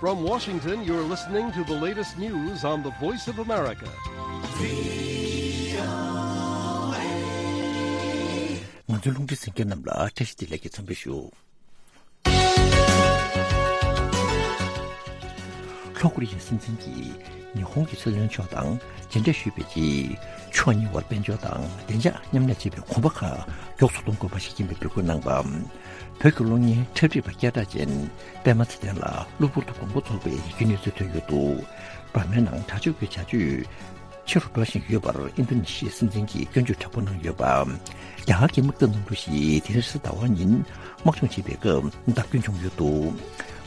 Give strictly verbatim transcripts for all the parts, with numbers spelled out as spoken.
From Washington, you're listening to the latest news on the Voice of America. ང་ཚོའི་རླུང་འཕྲིན་གསན་མཁན་རྣམས་ལ་བཀྲ་ཤིས་བདེ་ལེགས་ཀྱི་འཚམས་འདྲི་ཞུ། ལྷོ་ཀོ་རི་ཡའི་སྲིད་འཛིན་གྱིས་ཉི་ཧོང་གི་སྲིད་བློན་མཆོག་དང་མཇལ་འཕྲད་ཞུས་པའི་རྗེས། ཕྱོགས་གཉིས་བར་དཔལ་འབྱོར་དང་བདེ་འཇགས་མཉམ་ལས་བྱེད་པའི་གོམ་པ་ཁག་མགྱོགས་སུ་གཏོང་དགོས་པ་ཞིག་ཡིན་པའི་འབོད་སྐུལ་གནང་བ། བོད་ཀྱི་གློག་བརྙན་འཁྲབ་ཁྲིད་པ་སྐད་གྲགས་ཅན་པད་མ་ཚེ་བརྟན་ལ་གློ་བུར་དུ་དགོས་མཁོ་རྫོགས་པའི་གནས་ཚུལ་ཐོན་ཡོད་འདུག་འབར་མའི་ནང་དྲག་སྤྱོད་ཀྱི་བྱ་སྤྱོད་ཆེ་རུ་འགྲོ་བཞིན་ཡོད་པར་ཨིན་རྡུ་ནེ་ཤི་ཡའི་སྲིད་འཛིན་གྱིས་སྐྱོན་བརྗོད་དྲག་པོ་གནང་ཡོད་པ། རྒྱ་གར་གྱི་དམག་འཐབ་གནམ་གྲུ་ཞིག་དེ་རིང་གཟའ་ཟླ་བ་ཉིན་དམག་སྦྱོང་བྱེད་པའི་སྐབས་བརྡབ་སྐྱོན་བྱུང་ཡོད་འདུག་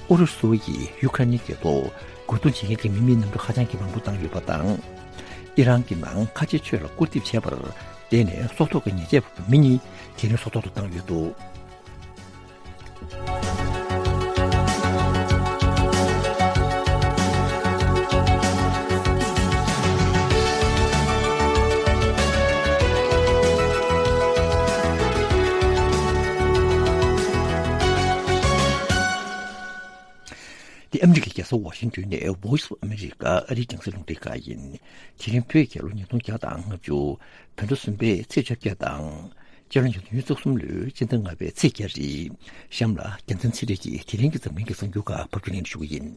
ཨུ་རུ་སུ་ཡིས་ཡུ་ཁ་ནི་རྒྱལ་ཐོག་རྒོལ་རྡུང་བྱེད་མཁན་གྱི་མི་མེད་གནམ་གྲུ་ཧ་ཅང་གི་མང་པོ་བཏང་ཡོད་པ་དང་། ཨི་རན་གྱི་ནང་ཁ་ཆེ་ཆོས་ལ་སྐུར་འདེབས་བྱས་པར་བརྟེན་ནས་སྲོག་ཐོག་གི་ཉེས་ཆད་ཕོག་པའི་མི་གཉིས་དེ་རིང་སྲོག་ཐོག་ཏུ་བཏང་ཡོད་འདུག་འདི་ཨ་མི་རི་ཀའི་རྒྱལ་ས་ཝ་ཤིང་ཏོན་ནས་Voice of America ཨ་རིའི་རྒྱང་སྲིང་རླུང་འཕྲིན་ཁང་ཡིན། དེ་རིང་བོད་རྒྱལ་ལོ་ཉིས་སྟོང་བརྒྱ་དང་ལྔ་བཅུ་བོད་ཟླ་གསུམ་པའི་ཚེས་བཅོ་བརྒྱད་དང་། སྤྱི་ལོ་ཉིས་སྟོང་ཉི་ཤུ་རྩ་གསུམ་ལོའི་སྤྱི་ཟླ་ལྔ་པའི་ཚེས་བརྒྱད་རེད། གཤམ་ལ་རྒྱལ་མཚན་ཚེ་རིང་གིས་དེ་རིང་གི་འཛམ་གླིང་གི་གསར་འགྱུར་ཁག་ཕབ་སྒྱུར་གནང་ཞུ་གི་ཡིན།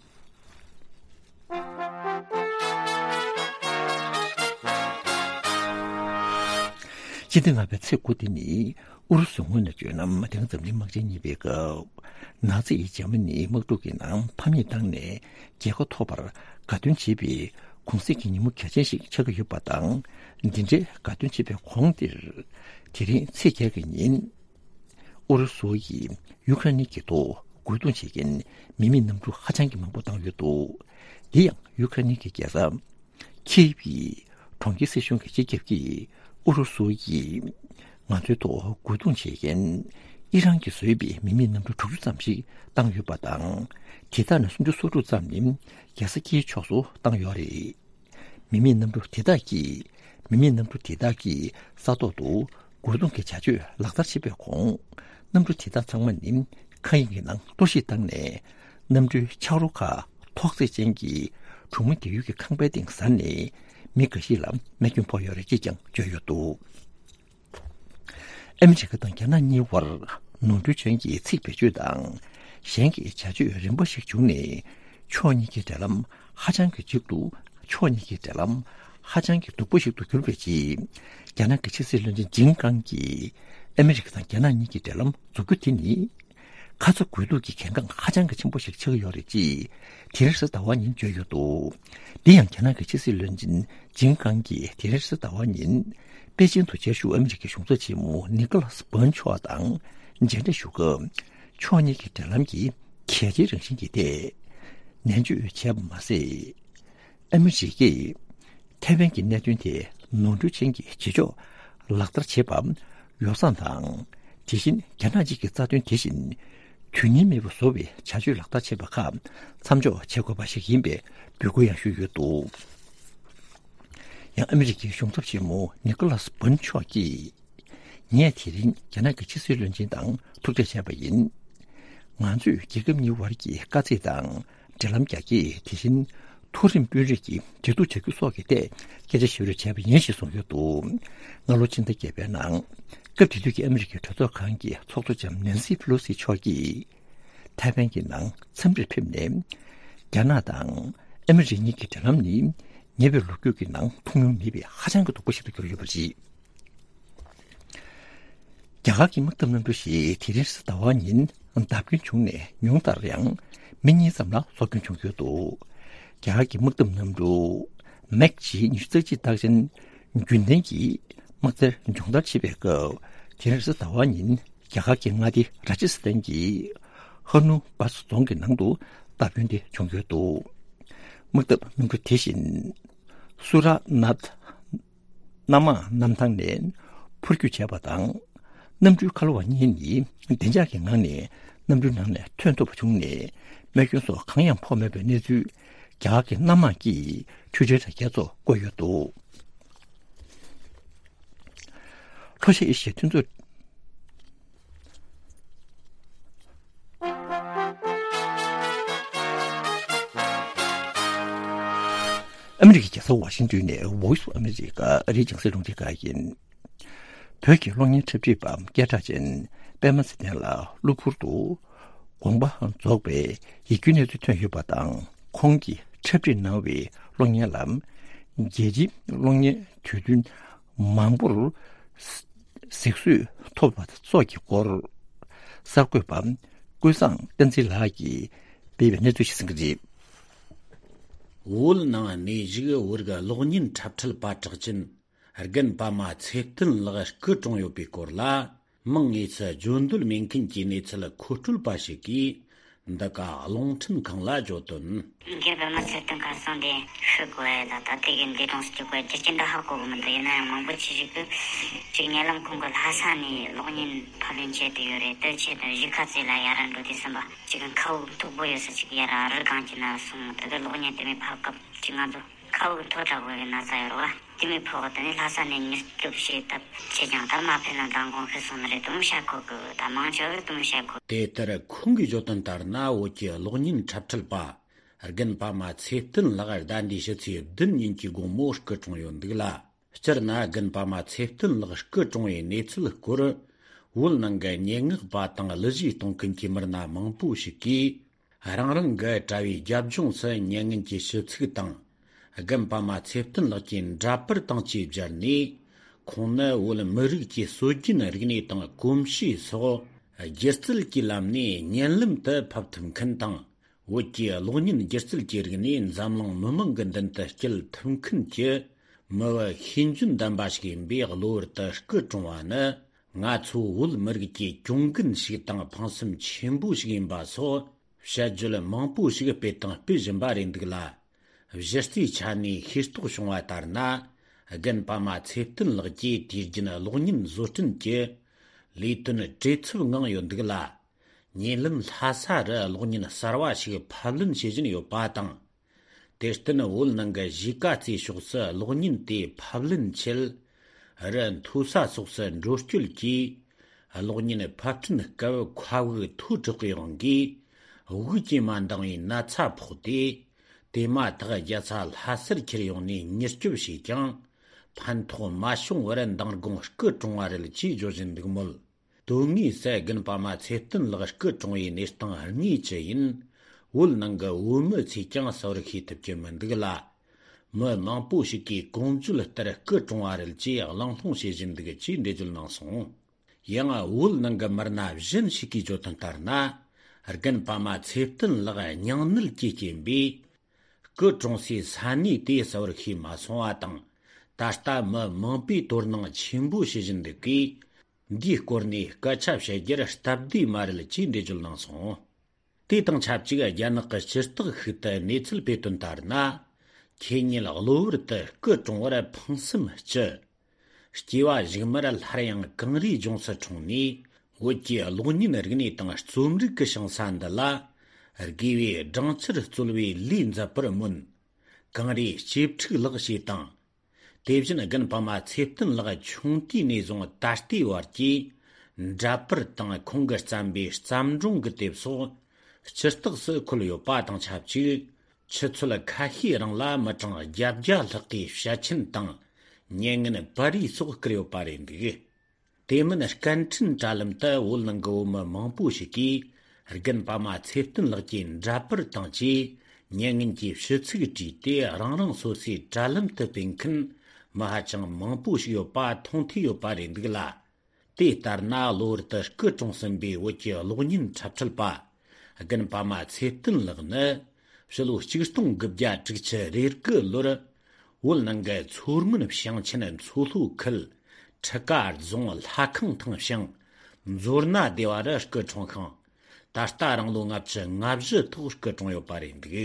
སྤྱི་ཟླ་ལྔ་པའི་ཚེས་དགུ་དེ་ནི་ཨུ་རུ་སུའི་ངོས་ནས་བརྗོད་ན། དེ་སྔ་འཛམ་གླིང་དམག་ཆེན་གཉིས་པའི་སྐབས་ནཱ་ཛི་ཡིས་འཇར་མ་ནིའི་དམག་འཁྲུག་གི་ནང་ཕམ་ཉེས་བཏང་ནས་རྒྱལ་ཁ་ཐོབ་པར་དགའ་སྟོན་བྱེད་པའི་གུང་གསེང་གི་ཉིན་མོ་གལ་ཆེན་ཞིག་ཆགས་ཀྱི་ཡོད་པ་དང་། འདི་འདྲའི་དགའ་སྟོན་བྱེད་པའི་གོང་དེར། དེ་རིང་ཚེས་བརྒྱད་ཀྱི་ཉིན། ཨུ་རུ་སུ་ཡིས་ཡུ་ཁ་རེན་གྱི་ཐོག་རྒོལ་རྡུང་བྱེད་མཁན་མི་མེད་གནམ་གྲུ་ཧ་ཅང་གི་མང་པོ་བཏང་ཡོད་འདུག་འདི་ཡང་ཡུ་ཁ་རེན་གྱི་རྒྱལ་ས་ཁིབ་ཀྱི་གྲོང་ཁྱེར་སྲིད་གཞུང་གི་སྤྱི་ཁྱབ་ཀྱིས་ཨུ་རུ་སུ་ཡིས་ང་ཚོའི་ཐོག་རྒོལ་རྡུང་བྱེད་མཁན་ཨི་རན་གྱིས་བཟོས་པའི་མི་མེད་གནམ་གྲུ་དྲུག་ཅུ་ཙམ་ཞིག་བཏང་ཡོད་པ་དང་། དེ་དག་ནས་སུམ་ཅུ་སོ་དྲུག་ཙམ་ནི་རྒྱལ་ས་ཁིའི་ཕྱོགས་སུ་བཏང་ཡོད་རེད། མི་མེད་གནམ་གྲུ་དེ་དག་གིས། མི་མེད་གནམ་གྲུ་དེ་དག་གིས་ས་ཐོག་ཏུ་རྒོལ་རྡུང་གི་བྱ་སྤྱོད་ལག་བསྟར་བྱེད་པའི་གོང་། གནམ་གྲུ་དེ་དག་ཚང་མ་ནི་མཁའ་དབྱིངས་ཀྱི་ནང་གཏོར་བཤིག་བཏང་ནས། གནམ་གྲུའི་ཆག་རོ་ཁག་ཐོག་བརྩེགས་ཅན་གྱི་གྲོང་མི་སྡོད་ཡུལ་གྱི་ཁང་པའི་སྟེང་གཟར་ནས། མི་འགའ་ཞིག་ལ་རྨས་སྐྱོན་ཕོག་ཡོད་རེད་ཅེས་ཀྱང་བརྗོད་ཡོད་འདུག་ཨ་མི་རི་ཀ་དང་རྒྱ་ནག་གཉིས་བར་ནོར་འཁྲུལ་ཅན་གྱི་ཚིག་བེད་སྤྱོད་དང་། གཞན་གྱི་བྱ་སྤྱོད་རིམ་པ་ཞིག་བྱུང་ནས། ཕྱོགས་གཉིས་ཀྱི་འབྲེལ་ལམ་ཧ་ཅང་གི་འཇིགས་འདུག་ཕྱོགས་གཉིས་ཀྱི་འབྲེལ་ལམ་ཧ་ཅང་གི་སྡུག་པོ་ཞིག་ཏུ་གྱུར་པའི་རྗེས། རྒྱ་ནག་གི་ཕྱི་སྲིད་བློན་ཆེན་ཇིན་ཀང་གིས། ཨ་མི་རི་ཀ་དང་རྒྱ་ནག་གཉིས་ཀྱི་འབྲེལ་ལམ་འཛུགས་རྒྱུ་དེ་ནི། ཁ་ཚ་དགོས་གཏུགས་ཀྱི་གལ་འགངས་ཧ་ཅང་གི་ཆེན་པོ་ཞིག་ཆགས་ཀྱི་ཡོད་རེད་ཅེས། དེ་རིང་གཟའ་ཟླ་བ་ཉིན་བརྗོད་ཡོད་འདུག་འདི་ཡང་རྒྱ་ནག་གི་ཕྱི་སྲིད་བློན་ཆེན་ཇིན་ཀང་གིས་དེ་རིང་གཟའ་ཟླ་བ་ཉིན། པེ་ཅིན་དུ་བཅའ་བཞུགས་ཨ་མི་རི་ཀའི་གཞུང་ཚབ་ཆེན་མོ་ནི་ཀོ་ལཱས་བྷོན་མཆོག་དང་མཇལ་འཕྲད་ཞུ་སྐབས། ཕྱོགས་གཉིས་ཀྱི་འབྲེལ་ལམ་གྱི་གལ་ཆེའི་རང་བཞིན་གྱི་ཐད་ནན་བརྗོད་བྱས་པ་མ་ཟད། ཨ་མི་རི་ཀས་ཐའེ་ཝན་གྱི་གནད་དོན་དེ་ནོར་འཁྲུལ་ཅན་གྱི་བྱེད་ཕྱོགས་ལག་བསྟར་བྱེད་པ་ཡོ་བསྲང་དང་། དེ་བཞིན་རྒྱ་ནག་གཅིག་གི་རྩ་དོན་དེ་བཞིན་དུས་ངེས་མེད་པར་བཟོ་བའི་བྱ་སྤྱོད་ལག་བསྟར་བྱེད་པ་ཁག་མཚམས་འཇོག་བྱེད་དགོས་པ་ཞིག་ཡིན་པའི་འབོད་སྐུལ་ཡང་ཞུས་ཡོད་འདུག་ཡང་ཨ་མི་རི་ཀའི་གཞུང་ཚབ་ཆེན་མོ་ནི་ཀོ་ལཱས་བྷོན་མཆོག་གིས། ངས་དེ་རིང་རྒྱ་ནག་གི་ཕྱི་སྲིད་བློན་ཆེན་དང་ཐུག་འཕྲད་བྱས་པ་ཡིན། ང་ཚོས་རྒྱལ་ཁབ་གཉིས་དབར་གྱི་དཀའ་ཚེགས་དང་འབྲེལ་ལམ་རྒྱ་སྐྱེད། དེ་བཞིན་མཐོ་རིམ་དཔོན་རིགས་ཀྱི་འབྲེལ་གཏུག་བྱ་རྒྱུ་སོགས་ཀྱི་ཐད་སྐད་ཆ་བཤད་རེས་བྱས་པ་ཡིན་ཞེས་གསུངས་ཡོད་འདུག་སྔ་ལོ་ཕྱི་ཟླ་བརྒྱད་པའི་ནང་། སྐབས་དེ་དུས་ཀྱི་ཨ་མི་རི་ཀའི་གྲོས་ཚོགས་ཁང་གི་ཚོགས་གཙོ་ལྕམ་ནན་སི་ཕེ་ལོ་སི་མཆོག་གིས། ཐའེ་ཝན་གྱི་ནང་འཚམས་འདྲིར་ཕེབས་ནས། རྒྱ་ནག་དང་ཨ་མི་རི་གཉིས་ཀྱི་འབྲེལ་ལམ་ནི་ཉེ་བའི་ལོ་རྒྱུས་ཀྱི་ནང་མཐོང་མྱོང་མེད་པའི་ཧ་ཅང་གི་སྡུག་པོ་ཞིག་ཏུ་གྱུར་ཡོད་པ་རེད། རྒྱ་གར་གྱི་དམག་འཐབ་གནམ་གྲུ་ཞིག་དེ་རིང་གཟའ་ཟླ་བ་ཉིན་བརྡབ་སྐྱོན་བྱུང་ནས། ཉུང་མཐར་ཡང་མི་གཉིས་ཙམ་ལ་སྲོག་སྐྱོན་བྱུང་ཡོད་འདུག་རྒྱ་གར་གྱི་དམག་འཐབ་གནམ་གྲུ་མེག་ཇི་ཉི་ཤུ་རྩ་གཅིག་རྟགས་ཅན་རྒྱུན་ལྡན་གྱི་དམག་རྩལ་སྦྱོང་བརྡར་བྱེད་པའི་སྐབས། དེ་རིང་གཟའ་ཟླ་བ་ཉིན་རྒྱ་གར་གྱི་མངའ་སྡེ་ར་ཇི་སི་ཐན་གྱི་ཧ་ནུ་སྦ་ས་རྫོང་གི་ནང་དུ་བརྡབ་སྐྱོན་དེ་བྱུང་ཡོད་འདུག་དམག་འཐབ་གནམ་གྲུ་དེ་བཞིན་སུ་ར་ནཱཐ་གནམ་དམག་གནམ་ཐང་ནས་འཕུར་སྐྱོད་བྱས་པ་དང་། གནམ་གྲུའི་ཁ་ལོ་བ་གཉིས་ནི་བདེ་འཇགས་ཀྱི་ངང་ནས་གནམ་གྲུའི་ནང་ནས་ཐོན་ཐུབ་པ་བྱུང་ནས། རྨས་སྐྱོན་སོགས་གང་ཡང་ཕོག་མེད་པའི་གནས་ཚུལ་རྒྱ་གར་གྱི་གནམ་དམག་གིས་འཕྲུལ་ཆས་དྲ་རྒྱའི་ཐོག་བཀོད་ཡོད་འདུག་ལྷོ་ཤར་ཨེ་ཤི་ཡའི་མཐུན་ཚོགས། ཨ་མི་རི་ཀའི་རྒྱལ་ས་ཝ་ཤིང་ཏོན་ནས་Voice of America ཨ་རིའི་རྒྱང་སྲིང་རླུང་འཕྲིན་ཁང་ཡིན། བོད་ཀྱི་གློག་བརྙན་འཁྲབ་ཁྲིད་པ་སྐད་གྲགས་ཅན་པད་མ་ཚེ་བརྟན་ལགས་གློ་བུར་དུ་དགོངས་པ་རྫོགས་པའི་ཡིད་སྐྱོའི་གནས་ཚུལ་ཐོན་ཡོད་པ་དང་། ཁོང་གིས་འཁྲབ་ཁྲིད་གནང་བའི་གློག་བརྙན་ལ་རྒྱལ་སྤྱིའི་གློག་བརྙན་དུས་སྟོན་མང་པོར་གཟིགས་གསོལ་ཐོབ་པ་སོགས་ཀྱི་སྐོར། གསར་འགོད་པ་ཀུན་བཟང་བསྟན་འཛིན་ལགས་ཀྱིས་སྤེལ་བའི་གནས་ཚུལ་ཞིག་གསན་གྱི་རེད། བོད་ནང་གནས་བཞུགས་བོད་རིགས་གློག་བརྙན་འཁྲབ་ཁྲིད་པ་གྲགས་ཅན་རྒན་པད་མ་ཚེ་བརྟན་ལགས་སྐུ་གྲོངས་ཡོད་པའི་སྐོར་ལ། མིང་དངོས་སུ་བརྗོད་འདོད་མེད་མཁན་གྱི་གནས་ཚུལ་མཁོ་སྤྲོད་པ་ཞིག་གིས་འདི་ག་རླུང་འཕྲིན་ཁང་ལ་བརྗོད་དོན། རྒན་པད་མ་ཚེ་བརྟན་ཁ་སང་དེ་ཤི་དགོས་ཡ་ད་ད་ལྟའི་གི་འདས་གྲོངས་སུ་གྱུར་པའི་རྒྱུ་རྐྱེན་འདི་ཧ་གོ་གི་མི་འདུག་ཡིན་ན་ཡང་མང་པོ་ཅིག་ཞིག་གིས་ཅིག་ཉེ་ལམ་ཁོང་གི་ལྷ་ས་ནས་གློག་བརྙན་ཕབ་ལེན་བྱེད་དུ་ཡོད་རེད། དེ་ཆེད་དུ་གཞིས་ཀ་རྩེ་ལ་ཡར་འགྲོ་དུས་ཙམ་པ་ཅིག་མཁའ་དབུགས་མཐུག་པོ་ཡོད་ས་ཅིག་ཡར་རི་སྒང་གི་ན་སོང་། དེ་གི་གློག་བརྙན་དེ་མོ་ཕབ་སྐབས་ཅིག་ང་ཚོ་མཁའ་དབུགས་མཐོ་དྲགས་པོ་གི་ན་ཚ་ཡོད་རེད་བ། དེ་མོ་ཕོག་དེ་ནས་ལྷ་ས་ནས་མྱུར་སྐྱོབ་བྱས་སྟབས་ཆེ་ཀྱང་ད་མ་ཕེབས་ན་མདང་དགོང་ཤི་སོང་ནི་རེད་དུང་བཤད་ཁོ་གི་ད་མང་ཆེ་བས་དུང་བཤད་ཁོ། དེ་ལྟར་ཁོང་གིས་བརྗོད་དོན་ལྟར་ན། བོད་ཀྱི་གློག་བརྙན་འཁྲབ་ཁྲིད་པ་རྒན་པད་མ་ཚེ་བརྟན་ལགས་ཟླ་འདིའི་ཕྱི་ཚེས་བདུན་ཉིན་གྱི་དགོང་མོ་སྐུ་གྲོངས་ཡོད་འདུག་ལ། སྤྱིར་ན་རྒན་པད་མ་ཚེ་བརྟན་ལགས་སྐུ་གྲོངས་པའི་གནས་ཚུལ་སྐོར། བོད་ནང་གི་སྙན་ངག་པ་དང་གླུ་གཞས་གཏོང་མཁན་གྱི་མི་སྣ་མང་པོ་ཞིག་གིས། རང་རང་གི་དྲ་བའི་རྒྱབ་ལྗོངས་སུ་མྱ་ངན་གྱི་ཞུ་ཚིག་དང་། རྒན་པད་མ་ཚེ་བརྟན་ལགས་ཀྱི་འདྲ་པར་དང་བཅས་སྦྱར་ནས། ཁོང་ནི་བོད་མི་རིགས་ཀྱི་སྲོལ་རྒྱུན་རིག་གནས་དང་གོམས་གཤིས་སོགས་སྒྱུ་རྩལ་གྱི་ལམ་ནས་བརྙན་ལམ་དུ་ཕབ་ཐུབ་མཁན་དང་། བོད་ཀྱི་གློག་བརྙན་སྒྱུ་རྩལ་གྱི་རིག་གནས་འཛམ་གླིང་མི་མང་གི་མདུན་དུ་སྐྱེལ་ཐུབ་མཁན་གྱི་མི་བུ་ཤེས་འཇོན་ལྡན་པ་ཞིག་ཡིན་པས། གློ་བུར་དུ་སྐུ་གྲོངས་པ་ནི། ང་ཚོ་བོད་མི་རིགས་ཀྱི་གྱོང་གུན་ཞིག་དང་ཕངས་སེམས་ཆེན་པོ་ཞིག་ཡིན་པ་སོགས་བཤད་རྒྱུད་མང་པོ་ཞིག་སྤེལ་དང་སྤེལ་བཞིན་པ་རེད་འདུག་ལ། གཞི་རྩའི་ཆ་ནས་ཤེས་རྟོགས་བྱུང་བ་ལྟར་ན། རྒན་པད་མ་ཚེ་བརྟན་ལགས་ཀྱིས་དུས་རྒྱུན་གློག་བརྙན་བཟོ་སྐྲུན་གྱི་ལས་དོན་བྲེལ་འཚུབ་ངང་ཡོད་འདུག་ལ། ཉེ་ལམ་ལྷ་ས་རུ་གློག་བརྙན་གསར་བ་ཞིག་ཕབ་ལེན་བྱེད་བཞིན་ཡོད་པ་དང་། དེར་བརྟེན་བོད་ནང་གི་གཞིས་ཀ་རྩེ་ཕྱོགས་སུ་གློག་བརྙན་དེ་ཕབ་ལེན་ཆེད་རི་མཐོ་ས་སོགས་སུ་འགྲོ་སྐྱོད་ཀྱིས། གློག་བརྙན་ཕབ་སྐྲུན་སྐབས་མཁའ་དབུགས་མཐོ་དྲགས་པའི་དབང་གིས་དབུགས་ཀྱིས་མ་འདང་བའི་ན་ཚ་ཕོག་སྟེ། དེ་མ་ཐག་རྒྱལ་ས་ལྷ་སར་ཁྱེར་ཡོང་ནས་མྱུར་སྐྱོབ་བྱས་ཀྱང་། ཕན་ཐོགས་མ་བྱུང་བར་མདང་དགོང་སྐུ་གྲོངས་པ་རེད་ཅེས་བརྗོད་བཞིན་འདུག་མོད། དོན་དངོས་སུ་རྒན་པད་མ་ཚེ་བརྟན་ལགས་སྐུ་གྲོངས་པའི་གནས་སྟངས་དངོས་ཅི་ཡིན། བོད་ནང་གི་བོད་མི་ཚོས་ཀྱང་གསལ་བོར་ཤེས་ཐུབ་ཀྱི་མི་འདུག་ལ། མི་མང་པོ་ཞིག་གིས་གོང་བརྗོད་ལྟར་སྐུ་གྲོངས་པ་རེད་ཅེས་གླེང་སློང་བྱེད་བཞིན་འདུག་ཅེས་འགྲེལ་བརྗོད་གནང་སོང་། ཡང་བོད་ནང་གི་མི་སྣ་གཞན་ཞིག་གིས་བརྗོད་དོན་ལྟར་ན། རྒན་པད་མ་ཚེ་བརྟན་ལགས་སྙིང་ནད་ཀྱི་རྐྱེན་པས། སྐུ་གྲོངས་སའི་ས་གནས་དེ་གསལ་བོར་ཤེས་མ་སོང་བ་དང་། ད་ལྟ་མི་མང་པོས་དོ་སྣང་ཆེན་པོ་བྱེད་བཞིན་འདུག་གས། འདིའི་སྐོར་ནས་སྐད་ཆ་བཤད་རྒྱུར་སྟབས་བདེ་མ་རེད་ཅེས་འགྲེལ་བརྗོད་གནང་སོང་། དེ་དང་ཆབས་ཅིག་རྒྱ་ནག་གི་སྤྱི་བཏགས་ཤིག་ཏུ་གནས་ཚུལ་སྤེལ་དོན་ལྟར་ན། ཁྱེད་ཉིད་གློ་བུར་དུ་སྐུ་གྲོངས་པར་ཕངས་སེམས་སྐྱེ། སྐྱེ་བ་གཞུག་མར་སླར་ཡང་གངས་རིའི་ལྗོངས་སུ་འཁྲུངས་ནས། བོད་ཀྱི་གློག་བརྙན་རིག་གནས་དང་རྩོམ་རིག་གི་ཞིང་ས་འདི་ལ་དགེ་བའི་སྦྲང་ཆར་སྩོལ་བའི་ལས་མཛད་པར་སྨོན། གངས་རིའི་གཅེས་ཕྲུག་ལགས་ཞེས་དང་། དེ་བཞིན་རྒན་པད་མ་ཚེ་བརྟན་ལགས་ཆུང་དུས་ནས་བཟུང་ད་ལྟའི་བར་གྱི་འདྲ་པར་དང་ཁོང་གིས་བརྩམས་པའི་བརྩམས་སྒྲུང་གི་དེབ་སོགས་སྤྱི་རྟགས་སུ་འཁོད་ཡོད་པ་དང་ཆབས་ཅིག་ཆུ་ཚོད་ཁ་ཤས་རིང་ལ་མི་གྲངས་བརྒྱད་བརྒྱ་ལྷག་གིས་བཤད་མཁྱེན་དང་མྱ་ངན་པར་རིས་སོགས་བསྐུར་ཡོད་པ་རེད་འདུག་དེ་མིན་སྐད་འཕྲིན་དྲ་ལམ་དུ་བོད་ནང་གི་བོད་མི་མང་པོ་ཞིག་གིས་རྒན་པད་མ་ཚེ་བརྟན་ལགས་ཀྱི་འདྲ་པར་དང་བཅས་མྱ་ངན་གྱི་ཞུ་ཚིག་བྲིས་ཏེ། རང་རང་སོ་སོའི་དྲ་ལམ་དུ་སྤེལ་མཁན་མི་ཧ་ཅང་མང་པོ་ཞིག་ཡོད་པ་མཐོང་ཐོས་ཡོད་པ་རེད་འདུག་ལ། དེ་ལྟར་ན་གློ་བུར་དུ་སྐུ་གྲོངས་ཟིན་པའི་བོད་ཀྱི་གློག་བརྙན་འཁྲབ་ཁྲིད་པ་རྒན་པད་མ་ཚེ་བརྟན་ལགས་ནི། ཕྱི་ལོ་ཆིག་སྟོང་དགུ་བརྒྱ་དྲུག་ཅུ་རེ་དགུ་ལོར་བོད་ནང་གི་མཚོ་སྔོན་ཞིང་ཆེན་མཚོ་ལྷོ་ཁུལ་ཁྲི་ཀ་རྫོང་ལྷ་ཁང་ཐང་ཞིང་མཛོ་སྣ་སྡེ་བ་རུ་སྐུ་འཁྲུངས་ཤིང་། ད་ལྟ་རང་ལོ་ལྔ་བཅུ་ང་བཞི་ཐོག་སྐུ་གྲོངས་ཡོད་པ་རེད་འདུག་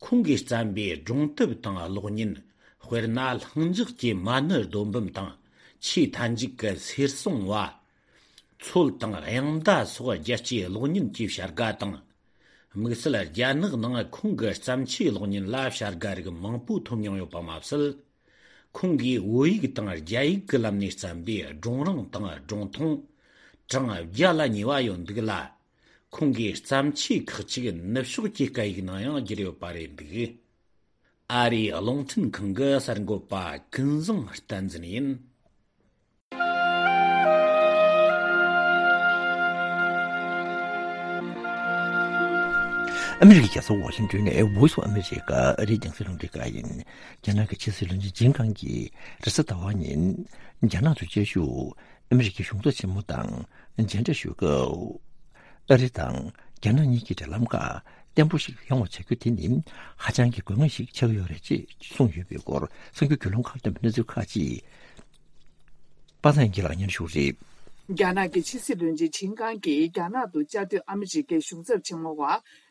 ཁོང་གིས་བརྩམས་པའི་སྒྲུང་དེབ་དང་གློག་བརྙན། དཔེར་ན་ལྷིང་འཇགས་ཀྱི་མ་ཎི་རྡོ་འབུམ་དང་། ཆེས་མཐའ་མཇུག་གི་གསེར་སྲུང་བ། མཚོལ་དང་དབྱངས་མདའ་སོགས་རྒྱལ་སྤྱིའི་གློག་བརྙན་གྱི་བྱ་དགའ་དང་། དམིགས་བསལ་རྒྱ་ནག་ནང་ཁོང་གི་བརྩམས་ཆོས་གློག་བརྙན་ལ་བྱ་དགའ་རིགས་མང་པོ་ཐོབ་མྱོང་ཡོད་པ་མ་ཟད། ཁོང་གིས་བོད་ཡིག་དང་རྒྱ་ཡིག་གི་ལམ་ནས་བརྩམས་པའི་སྒྲུང་རིང་དང་སྒྲུང་ཐུང་གྲངས་བརྒྱ་ལ་ཉེ་བ་ཡོད་འདུག་ལ། ཁོང་གི་བརྩམས་ཆོས་ཁག་ཅིག་ནུབ་ཕྱོགས་ཀྱི་སྐད་ཡིག་ནང་ཡང་བསྒྱུར་ཡོད་པ་རེད་འདུག་ཨ་རིའི་རླུང་འཕྲིན་ཁང་གི་གསར་འགོད་པ་ཀུན་བཟང་བསྟན་འཛིན་ཡིན། ཨ་མི་རི་ཀའི་རྒྱལ་ས་ཝ་ཤིང་ཏོན་ནས་Voice of America ཨ་རིའི་རྒྱང་སྲིང་རླུང་འཕྲིན་ཁང་ཡིན། རྒྱ་ནག་གི་ཕྱི་སྲིད་བློན་ཆེན་ཆིན་ཀང་གིས་རེས་གཟའ་ཟླ་བ་ཉིན་རྒྱ་ནག་ཏུ་བཅའ་བཞུགས་ཨ་མི་རི་ཀའི་གཞུང་ཚབ་ཆེན་མོ་དང་མཇལ་འཕྲད་ཞུས་སྐབས། ཨ་རི་དང་རྒྱ་ནག་གཉིས་ཀྱི་འབྲེལ་ལམ་ཁག་བརྟན་པོ་ཞིག་ཡོང་བ་བྱ་རྒྱུ་དེ་ནི་ཧ་ཅང་གི་དགོས་ངེས་ཤིག་ཆགས་ཡོད་རེད་ཅེས་གསུངས་ཡོད་པའི་སྐོར་གསར་འགྱུར་བརྒྱུད་ལམ་ཁག་ལ་ཐོན་པའི་གནས་ཚུལ་ཁག་ཅིག་པ་སངས་སྐྱིད་ལགས་སྙན་ཞུ་རེད། རྒྱ་ནག་གི་ཕྱི་སྲིད་བློན་ཆེན་ཆིན་ཀང་གིས་རྒྱ་ནག་ཏུ་བཅའ་སྡོད་ཨ་མི་རི་ཀའི་གཞུང་ཚབ་ཆེན་མོ་བ་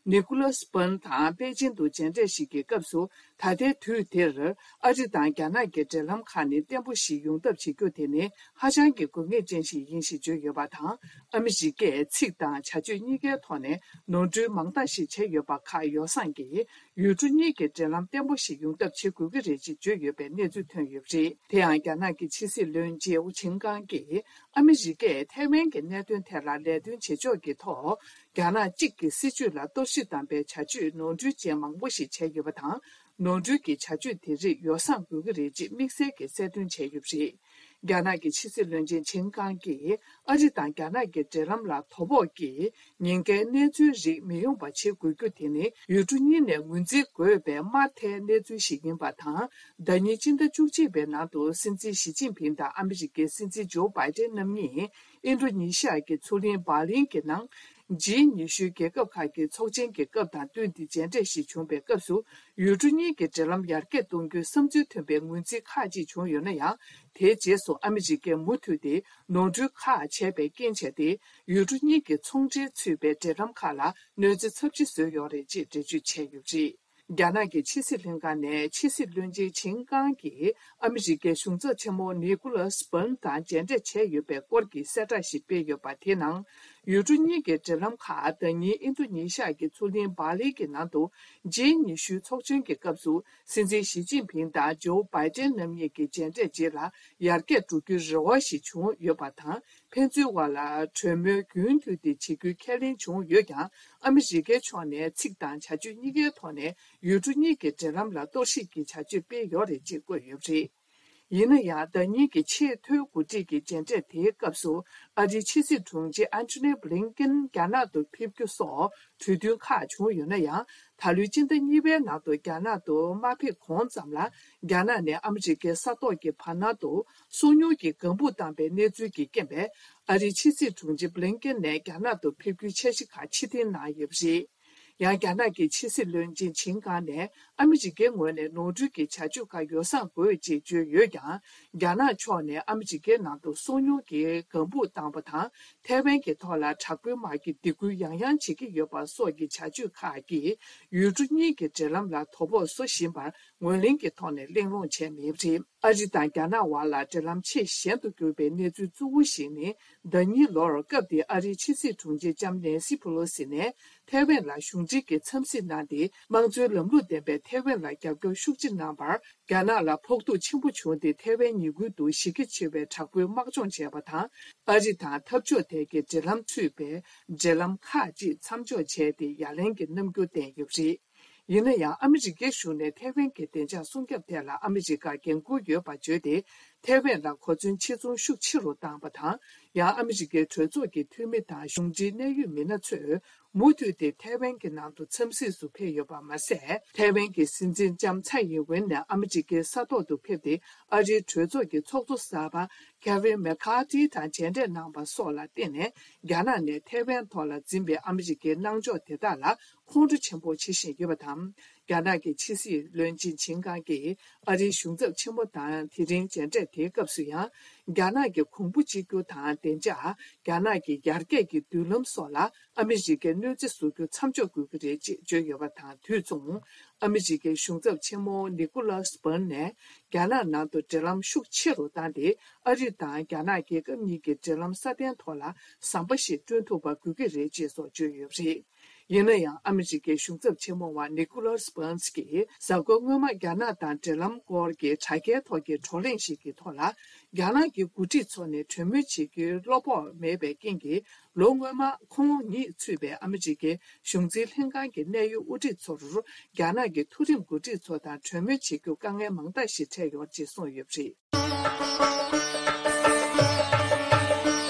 ནི་ཀུ་ལ་སི་པན་དང་པེ་ཅིན་དུ་མཇལ་འཕྲད་ཞིག་གི་སྐབས་སུ། ད་ལྟའི་དུས་དེར་ཨ་རི་དང་རྒྱ་ནག་གི་འབྲེལ་ལམ་ཁག་ནི་བརྟན་པོ་ཞིག་ཡོང་ཐབས་བྱེད་རྒྱུ་དེ་ནི་ཧ་ཅང་གི་དགོས་ངེས་ཅན་ཞིག་ཡིན་ཞེས་བརྗོད་ཡོད་པ་དང་། ཨ་མི་རི་ཀས་ཚིག་དང་བྱ་སྤྱོད་གཉིས་ཀའི་ཐོག་ནས་ནོར་འཁྲུལ་མང་དག་ཞིག་བྱས་ཡོད་པ་ཁག་ཡོ་བསྲང་གིས་ཡུལ་གྲུ་གཉིས་ཀྱི་འབྲེལ་ལམ་བརྟན་པོ་ཞིག་ཡོང་ཐབས་བྱེད་དགོས་ཀྱི་རེད་ཅེས་བརྗོད་ཡོད་པའི་གནས་ཚུལ་ཐོན་ཡོད་པ་རེད། དེ་ཡང་རྒྱ་ནག་གི་ཕྱི་སྲིད་བློན་ཆེན་ཆིན་ཀང་གིས་ཨ་མི་རི་ཀས་ཐའེ་ཝན་གྱི་གནད་དོན་ཐད་ལ་ལས་དོན་བྱེད་ཕྱོགས་ཀྱི་ཐོག་རྒྱ་ནག་གཅིག་གི་སྲིད་བྱུས་ལ་གཏོར་བཤིག་བཏང་པའི་བྱ་སྤྱོད་ནོར་འཁྲུལ་ཅན་མང་པོ་ཞིག་བྱས་ཡོད་པ་དང་། ནོར་འཁྲུལ་གྱི་བྱ་སྤྱོད་དེ་རིགས་ཡོ་བསྲང་དགོས་ཀྱི་རེད་ཅེས་དམིགས་བསལ་གྱིས་གསལ་སྟོན་བྱས་ཡོད་པ་རེད། རྒྱ་ནག་གི་ཕྱི་སྲིད་བློན་ཆེན་ཆིན་ཀང་གིས་ཨ་རི་དང་རྒྱ་ནག་གི་འབྲེལ་ལམ་ལ་དོ་ཕོག་གི་ཉེན་ཁའི་གནས་ཚུལ་རིགས་མི་ཡོང་པ་བྱེད་དགོས་རྒྱུ་དེ་ནི་ཡུལ་གྲུ་གཉིས་ནས་ངོས་འཛིན་དགོས་པའི་དམར་ཐལ་གནས་ཚུལ་ཞིག་ཡིན་པ་དང་། ཟླ་ཉིན་སྤྱི་ཟླ་བཅུ་གཅིག་པའི་ནང་དུ་སྲིད་འཛིན་ཞི་ཅིན་ཕིང་དང་ཨ་མི་རི་ཀའི་སྲིད་འཛིན་ཇོ་བྷའི་ཏན་རྣམ་གཉིས་ཨིན་ཌོ་ནི་ཤི་ཡ་གི་མཚོ་གླིང་སྦར་ལིན་གྱི་ནང་། ཇི་ཉི་ཤུའི་རྒྱལ་ཁབ་ཁག་གི་ཚོགས་ཆེན་གྱི་སྐབས་དང་བསྟུན་ཏེ་མཇལ་འཕྲད་ཞིག་བྱུང་བའི་སྐབས་སུ། ཡུལ་གྲུ་གཉིས་ཀྱི་འབྲེལ་ལམ་ཡར་རྒྱས་གཏོང་རྒྱུའི་བསམ་ཚུལ་མཐུན་པའི་ངོས་འཛིན་ཁག་ཅིག་བྱུང་ཡོད་ན་ཡང་། དེའི་རྗེས་སུ་ཨ་མི་རི་ཀས་མུ་མཐུད་དེ་ནོར་འཁྲུལ་ཁག་བྱས་པའི་རྐྱེན་བྱས་ཏེ། ཡུལ་གྲུ་གཉིས་ཀྱི་ཚོང་འབྲེལ་ཚུད་པའི་འབྲེལ་ལམ་ཁག་ལ་གནོད་འཚེ་ཚབས་ཆེ་བཟོས་ཡོད་རེད་ཅེས་འགྲེལ་བརྗོད་བྱས་ཡོད་པ་རེད། རྒྱ་ནག་གི་ཕྱི་སྲིད་ལྷན་ཁང་ནས་ཕྱི་སྲིད་བློན་ཆེན་ཆིན་ཀང་གིས་ཨ་མི་རི་ཀའི་གཞུང་ཚབ་ཆེན་མོ་ནི་ཀུ་ལ་སི་པན་དང་མཇལ་འཕྲད་བྱས་ཡོད་པའི་སྐོར་གྱི་གསལ་བསྒྲགས་ཤིག་སྤེལ་ཡོད་པ་དེའི་ནང་། ཡུལ་གྲུ་གཉིས་ཀྱི་འབྲེལ་ལམ་ཁག་ཟླ་ཉིན་ཨིན་ཌོ་ནི་ཤི་ཡ་གི་མཚོ་གླིང་སྦར་ལིན་གྱི་ནང་དུ་ཇི་ཉི་ཤུའི་ཚོགས་ཆེན་གྱི་སྐབས་སུ་སྲིད་འཛིན་ཞི་ཅིན་ཕིང་དང་ཇོ་བྷའི་ཏན་རྣམ་གཉིས་ཀྱི་མཇལ་འཕྲད་རྗེས་ལ་ཡར་རྒྱས་འགྲོ་རྒྱུའི་རེ་བ་ཞིག་བྱུང་ཡོད་པ་དང་། ཕན་ཚུན་བར་ལ་གྲོས་མོལ་རྒྱུན་མཐུད་དེ་བྱེད་རྒྱུའི་ཁས་ལེན་བྱུང་ཡོད་ཀྱང་། ཨ་མི་རི་ཀའི་ཕྱོགས་ནས་ཚིག་དང་བྱ་སྤྱོད་གཉིས་ཀའི་ཐོག་ནས་ཡུལ་གྲུ་གཉིས་ཀྱི་འབྲེལ་ལམ་ལ་གཏོར་བཤིག་གི་བྱ་སྤྱོད་སྤེལ་ཡོད་རེད་ཅེས་བཀོད་ཡོད་པ་རེད། ཡིན་ན་ཡང་། ཟླ་ཉིན་གྱི་ཆེས་མཐོའི་འགོ་ཁྲིད་ཀྱི་མཇལ་འཕྲད་དེའི་སྐབས་སུ། ཨ་རིའི་ཕྱི་སྲིད་དྲུང་ཆེ་ཨན་ཐོ་ནི་བྷི་ལིན་ཀེན་རྒྱ་ནག་ཏུ་ཕེབས་རྒྱུ་སོགས་གྲོས་མཐུན་ཁག་བྱུང་ཡོད་ན་ཡང་། ད་ལོའི་སྤྱི་ཟླ་གཉིས་པའི་ནང་དུ་རྒྱ་ནག་ཏུ་མ་ཕེབས་གོང་ཙམ་ལ། རྒྱ་ནག་ནས་ཨ་མི་རི་ཀའི་ས་ཐོག་གི་བར་སྣང་དུ་སོ་ཉུལ་གྱིས་ལྒང་ཕུག་བཏང་པའི་གནས་ཚུལ་གྱིས་རྐྱེན་པས། ཨ་རིའི་ཕྱི་སྲིད་དྲུང་ཆེ་བྷི་ལིན་ཀེན་ནས་རྒྱ་ནག་ཏུ་ཕེབས་རྒྱུའི་འཆར་གཞི་ཁག་ཕྱིར་འཐེན་གནང་ཡོད་པ་རེད། ཡང་། རྒྱ་ནག་གི་ཕྱི་སྲིད་བློན་ཆེན་ཆིན་ཀང་ནས་ཨ་མི་རི་ཀའི་ངོས་ནས་ནོར་འཁྲུལ་གྱི་བྱ་སྤྱོད་ཁག་ཡོ་བསྲང་དགོས་ཅེས་བརྗོད་ཡོད་ཀྱང་། རྒྱ་ནག་ཕྱོགས་ནས་ཨ་མི་རི་ཀའི་ནང་དུ་སོ་ཉུལ་གྱིས་ལྒང་ཕུག་བཏང་བ་དང་། ཐའེ་ཝན་གྱི་ཐོག་ལ་དྲག་པོའི་དམག་གི་སྡིགས་སྐུལ་ཡང་ཡང་བྱེད་ཀྱི་ཡོད་པ་སོགས་ཀྱི་བྱ་སྤྱོད་ཁག་གིས་ཡུལ་གྲུ་གཉིས་ཀྱི་འབྲེལ་ལམ་ལ་དོ་ཕོག་བཟོ་བཞིན་པར་ངོས་ལེན་གྱི་ཐོག་ནས་གླེང་སློང་བྱས་མེད་པ་རེད། ཨ་རི་དང་རྒྱ་ནག་དབར་ལ་འབྲེལ་ལམ་ཆེས་ཞན་དུ་གྱུར་པའི་གནས་ཚུལ་གཙོ་བོ་ཞིག་ནི། ཟླ་ཉིན་ལོར་སྐབས་དེའི་ཨ་རིའི་ཕྱི་སྲིད་དྲུང་ཆེ་ལྕམ་ནེན་སི་ཕུ་ལོ་སི་ནས་ཐའེ་ཝན་ལ་གཞུང་འབྲེལ་གྱི་འཚམས་གཟིགས་གནང་སྟེ། དམངས་གཙོའི་ལམ་ལུགས་ལྡན་པའི་ཐའེ་ཝན་ལ་རྒྱབ་སྐྱོར་ཤུགས་ཆེ་གནང་བར། རྒྱ་ནག་ལ་ཕོག་ཐུག་ཆེན་པོ་བྱུང་སྟེ། ཐའེ་ཝན་ཉེ་ཁུལ་དུ་གཞི་རྒྱ་ཆེ་བའི་དྲག་པོའི་དམག་སྦྱོང་བྱས་པ་དང་། ཨ་རི་དང་འཐབ་ཕྱོགས་དེ་གའི་འབྲེལ་ལམ་ཚུད་པའི་འབྲེལ་ལམ་ཁག་ཅིག་མཚམས་འཇོག་བྱས་ཏེ། ཡ་ལན་གྱི་རྣམ་འགྱུར་བསྟན་ཡོད་པ་རེད། ཡིན་ན་ཡང་། ཨ་མི་རི་ཀའི་གཞུང་ནས་ཐའེ་ཝན་གྱི་བདེ་འཇགས་སྲུང་སྐྱོབ་ཐད་ལ་ཨ་མི་རི་ཀར་འགན་འཁུར་ཡོད་པར་བརྗོད་དེ། ཐའེ་ཝན་ལ་གོ་མཚོན་ཆེ་མཐོང་ཤུགས་ཆེ་རུ་བཏང་བ་དང་། ཡང་། ཨ་མི་རི་ཀའི་གྲོས་ཚོགས་ཀྱི་འཐུས་མི་དང་གཞུང་འབྲེལ་གནད་ཡོད་མི་སྣ་ཚོས་མུ་མཐུད་དེ་ཐའེ་ཝན་གྱི་ནང་དུ་འཚམས་གཟིགས་སུ་ཕེབས་ཡོད་པ་མ་ཟད། ཐའེ་ཝན་གྱི་སྲིད་འཛིན་ལྕམ་ཚའེ་ཡིན་ཝེན་ནས་ཨ་མི་རི་ཀའི་ས་ཐོག་ཏུ་ཕེབས་ཏེ། ཨ་རིའི་གྲོས་ཚོགས་ཀྱི་ཚོགས་གཙོ་གསར་པ་ཁེ་ཝིན་མེ་ཁ་ཐི་དང་མཇལ་འཕྲད་གནང་བ་སོགས་ལ་བརྟེན་ནས། རྒྱ་ནག་ནས་ཐའེ་ཝན་ཐོག་ལ་འཛིན་པའི་ཨ་མི་རི་ཀའི་གནང་ཕྱོགས་དེ་དག་ལ་ཁོང་ཁྲོ་ཆེན་པོ་བྱེད་བཞིན་ཡོད་པ་དང་། རྒྱ་ནག་གི་ཕྱི་སྲིད་བློན་ཆེན་ཆིན་ཀང་གིས་ཨ་རིའི་གཞུང་ཚབ་ཆེན་མོ་དང་དེ་རིང་མཇལ་འཕྲད་དེའི་སྐབས་སུ་ཡང་། རྒྱ་ནག་གི་གོང་བུ་གཅིག་གྱུར་དང་བདེ་འཇགས། རྒྱ་ནག་གི་ཡར་རྒྱས་ཀྱི་མདུན་ལམ་སོགས་ལ་ཨ་མི་རི་ཀས་གནོད་འཚེ་བཟོ་རྒྱུ་མཚམས་འཇོག་དགོས་ཀྱི་རེད་ཅེས་བརྗོད་ཡོད་པ་དང་། དུས་མཚུངས། ཨ་མི་རི་ཀའི་གཞུང་ཚབ་ཆེན་མོ་ནི་ཀོ་ལཱས་པན་ནས་རྒྱ་ནག་ནང་དུ་འབྲེལ་ལམ་ཤུགས་ཆེ་རུ་བཏང་སྟེ། ཨ་རི་དང་རྒྱ་ནག་རྒྱལ་ཁབ་གཉིས་ཀྱི་འབྲེལ་ལམ་སྲ་བརྟན་ཐོག་ལ་ཟམ་པ་ཞིག་བསྐྲུན་ཐུབ་པ་དགོས་ཀྱི་རེད་ཅེས་སོགས་བརྗོད་ཡོད་པ་རེད། ཡིན་ན་ཡང་། ཨ་མི་རི་ཀའི་གཞུང་ཚབ་ཆེན་མོ་བ་ནི་ཀོ་ལཱས་པན་གྱིས་གཟའ་འཁོར་སྔོན་མ་རྒྱ་ནག་དང་འབྲེལ་ལམ་སྐོར་གྱི་དྲ་རྒྱའི་ཐོག་གི་བགྲོ་གླེང་ཞིག་གི་ཐོག་ལ། རྒྱ་ནག་གི་འགོ་ཁྲིད་ཚོ་ནས་གྲོས་མོལ་བྱེད་རྒྱུའི་བློ་ཕོག་མེད་པའི་རྐྱེན་གྱིས། ལོ་སྔོན་མ་ཁོང་ཉིད་ཚུད་པའི་ཨ་མི་རི་ཀའི་གཞུང་འཛིན་ལྷན་ཁང་གི་གནད་ཡོད་དབུ་ཁྲིད་ཚོར་རྒྱ་ནག་གི་མཐོ་རིམ་འགོ་ཁྲིད་ཚོ་དང་གྲོས་མོལ་བྱེད་རྒྱུ་དཀའ་ངལ་མང་དག་ཞིག་འཕྲད་ཡོད་ཅེས་གསུངས་ཡོད་པ་རེད།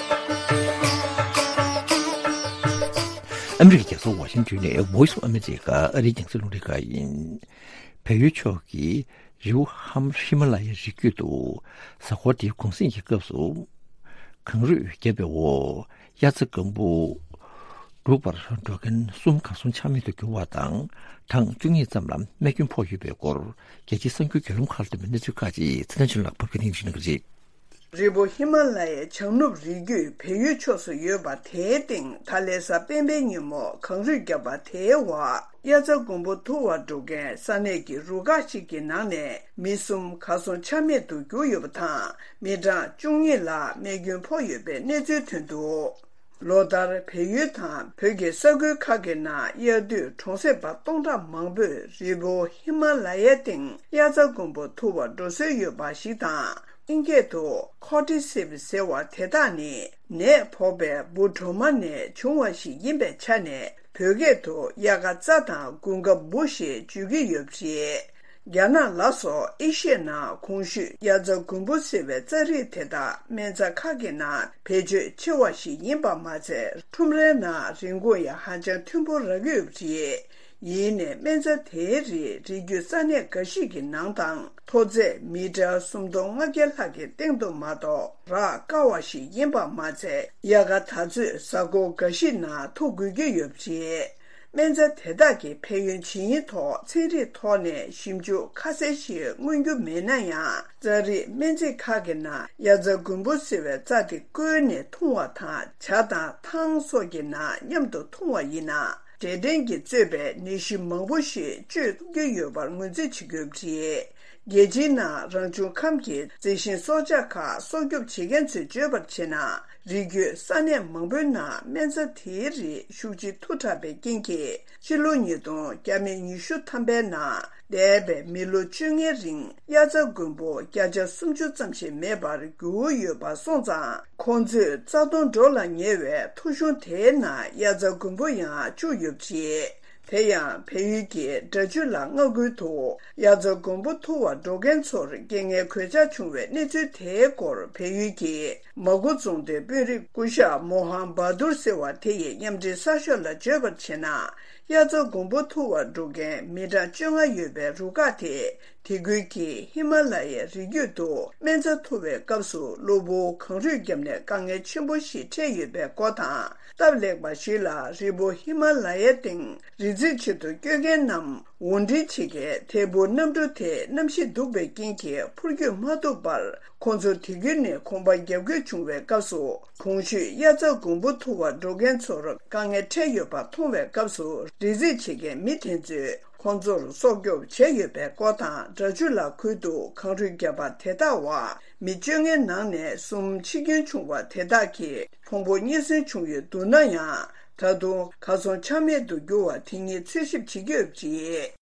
ཨ་མི་རི་ཀའི་རྒྱལ་ས་ཝ་ཤིང་ཏོན་ནས་Voice of America ཨ་རིའི་རྒྱང་སྲིང་རླུང་འཕྲིན་ཁང་ཡིན། བལ་ཡུལ་ཕྱོགས་ཀྱི་རི་བོ་ཧམ་ཧི་མ་ལ་ཡའི་རི་རྒྱུད་དུ་གཟའ་འཁོར་འདིའི་གུང་གསེང་གི་སྐབས་སུ་གངས་རུད་བརྒྱབ་པའི་འོག་དབྱར་རྩྭ་དགུན་འབུ་སྒྲུག་པར་འགྲོ་མཁན་གསུམ་གར་སོང་ཆ་མེད་དུ་གྱུར་བ་དང་། གྲངས་བཅུ་གཉིས་ཙམ་ལ་རྨས་སྐྱོན་ཕོག་ཡོད་པའི་སྐོར། རྒྱལ་སྤྱིའི་གསར་འགྱུར་བརྒྱུད་ལམ་ཁག་ལ་བཏོན་པའི་གནས་ཚུལ་ཁག་ཅིག་ཚེ་བརྟན་ཆོས་ལགས་ཕབ་སྒྱུར་གནང་གི་རེད། རི་བོ་ཧི་མ་ལ་ཡའི་བྱང་ནུབ་རི་རྒྱུད་བལ་ཡུལ་ཕྱོགས་སུ་ཡོད་པ་དེའི་སྟེང་ད་ལན་གཟའ་སྤེན་པའི་ཉིན་མོ་གངས་རུད་བརྒྱབ་པ་དེའི་འོག་དབྱར་རྩྭ་དགུན་འབུ་འཐུ་བར་འགྲོ་མཁན་ས་གནས་ཀྱི་རུ་ཁག་ཅིག་གི་ནང་ནས་མི་གསུམ་གར་སོང་ཆ་མེད་དུ་གྱུར་ཡོད་པ་དང་། མི་གྲངས་བཅུ་གཉིས་ལ་རྨས་སྐྱོན་ཕོག་ཡོད་པའི་གནས་ཚུལ་ཐོན་འདུག་ལོ་ལྟར་བལ་ཡུལ་དང་བོད་ཀྱི་ས་ཁུལ་ཁག་གི་ནང་དབྱར་དུས་གྲོང་གསེབ་པ་སྟོང་ཕྲག་མང་པོས་རི་བོ་ཧི་མ་ལ་ཡའི་སྟེང་དབྱར་རྩྭ་དགུན་འབུ་འཐུ་བར་འགྲོ་སྲོལ་ཡོད་པ་ཞིག་དང་། ཨིན་སྐད་དུ་ཁོ་ཏི་སིབ་ཟེར་བ་དེ་དག་ནི་ནད་ཕོག་པའི་འབུ་གྲོག་མ་ནས་བྱུང་བ་ཞིག་ཡིན་པའི་ཆ་ནས། བོད་སྐད་དུ་དབྱར་ཁ་རྩྭ་དང་དགུན་ཁ་འབུ་ཞེས་བརྗོད་ཀྱི་ཡོད་པ་རེད། རྒྱ་ནག་ལ་སོགས་ཨེ་ཤི་ཡའི་ནང་གོང་ཞུས་དབྱར་རྩྭ་དགུན་འབུ་ཟེར་བའི་རྩྭ་རིགས་དེ་དག་སྨན་རྩྭ་ཁག་གི་ནང་བེད་སྤྱོད་ཆེ་བ་ཞིག་ཡིན་པ་མ་ཚད། ཁྲོམ་རའི་ནང་རིན་གོང་ཡང་ཧ་ཅང་མཐོན་པོ་རག་གི་ཡོད་པ་རེད། ཡིན་ནའི་སྨན་རྩྭ་དེའི་རིགས་རི་རྒྱུད་ས་གནས་འགའ་ཞིག་གི་ནང་དང་མཐོ་ཚད་མི་ཊར་སུམ་སྟོང་ལྔ་བརྒྱ་ལྷག་གི་སྟེང་དུ་མ་གཏོགས་རག་དཀའ་བ་ཞིག་ཡིན་པ་མ་ཚད། དབྱར་ཁ་ད་ཚོད་གཟའ་འཁོར་འགའ་ཞིག་ནང་འཐུ་དགོས་ཀྱི་ཡོད་པ་རེད། སྨན་རྩྭ་དེ་དག་གི་ཕན་ཡོན་ཇི་ཡིན་ཐོག་ཚན་རིག་ཐོག་ནས་ཞིབ་འཇུག་ཁ་གསལ་ཞིག་མངོན་རྒྱུ་མེད་ན་ཡང་། རྩྭ་རིགས་སྨན་རྩིས་ཁག་གི་ནང་དབྱར་རྩྭ་དགུན་འབུ་ཟེར་བའི་རྩྭ་དེ་བསྐོལ་ནས་འཐུང་བ་དང་། ཇ་དང་ཐང་སོགས་ཀྱི་ནང་མཉམ་དུ་འཐུང་བ་ཡིན་ན། འབྲས་སྐྲན་གྱིས་གཙོས་པའི་ནད་གཞི་མང་པོ་ཞིག་བཅོས་ཐུབ་ཀྱི་ཡོད་པར་ངོས་འཛིན་བྱེད་དགོས་པ་རེད། རྒྱལ་སྤྱིའི་ནང་རང་བྱུང་ཁམས་ཀྱི་རྩི་ཤིང་སྲོག་ཆགས་ཁག་སྲོག་སྐྱོབ་བྱེད་མཁན་ཚོས་བརྗོད་པར་བྱས་ན། རི་རྒྱུད་ས་གནས་མང་པོའི་ནང་སྨན་རྩྭ་དེའི་རིགས་ཤུགས་ཆེ་མཐུ་དྲགས་པའི་རྐྱེན་གྱིས། ཕྱི་ལོ་ཉིས་སྟོང་བརྒྱ་མེད་ཉི་ཤུ་ཐམ་པའི་ནང་འདས་པའི་མི་ལོ་བཅོ་ལྔའི་རིང་དབྱར་རྩྭ་དགུན་འབུ་བརྒྱ་ཆ་སུམ་ཅུ་ཙམ་ཞིག་མེད་པར་གྱུར་ཡོད་པ་སོང་ཙང་། ཁོང་ཚོས་རྩ་སྟོང་འགྲོ་ལ་ཉེ་བའི་ཐོ་གཞུང་དེའི་ནང་དབྱར་རྩྭ་དགུན་འབུ་ཡང་བཅུག་ཡོད་པ་རེད། དེ་ཡང་བལ་ཡུལ་གྱི་སྦྲ་ཆུ་ལ་མངའ་ཁུལ་དུ་དབྱར་རྩྭ་དགུན་འབུ་འཐུ་བར་འགྲོ་མཁན་ཚོར་རྐྱེན་ངན་གོད་ཆག་བྱུང་བའི་གནས་ཚུལ་དེའི་སྐོར། བལ་ཡུལ་གྱི་མ་གུ་རྫོང་སྡེའི་དཔོན་རིགས་སྐུ་ཞབས་མོ་ཧམ་བྷ་དུར་ཟེར་བ་དེ་ཡིས་མཉམ་འབྲེལ་གསར་ཤོག་ལ་བརྗོད་པར་བྱས་ན། དབྱར་རྩྭ་དགུན་འབུ་འཐུ་བར་འགྲོ་མཁན་མི་གྲངས་བཅོ་ལྔ་ཡོད་པའི་རུ་ཁག་དེ། དེ་ཁུལ་གྱི་ཧི་མ་ལ་ཡའི་རི་རྒྱུད་དུ་སྨན་རྩྭ་འཐུ་བའི་སྐབས་སུ་གློ་བུར་གངས་རུད་བརྒྱབ་ནས་དཀའ་ངལ་ཆེན་པོ་ཞིག་འཕྲད་ཡོད་པའི་སྐོར་དང་། སྟབས་ལེགས་པ་ཞིག་ལ་རི་བོ་ཧི་མ་ལ་ཡའི་སྟེང་རི་རྩེག་ཆེད་དུ་སྐྱོད་མཁན་ནམ་འོར་འདྲེན་བྱེད་མཁན་ཐད་འཕུར་གནམ་གྲུ་དེ་གནམ་གཤིས་སྡུག་པའི་རྐྱེན་གྱིས་འཕུར་སྐྱོད་མ་ཐུབ་པར། ཁོང་ཚོ་དེ་ཁུལ་ནས་གོམ་པ་རྒྱབ་དགོས་བྱུང་བའི་སྐབས་སུ། གོང་ཞུས་དབྱར་རྩྭ་དགུན་འབུ་འཐུ་བར་འགྲོ་མཁན་ཚོར་དཀའ་ངལ་འཕྲད་ཡོད་པ་མཐོང་བའི་སྐབས་སུ། རི་རྩེག་བྱེད་མཁན་མི་དེ་ཚོས་ཁོང་ཚོར་སྲོག་སྐྱོབ་བྱས་ཡོད་པའི་སྐོར་དང་། སྦྲ་ཆུ་ལ་ཁུལ་དུ་གངས་རུད་བརྒྱབ་པ་དེ་དག་འོག་མི་བཅོ་ལྔའི་ནང་ནས་གསུམ་འཆི་སྐྱོན་བྱུང་བ་དེ་དག་གིས་ཕུང་པོ་རྙེད་སོན་བྱུང་ཡོད་འདུག་ན་ཡང་། ད་དུང་གར་སོང་ཆ་མེད་དུ་གྱུར་བ་དེ་ཉིད་འཚོལ་ཞིབ་བྱེད་ཀྱི་ཡོད་པ་རེད།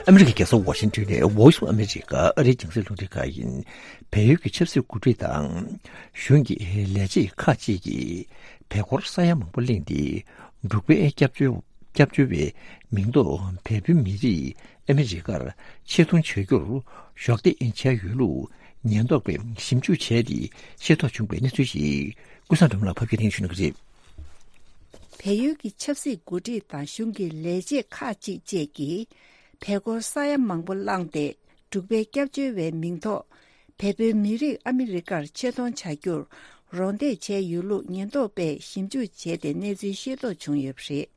ཨ་མི་རི་ཀའི་རྒྱལ་ས་ཝ་ཤིང་ཏོན་ནས་Voice of America ཨ་རིའི་རྒྱང་སྲིང་རླུང་འཕྲིན་ཁང་ཡིན། བལ་ཡུལ་གྱི་ཆབ་སྲིད་འགོ་ཁྲིད་དང་གཞུང་གི་ལས་བྱེད་ཁག་ཅིག་གིས་བལ་སྒོར་ས་ཡ་མང་པོ་བླངས་ཏེ། འབྲུག་པའི་སྐྱབས་བཅོལ་སྐྱབས་བཅོལ་བའི་མིང་ཐོག་བལ་པོའི་མི་རིགས་ཨ་མི་རི་ཀར་ཆེད་གཏོང་བྱ་རྒྱུར་གཞོགས་འདེགས་བྱས་ཡོད་ལུགས་ཉེན་རྟོག་པས་ཞིབ་འཇུག་བྱས་ཏེ་ཤེས་རྟོགས་བྱུང་བའི་གནས་ཚུལ་ཞིག་ཀུན་བཟང་སྒྲོལ་མ་ལགས་ཕབ་སྒྱུར་གནང་ཞུ་གནང་གི་རེད། བལ་ཡུལ་གྱི་ཆབ་སྲིད་འགོ་ཁྲིད་དང་གཞུང་གི་ལས་བྱེད་ཁག་ཅིག་བཅས་ཀྱིས་བལ་སྒོར་ས་ཡ་མང་པོ་བླངས་ཏེ། འབྲུག་པའི་སྐྱབས་བཅོལ་བའི་མིང་ཐོག་བལ་པོའི་མི་རིགས་ཨ་མི་རི་ཀར་ཆེད་གཏོང་བྱ་རྒྱུར་རོགས་འདེགས་བྱས་ཡོད་ལུགས་ཉེན་རྟོག་པས་ཞིབ་འཇུག་བྱས་ཏེ་གནས་ཚུལ་ཤེས་རྟོགས་བྱུང་ཡོད་པ་རེད།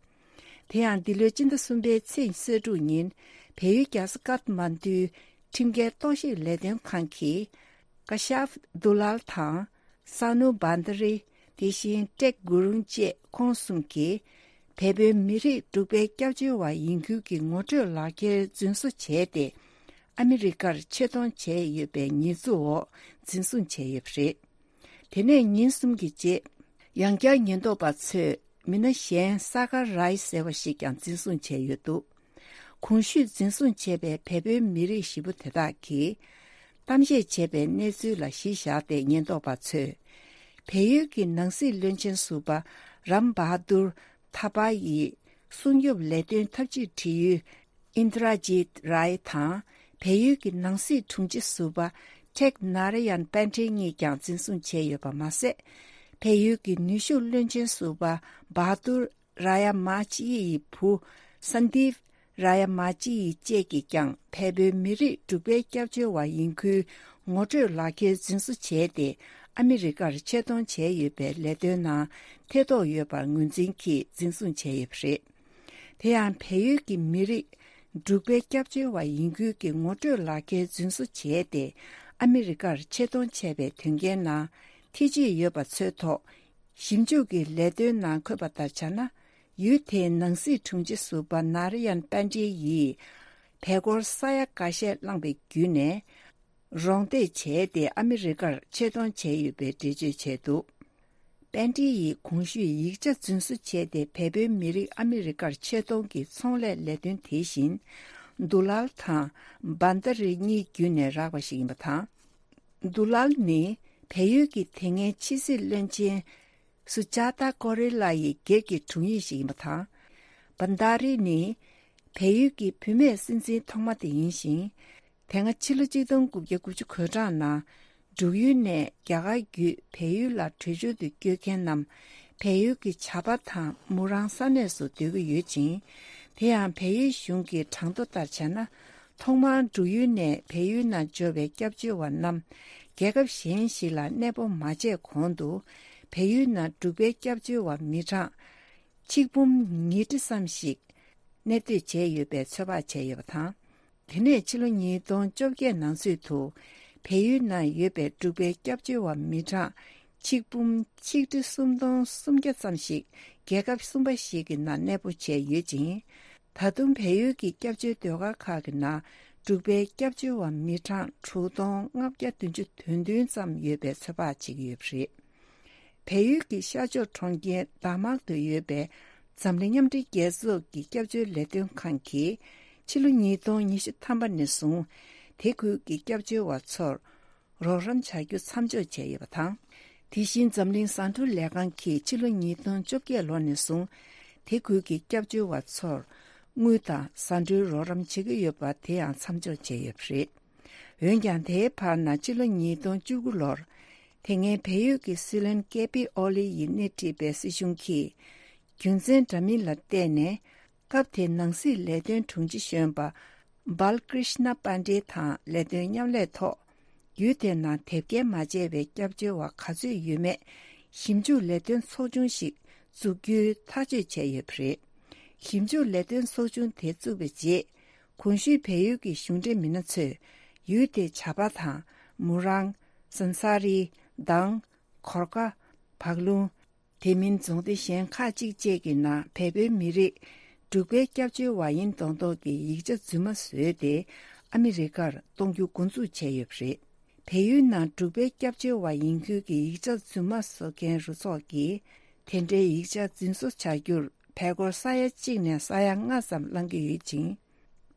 དེ་ཡང་འདི་ལོའི་སྤྱི་ཟླ་གསུམ་པའི་ཚེས་ཉི་ཤུ་རྩ་དྲུག་ཉིན་བལ་ཡུལ་རྒྱལ་ས་ཀཏ་མན་ཌུའི་ཁྲིམས་འགལ་རྟོག་ཞིབ་ལས་དོན་ཁང་གིས་ཀ་ཤཱབ་དུ་ལལ་དང་། ས་ནུ་བྷན་དྷ་རི། དེ་བཞིན་ཀྲེག་གུ་རུང་བཅས་ཁོང་གསུམ་གྱིས་བལ་པོའི་མི་རིགས་འབྲུག་པའི་སྐྱབས་བཅོལ་བ་ཡིན་ཁུལ་གྱི་ངོ་སྤྲོད་ལག་འཁྱེར་རྫུན་བཟོ་བྱས་ཏེ། ཨ་མི་རི་ཀར་ཆེད་གཏོང་བྱས་ཡོད་པའི་ཉེས་འཛུགས་འོག་འཛིན་བཟུང་བྱས་ཡོད་པ་རེད། དེ་ནས་ཉིན་གསུམ་གྱི་རྗེས། ཡང་བསྐྱར་ཉེན་རྟོག་པ་ཚོས་མི་སྣ་གཞན་ས་ཀར་རའི་ཟེར་བ་ཞིག་ཀྱང་འཛིན་བཟུང་བྱས་ཡོད་འདུག་གོང་ཞུས་འཛིན་བཟུང་བྱས་པའི་བལ་པོའི་མི་རིགས་བཞི་པོ་དེ་དག་གིས་གཏམ་བཤད་བྱས་པའི་གནས་ཚུལ་ལ་གཞི་བཞག་སྟེ་ཉེན་རྟོག་པ་ཚོས། བལ་ཡུལ་གྱི་ནང་སྲིད་བློན་ཆེན་ཟུར་པ་རམ་བྷ་དུར་ཐ་པ་ཡི་སྲུང་སྐྱོབ་ལས་དོན་ཐབས་ཇུས་དྲི་ཡུལ་ཨིན་དྲ་ཇིད་རའི་དང་། བལ་ཡུལ་གྱི་ནང་སྲིད་དྲུང་ཆེ་ཟུར་པ་ཐེག་ནཱ་ར་ཡན་པན་ཁྲེ་གཉིས་ཀྱང་འཛིན་བཟུང་བྱས་ཡོད་པ་མ་ཟད། བལ་ཡུལ་གྱི་ནུས་ཤུགས་བློན་ཆེན་ཟུར་པ་བྷ་དུར་ར་ཡ་མ་ཅི་ཡི་བུ་སན་དིབ་ར་ཡ་མ་ཅི་ཡི་བཅས་ཀྱིས་ཀྱང་བལ་པོའི་མི་རིགས་འབྲུག་པའི་སྐྱབས་བཅོལ་བ་ཡིན་ཁུལ་ངོ་སྤྲོད་ལག་འཁྱེར་འཛིན་བཟུང་བྱས་ཏེ། ཨ་མི་རི་ཀར་ཆེད་གཏོང་བྱས་ཡོད་པའི་ལས་དོན་ནང་ཐེ་གཏོགས་ཡོད་པར་ངོས་འཛིན་གྱིས་འཛིན་བཟུང་བྱས་ཡོད་པ་རེད། དེ་ཡང་བལ་ཡུལ་གྱི་མི་རིགས་འབྲུག་པའི་སྐྱབས་བཅོལ་བ་ཡིན་ཁུལ་གྱི་ངོ་སྤྲོད་ལག་འཁྱེར་རྫུན་བཟོ་བྱས་ཏེ། ཨ་མི་རི་ཀར་ཆེད་གཏོང་བྱས་པའི་དོན་རྐྱེན་ནང་ཐེ་བྱུས་ཡོད་པ་ཚོའི་ཐོག་ཞིབ་འཇུག་གི་ལས་དོན་ནང་འཁོད་པ་ལྟར་ཆ་ན། ཡུལ་དེའི་ནང་སྲིད་དྲུང་ཆེ་ཟུར་པ་ནཱ་ར་ཡན་པན་ཏྲི་ཡིས་བལ་སྒོར་ས་ཡ་འགའ་ཤས་བླངས་པའི་བརྒྱུད་ནས། རོགས་འདེགས་བྱས་ཏེ་ཨ་མི་རི་ཀར་ཆེད་གཏོང་བྱས་ཡོད་པའི་འགྲེལ་བརྗོད་བྱས་འདུག་པན་ཏྲི་ཡིས་གོང་ཞུས་ཡིག་ཆ་རྫུན་བཟོ་བྱས་ཏེ་བལ་པོའི་མི་རིགས་ཨ་མི་རི་ཀར་ཆེད་གཏོང་གི་ཚོང་ལས་ལས་དོན་དེ་བཞིན་དུ་ལལ་དང་བན་ད་རི་གཉིས་བརྒྱུད་ནས་རག་པ་ཞིག་ཡིན་པ་དང་། དུ་ལལ་ནི་བལ་ཡུལ་གྱི་དེ་སྔའི་ཕྱི་སྲིད་བློན་ཆེན་སུ་ཇཱ་ཏཱ་ཀོ་རི་ལ་ཡི་སྒེར་གྱི་དྲུང་ཡིག་ཞིག་ཡིན་པ་དང་། བན་ད་རི་ནི་བལ་ཡུལ་གྱི་བུད་མེད་སྲིད་འཛིན་ཐོག་མ་དེ་ཡིན་ཞིང་། དེ་སྔ་ཕྱི་ལོ་གཅིག་སྟོང་དགུ་བརྒྱ་དགུ་བཅུ་གོ་གྲངས་ནང་འབྲུག་ཡུལ་ནས་རྒྱ་གར་བརྒྱུད་བལ་ཡུལ་ལ་བྲོས་བྱོལ་དུ་བསྐྱོད་མཁན་རྣམས་བལ་ཡུལ་གྱི་བྱ་པ་དང་མུ་རང་ས་གནས་སུ་སྡོད་ཀྱི་ཡོད་ཅིང་། དེ་ཡང་བལ་ཡུལ་གཞུང་གི་གྲངས་ཐོ་ལྟར་བྱས་ན། ཐོག་མར་འབྲུག་ཡུལ་ནས་བལ་ཡུལ་ནང་འབྱོར་བའི་སྐྱབས་བཅོལ་བ་རྣམས་རྒྱལ་ཁབ་གཞན་ཞིག་ལ་གནས་སྤོ་མ་བྱས་གོང་དུ། བལ་ཡུལ་ནང་འབྲུག་པའི་སྐྱབས་བཅོལ་བ་མི་གྲངས་ཆིག་འབུམ་ཉིས་ཁྲི་ཙམ་ཞིག་གནས་སྡོད་བྱས་ཡོད་པའི་ཚོད་དཔག་བྱས་ཡོད་པ་དང་། དེ་ནས་ཕྱི་ལོ་ཉིས་སྟོང་བཅོ་བརྒྱད་ནང་ཚུད་དུ་བལ་ཡུལ་ནང་ཡོད་པའི་འབྲུག་པའི་སྐྱབས་བཅོལ་བ་མི་གྲངས་ཆིག་འབུམ་ཆིག་ཁྲི་སུམ་སྟོང་སུམ་བརྒྱ་ཙམ་ཞིག་རྒྱལ་ཁབ་གསུམ་པ་ཞིག་གི་ནང་གནས་སྤོ་བྱས་ཡོད་ཅིང་། ད་དུང་བལ་ཡུལ་གྱི་སྐྱབས་བཅོལ་ཟློས་གར་ཁག་གི་ནང་འབྲུག་པའི་སྐྱབས་བཅོལ་བ་མི་གྲངས་དྲུག་སྟོང་ལྔ་བརྒྱ་བདུན་ཅུ་དོན་བདུན་ཙམ་ཡོད་པའི་ཚོད་དཔག་བྱེད་ཀྱི་ཡོད་པ་རེད། བལ་ཡུལ་གྱི་ཤར་ཕྱོགས་གྲོང་ཁྱེར་དཱ་མག་ཏུ་ཡོད་པའི་འཛམ་གླིང་མཉམ་འབྲེལ་རྒྱལ་ཚོགས་ཀྱི་སྐྱབས་བཅོལ་ལས་དོན་ཁང་གིས་ཕྱི་ལོ་ཉིས་སྟོང་ཉི་ཤུ་ཐམ་པ་ནས་བཟུང་དེ་ཁུལ་གྱི་སྐྱབས་བཅོལ་བ་ཚོར་རོགས་རམ་བྱ་རྒྱུ་མཚམས་འཇོག་བྱས་ཡོད་པ་དང་། དེ་བཞིན་འཛམ་གླིང་ཟ་འབྲུ་ལས་ཁང་གིས་ཕྱི་ལོ་ཉིས་སྟོང་བཅོ་བརྒྱད་ལོ་ནས་བཟུང་དེ་ཁུལ་གྱི་སྐྱབས་བཅོལ་བ་ཚོར་དངུལ་དང་ཟ་འབྲུའི་རོགས་རམ་བྱེད་ཀྱི་ཡོད་པ་དེ་ཡང་མཚམས་འཇོག་བྱས་ཡོད་པ་རེད། འོན་ཀྱང་དེའི་བར་ན་ཕྱི་ལོ་ཉིས་སྟོང་བཅུ་དགུ་ལོར་དེ་སྔའི་བལ་ཡུལ་གྱི་སྲིད་བློན་ཀེ་པི་ཨོ་ལི་ཡིས་སྣེ་ཁྲིད་པའི་སྲིད་གཞུང་གིས་རྒྱུ་མཚན་འདྲ་མིན་ལ་བརྟེན་ནས། སྐབས་དེའི་ནང་སྲིད་ལས་དོན་དྲུང་ཆེ་གཞོན་པ་བྷལ་ཀྲིཤ་ན་པན་ཌེ་དང་ལས་དོན་མཉམ་ལས་ཐོག་ཡུལ་དེའི་ནང་དེབ་སྐྱེལ་མ་བྱས་པའི་སྐྱབས་བཅོལ་བ་ག་ཚོད་ཡོད་མེད་ཞིབ་འཇུག་ལས་དོན་ཚོགས་ཆུང་ཞིག་བཙུགས་རྒྱུའི་ཐག་གཅོད་བྱས་ཡོད་པ་རེད། ཞིབ་འཇུག་ལས་དོན་ཚོགས་ཆུང་དེ་བཙུགས་པའི་རྗེས། གོང་ཞུས་བལ་ཡུལ་གྱི་གཞུང་འབྲེལ་མི་སྣ་ཚོས་ཡུལ་དེའི་བྱ་པ་དང་མུ་རང་། སན་ས་རི། དང་། གོར་ཀ། བག་ལུང་། དེ་མིན་རྫོང་སྡེ་གཞན་ཁག་ཅིག་བཅས་ཀྱི་ནང་བལ་པོའི་མི་རིགས་འབྲུག་པའི་སྐྱབས་བཅོལ་བ་ཡིན་མདོག་མདོག་གི་ཡིག་ཆ་རྫུན་མ་བཟོས་ཏེ་ཨ་མི་རི་ཀར་གཏོང་རྒྱུ་འགོ་འཛུགས་བྱས་ཡོད་པ་རེད། བལ་ཡུལ་ནང་འབྲུག་པའི་སྐྱབས་བཅོལ་བ་ཡིན་ཁུལ་གྱི་ཡིག་ཆ་རྫུན་མ་བཟོ་མཁན་རུ་ཚོགས་ཀྱིས་དེ་འདྲའི་ཡིག་ཆ་རྫུན་བཟོ་བྱ་རྒྱུར་བལ་སྒོར་ས་ཡ་གཅིག་ནས་ས་ཡ་ལྔ་ཙམ་བླང་གི་ཡོད་ཅིང་།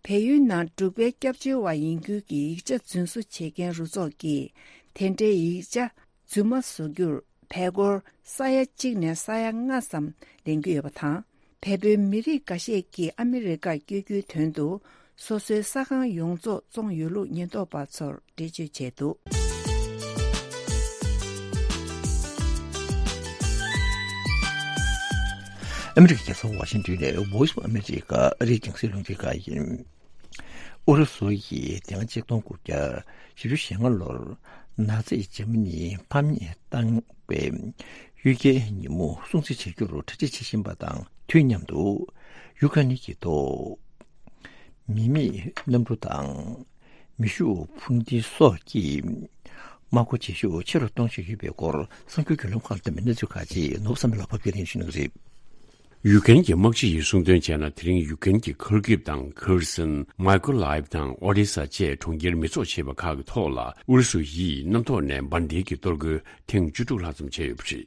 བལ་ཡུལ་ནང་འབྲུག་པའི་སྐྱབས་བཅོལ་བ་ཡིན་ཁུལ་གྱི་ཡིག་ཆ་རྫུན་བཟོ་བྱེད་མཁན་རུ་ཚོགས་ཀྱིས་དེ་འདྲའི་ཡིག་ཆ་རྫུན་མ་བཟོ་རྒྱུར་བལ་སྒོར་ས་ཡ་གཅིག་ནས་ས་ཡ་ལྔ་ཙམ་ལེན་གྱི་ཡོད་པ་དང་། བལ་པོའི་མི་རིགས་འགའ་ཤས་ཀྱིས་ཨ་མི་རི་ཀར་བསྐྱོད་རྒྱུའི་དོན་དུ་སོ་སོའི་ས་ཁང་ཡོངས་རྫོགས་བཙོངས་ཡོད་ལུགས་ཉེན་རྟོག་པ་ཚོར་འགྲེལ་བརྗོད་བྱས་འདུག་ཨ་མི་རི་ཀའི་རྒྱལ་ས་ཝ་ཤིང་ཏོན་ནས་Voice of America ཨ་རིའི་རྒྱང་སྲིང་རླུང་འཕྲིན་ཁང་ཡིན། ཨུ་རུ་སུ་ཡིས་དེ་སྔ་ཆིག་སྟོང་དགུ་བརྒྱ་བཞི་བཅུ་ཞེ་ལྔ་ལོར་ནཱ་ཛི་འཇར་མ་ནིའི་ཕམ་ཉེས་བཏང་བའི་གཡུལ་འགྱེད་ཉིན་མོ་སྲུང་བརྩི་བྱ་རྒྱུར་གྲ་སྒྲིག་བྱེད་བཞིན་པ་དང་དུས་མཉམ་དུ། ཡུ་ཀེ་རེན་གྱི་ཐོག་མི་མེད་གནམ་གྲུ་དང་མེ་ཤུགས་འཕུར་མདེལ་སོགས་ཀྱིས་དམག་སྒོ་བྱེད་ཤུགས་ཆེ་རུ་གཏོང་བཞིན་ཡོད་པའི་སྐོར་གསར་འགྱུར་བརྒྱུད་ལམ་ཁག་ལ་བལྟས་པའི་གནས་ཚུལ་ཁག་ཅིག་ནོར་བུ་བསམ་འཕེལ་ལགས་ཕབ་སྒྱུར་ལེན་ཞུ་གནང་གི་རེད། ཡུ་ཀེ་རེན་གྱི་དམག་སྤྱི་ཡིས་གསུངས་དོན་བྱས་ན། དེ་རིང་ཡུ་ཀེ་རེན་གྱི་ཁར་ཀིབ་དང་ཁེར་སན། མའི་ཀོ་ལའེབ་དང་ཨོ་ཌེ་ས་བཅས་གྲོང་ཁྱེར་མེ་སྲེག་བྱས་པ་ཁག་གི་ཐོག་ལ་ཨུ་རུ་སུ་ཡིས་གནམ་ཐོག་ནས་འབར་མདེལ་གྱི་གཏོར་རྒོལ་ཐེངས་བཅུ་དྲུག་ལྷག་ཙམ་བྱས་ཡོད་པ་རེད།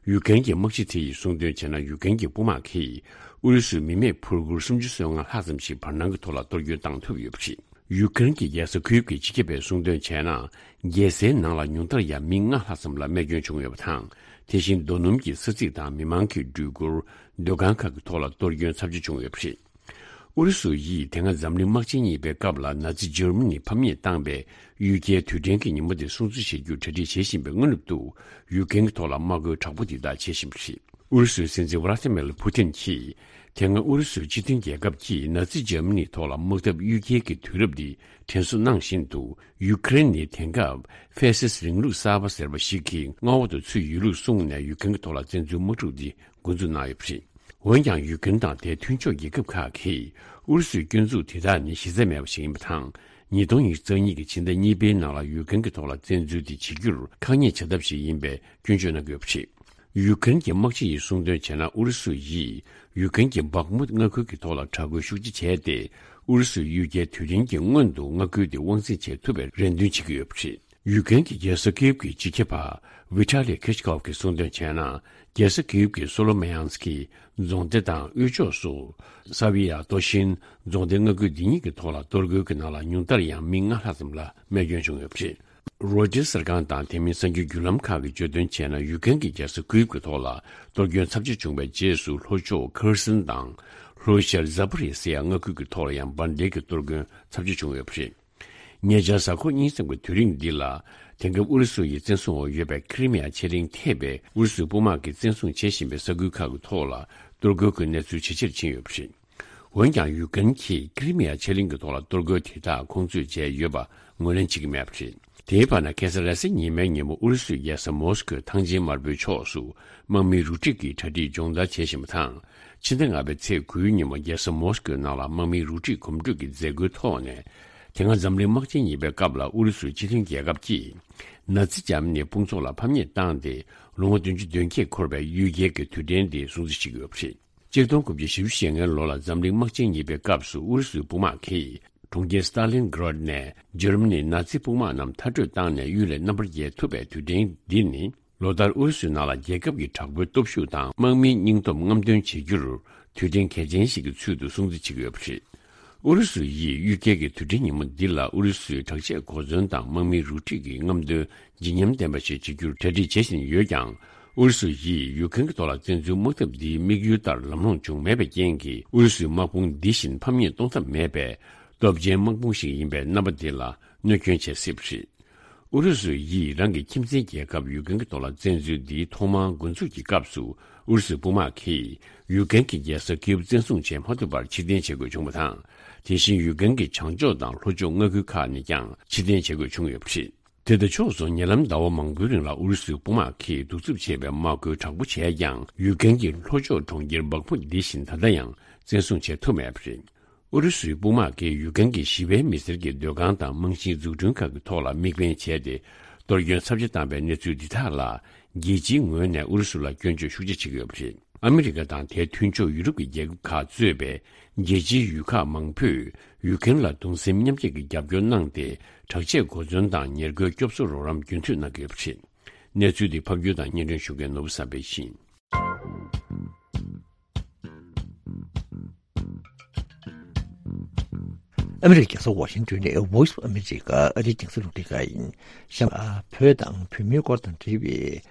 ཡུ་ཀེན་གྱི་དམག་སྤྱི་དེ་ཡིས་གསུངས་དོན་བྱས་ན། ཡུ་ཀེན་གྱི་དཔུང་དམག་གིས་ཨུ་རུ་སུའི་མི་མེད་འཕུར་འཁོར་སུམ་ཅུ་སོ་ལྔ་ལྷག་ཙམ་ཞིག་བར་སྣང་གི་ཐོག་ལ་གཏོར་སྐྱོན་བཏང་ཐུབ་ཡོད་པ་རེད། ཡུ་ཀེན་གྱི་རྒྱལ་ས་ཁིའུབ་ཀྱི་སྤྱི་ཁྱབ་པས་གསུངས་དོན་བྱས་ན། རྒྱལ་སའི་ནང་ལ་ཉུང་མཐར་ཡང་མི་ལྔ་ལྷག་ཙམ་ལ་རྨས་སྐྱོན་བྱུང་ཡོད་པ་དང་། དེ་བཞིན་རྡོ་སྣུམ་གྱི་ས་ཚིགས་དང་མི་མང་གི་འགྲུལ་འཁོར། སྡོད་ཁང་ཁག་གི་ཐོག་ལ་གཏོར་སྐྱོན་ཚབས་ཆེ་བྱུང་ཡོད་པ་རེད། ཨུ་རུ་སུ་ཡིས་དེ་སྔ་འཛམ་གླིང་དམག་ཆེན་གཉིས་པའི་སྐབས་ལ་ནཱ་ཛི་འཇར་མ་ནི་ཕམ་ཉེས་བཏང་པའི་གཡུལ་རྒྱལ་དུས་དྲན་གྱི་ཉིན་མོ་དེ་སྲུང་བརྩི་བྱེད་རྒྱུར་གྲ་སྒྲིག་བྱེད་བཞིན་པའི་སྔ་ནུབ་ཏུ། ཡུ་ཀེན་གྱི་ཐོག་ལ་དམག་རྒོལ་དྲག་པོ་འདི་དག་བྱེད་བཞིན་པ་རེད། ཨུ་རུ་སུའི་སྲིད་འཛིན་ཝ་ལ་ཏི་མེར་ཕུ་ཏིན་གྱིས། དེ་སྔ་ཨུ་རུ་སུའི་སྤྱི་མཐུན་རྒྱལ་ཁབ་ཀྱིས་ནཱ་ཛི་འཇར་མ་ནིའི་ཐོག་ལ་དམག་འཐབ་གཡུལ་རྒྱལ་གྱི་དུས་རབས་འདི་དྲན་གསོ་གནང་བཞིན་དུ། ཡུ་ཀེ་རེན་ནི་དེང་སྐབས་ཧྥེ་སིས་རིང་ལུགས་གསར་པ་ཟེར་བ་ཞིག་གི་མངའ་འོག་ཏུ་ཚུད་ཡོད་ལུགས་གསུངས་ནས། ཡུ་ཀེན་གྱི་ཐོག་ལ་བཙན་འཛུལ་དམག་འཁྲུག་འདི་འགོ་འཛུགས་གནང་ཡོད་པ་རེད། འོན་ཀྱང་། ཡུ་ཀེན་དང་དེའི་མཐུན་ཕྱོགས་རྒྱལ་ཁབ་ཁག་གིས་ཨུ་རུ་སུའི་སྐྱོན་འཛུགས་དེ་དག་ནི་གཞི་རྩ་མེད་པ་ཞིག་ཡིན་པ་དང་། ཉིས་སྟོང་ཉི་ཤུ་རྩ་གཉིས་ཀྱི་ཕྱི་ཟླ་གཉིས་པའི་ནང་ལ་ཡུ་ཀེན་གྱི་ཐོག་ལ་བཙན་འཛུལ་དེ་བྱེད་རྒྱུར་ཁག་ཉེས་བྱ་ཐབས་ཤིག་ཡིན་པའི་སྐྱོན་བརྗོད་གནང་གི་ཡོད་པ་རེད། ཡུ་ཀེན་གྱི་དམག་སྤྱི་ཡིས་གསུངས་དོན་བྱས་ན། ཨུ་རུ་སུ་ཡིས་ཡུ་ཀེན་གྱི་བག་མུད་མངའ་ཁུལ་གྱི་ཐོག་ལ་དྲག་རྒོལ་ཤུགས་ཆེ་བྱས་ཏེ། ཨུ་རུ་སུའི་གཡུལ་རྒྱལ་དུས་དྲན་གྱི་སྔོན་དུ་མངའ་ཁུལ་དེ་དབང་འཛིན་བྱེད་ཐུབ་པའི་རེ་འདུན་བྱེད་ཀྱི་ཡོད་པ་རེད། ཡུ་ཀེན་གྱི་རྒྱལ་ས་ཀིབ་ཀྱི་སྤྱི་ཁྱབ་པ་ཝི་ཊ་ལི་ཁེ་ཆི་ཀོབ་ཀྱིས་གསུངས་དོན་བྱས་ན། རྒྱལ་ས་ཀིབ་ཀྱི་སོ་ལོ་མེ་ཡང་སི་ཀི་རྫོང་སྡེ་དང་དབུས་ཕྱོགས་སུ་ས་བི་ཡ་རྡོ་ཤིན་རྫོང་སྡེ་མངའ་ཁུལ་འདི་གཉིས་ཀྱི་ཐོག་ལ་གཏོར་རྒོལ་གྱི་ནང་ལ་ཉུང་མཐར་ཡང་མི་ལྔ་ལྷག་ཙམ་ལ་རྨས་སྐྱོན་བྱུང་ཡོད་པ་རེད། རོའི་ཊར་གསར་ཁང་དང་དེ་མིན་གསར་འགྱུར་བརྒྱུད་ལམ་ཁག་གིས་བརྗོད་དོན་བྱས་ན། ཡུ་ཀེན་གྱི་རྒྱལ་ས་ཀིབ་ཀྱི་ཐོག་ལ་གཏོར་སྐྱོན་ཚབས་ཆེ་བྱུང་བའི་རྗེས་སུ། ལྷོ་ཕྱོགས་ཁེར་སན་དང་ལྷོ་ཤར་ཛ་པ་རི་སི་ཡ་མངའ་ཁུལ་གྱི་ཐོག་ལ་ཡང་འབར་མདེལ་གྱི་གཏོར་སྐྱོན་ཚབས་ཆེ་བྱུང་ཡོད་པ་རེད། ཉེ་ཆར་གཟའ་འཁོར་གཉིས་ཙམ་གྱི་དུས་རིང་འདི་ལ། དེང་སྐབས་ཨུ་རུ་སུ་ཡི་བཙན་བཟུང་འོག་ཡོད་པའི་ཁི་རི་མི་ཡ་ཆེ་གླིང་ཐེ་བའི་ཨུ་རུ་སུའི་དཔུང་དམག་གིས་བཙན་བཟུང་བྱེད་བཞིན་པའི་ས་ཁུལ་ཁག་གི་ཐོག་ལ་གཏོར་རྒོལ་གྱི་གནས་ཚུལ་ཇེ་ཆེར་ཕྱིན་ཡོད་པ་རེད། འོན་ཀྱང་། ཡུ་ཀེན་གྱིས་ཁི་རི་མི་ཡ་ཆེ་གླིང་གི་ཐོག་ལ་གཏོར་རྒོལ་དེ་དག་ཁོང་ཚོས་བྱས་ཡོད་པ་ངོས་ལེན་བྱེད་ཀྱི་མེད་པ་རེད། དེའི་བར་ན། ཁ་སང་རེས་གཟའ་ཉི་མའི་ཉིན་མོ་ཨུ་རུ་སུའི་རྒྱལ་ས་མོ་སི་ཀོའི་ཐང་ཆེན་དམར་པོའི་ཕྱོགས་སུ་དམག་མིའི་རུ་སྒྲིག་གི་གྲ་སྒྲིག་སྦྱོང་བརྡར་བྱེད་བཞིན་པ་དང་། ཕྱི་ཟླ་ལྔ་པའི་ཚེས་དགུའི་ཉིན་མོ་རྒྱལ་ས་མོ་སི་ཀོའི་ནང་ལ་དམག་མིའི་རུ་སྒྲིག་གོམ་བགྲོད་ཀྱི་མཛད་སྒོའི་ཐོག་ནས། དེ་སྔ་འཛམ་གླིང་དམག་ཆེན་གཉིས་པའི་སྐབས་ལ་ཨུ་རུ་སུའི་སྤྱི་མཐུན་རྒྱལ་ཁབ་ཀྱིས་ནཱ་ཛི་འཇར་མ་ནིའི་དཔུང་ཚོགས་ལ་ཕམ་ཉེས་བཏང་སྟེ། ལོ་ངོ་བདུན་ཅུ་དོན་བརྒྱད་འཁོར་བའི་གཡུལ་རྒྱལ་གྱི་དུས་དྲན་འདི་སྲུང་བརྩི་བྱེད་ཀྱི་ཡོད་པ་རེད། གཅིག་སྟོང་དགུ་བརྒྱ་བཞི་བཅུ་ཞེ་ལྔའི་ལོ་ལ་འཛམ་གླིང་དམག་ཆེན་གཉིས་པའི་སྐབས་སུ་ཨུ་རུ་སུའི་དཔུང་དམག་གིས་གྲོང་ཁྱེར་སི་ཏཱ་ལིན་གྷ་རད་ནས་འཇར་མ་ནིའི་ནཱ་ཛི་དཔུང་དམག་རྣམས་མཐར་སྐྲོད་བཏང་ནས་གཡུལ་ལས་རྣམ་པར་རྒྱལ་ཐུབ་པའི་དུས་དྲན་འདི་ནི། ལོ་ལྟར་ཨུ་རུ་སུའི་ནང་ལ་རྒྱལ་ཁབ་ཀྱི་དྲག་པོའི་སྟོབས་ཤུགས་དང་དམག་མིའི་སྙིང་སྟོབས་རྔམ་སྟོན་བྱེད་རྒྱུར་དུས་དྲན་གལ་ཆེན་ཞིག་གི་ཚུལ་དུ་སྲུང་བརྩི་བྱེད་ཀྱི་ཡོད་པ་རེད། ཨུ་རུ་སུ་ཡིས་གཡུལ་རྒྱལ་གྱི་དུས་དྲན་ཉིན་མོ་འདི་ལ་ཨུ་རུ་སུའི་དྲག་ཆས་གོ་མཚོན་དང་དམག་མིའི་རུ་སྒྲིག་གི་རྔམ་སྟོན་བརྗིད་ཉམས་ལྡན་པ་ཞིག་བྱེད་རྒྱུར་གྲ་སྒྲིག་བྱེད་བཞིན་ཡོད་ཀྱང་། ཨུ་རུ་སུ་ཡིས་ཡུ་ཀེན་གྱི་ཐོག་ལ་བཙན་འཛུལ་དམག་འཐབ་འདིའི་དམིགས་ཡུལ་ལྟར་ལམ་ལྷོང་བྱུང་མེད་པའི་རྐྱེན་གྱིས། ཨུ་རུ་སུའི་དམག་དཔུང་འདི་བཞིན་ཕམ་ཉེས་གཏོང་ཐབས་མེད་པའི་སྟོབས་ཆེན་དམག་དཔུང་ཞིག་ཡིན་པའི་རྣམ་པ་འདི་ལ་གནོད་སྐྱོན་བྱེད་སྲིད་པ་རེད། ཨུ་རུ་སུ་ཡིས་རང་གི་ཁྱིམ་མཚེས་རྒྱལ་ཁབ་ཡུ་ཀེན་གྱི་ཐོག་ལ་བཙན་འཛུལ་འདིའི་ཐོག་མར་འགོ་འཛུགས་ཀྱི་སྐབས་སུ། ཨུ་རུ་སུའི་དཔུང་དམག་གིས་ཡུ་ཀེན་གྱི་རྒྱལ་ས་ཀིབ་བཙན་བཟུང་བྱེད་མ་ཐུབ་པར་ཕྱིར་འཐེན་བྱེད་དགོས་བྱུང་བ་དང་། དེ་བཞིན་ཡུ་ཀེན་གྱི་བྱང་ཕྱོགས་དང་ལྷོ་ཕྱོགས་མངའ་ཁུལ་ཁག་ནས་ཀྱང་ཕྱིར་འཐེན་བྱེད་དགོས་བྱུང་ཡོད་པ་རེད། དེ་དང་ཕྱོགས་སུ། ཉེ་ལམ་ཟླ་བ་མང་པོའི་རིང་ལ་ཨུ་རུ་སུའི་དཔུང་དམག་གིས་གདུག་རྩུབ་ཆེ་བའི་དམག་རྒོལ་དྲག་པོ་བྱས་ཀྱང་། ཡུ་ཀེན་གྱི་ལྷོ་ཕྱོགས་གྲོང་ཁྱེར་སྦག་མུ་འདི་བཞིན་ད་ལྟ་ཡང་བཙན་བཟུང་བྱེད་ཐུབ་མེད་པ་རེད། ཨུ་རུ་སུའི་དཔུང་དམག་གིས་ཡུ་ཀེན་གྱི་ཞི་བའི་མི་སེར་གྱི་སྡོད་ཁང་དང་རྨང་གཞིའི་འཛུགས་སྐྲུན་ཁག་གི་ཐོག་ལ་དམིགས་འབེན་བྱས་ཏེ། གཏོར་སྐྱོན་ཚབས་ཆེ་བཏང་བའི་གནས་ཚུལ་འདི་དག་ལ། རྒྱལ་སྤྱིའི་ངོས་ནས་ཨུ་རུ་སུ་ལ་སྐྱོན་བརྗོད་ཤུགས་ཆེ་བྱེད་ཀྱི་ཡོད་པ་རེད། ཨ་མི་རི་ཀ་དང་དེའི་མཐུན་ཕྱོགས་ཡུ་རོབ་ཀྱི་རྒྱལ་ཁབ་ཁག་གཙོས་པའི་རྒྱལ་སྤྱིའི་ཡུལ་ཁག་མང་པོས་ཡུ་ཀེན་ལ་གདུང་སེམས་མཉམ་སྐྱེད་ཀྱི་རྒྱབ་སྐྱོར་གནང་སྟེ། དྲག་ཆས་གོ་མཚོན་དང་ཉེར་མཁོའི་སྐྱོབ་གསོ་རོགས་རམ་རྒྱུན་མཐུད་གནང་གི་ཡོད་པ་རེད། གནས་ཚུལ་འདི་ཕབ་སྒྱུར་དང་སྙན་སྒྲོན་ཞུ་མཁན་ནོར་བུ་བསམ་འཕེལ་ཡིན། ཨ་མི་རི་ཀའི་རྒྱལ་ས་ཝ་ཤིང་ཏོན་ནས་Voice of America ཨ་རིའི་རྒྱང་སྲིང་རླུང་འཕྲིན་ཁང་ཡིན། གཤམ་ལ་བོད་དང་བོད་མིའི་སྐོར་དང་འབྲེལ་བའི་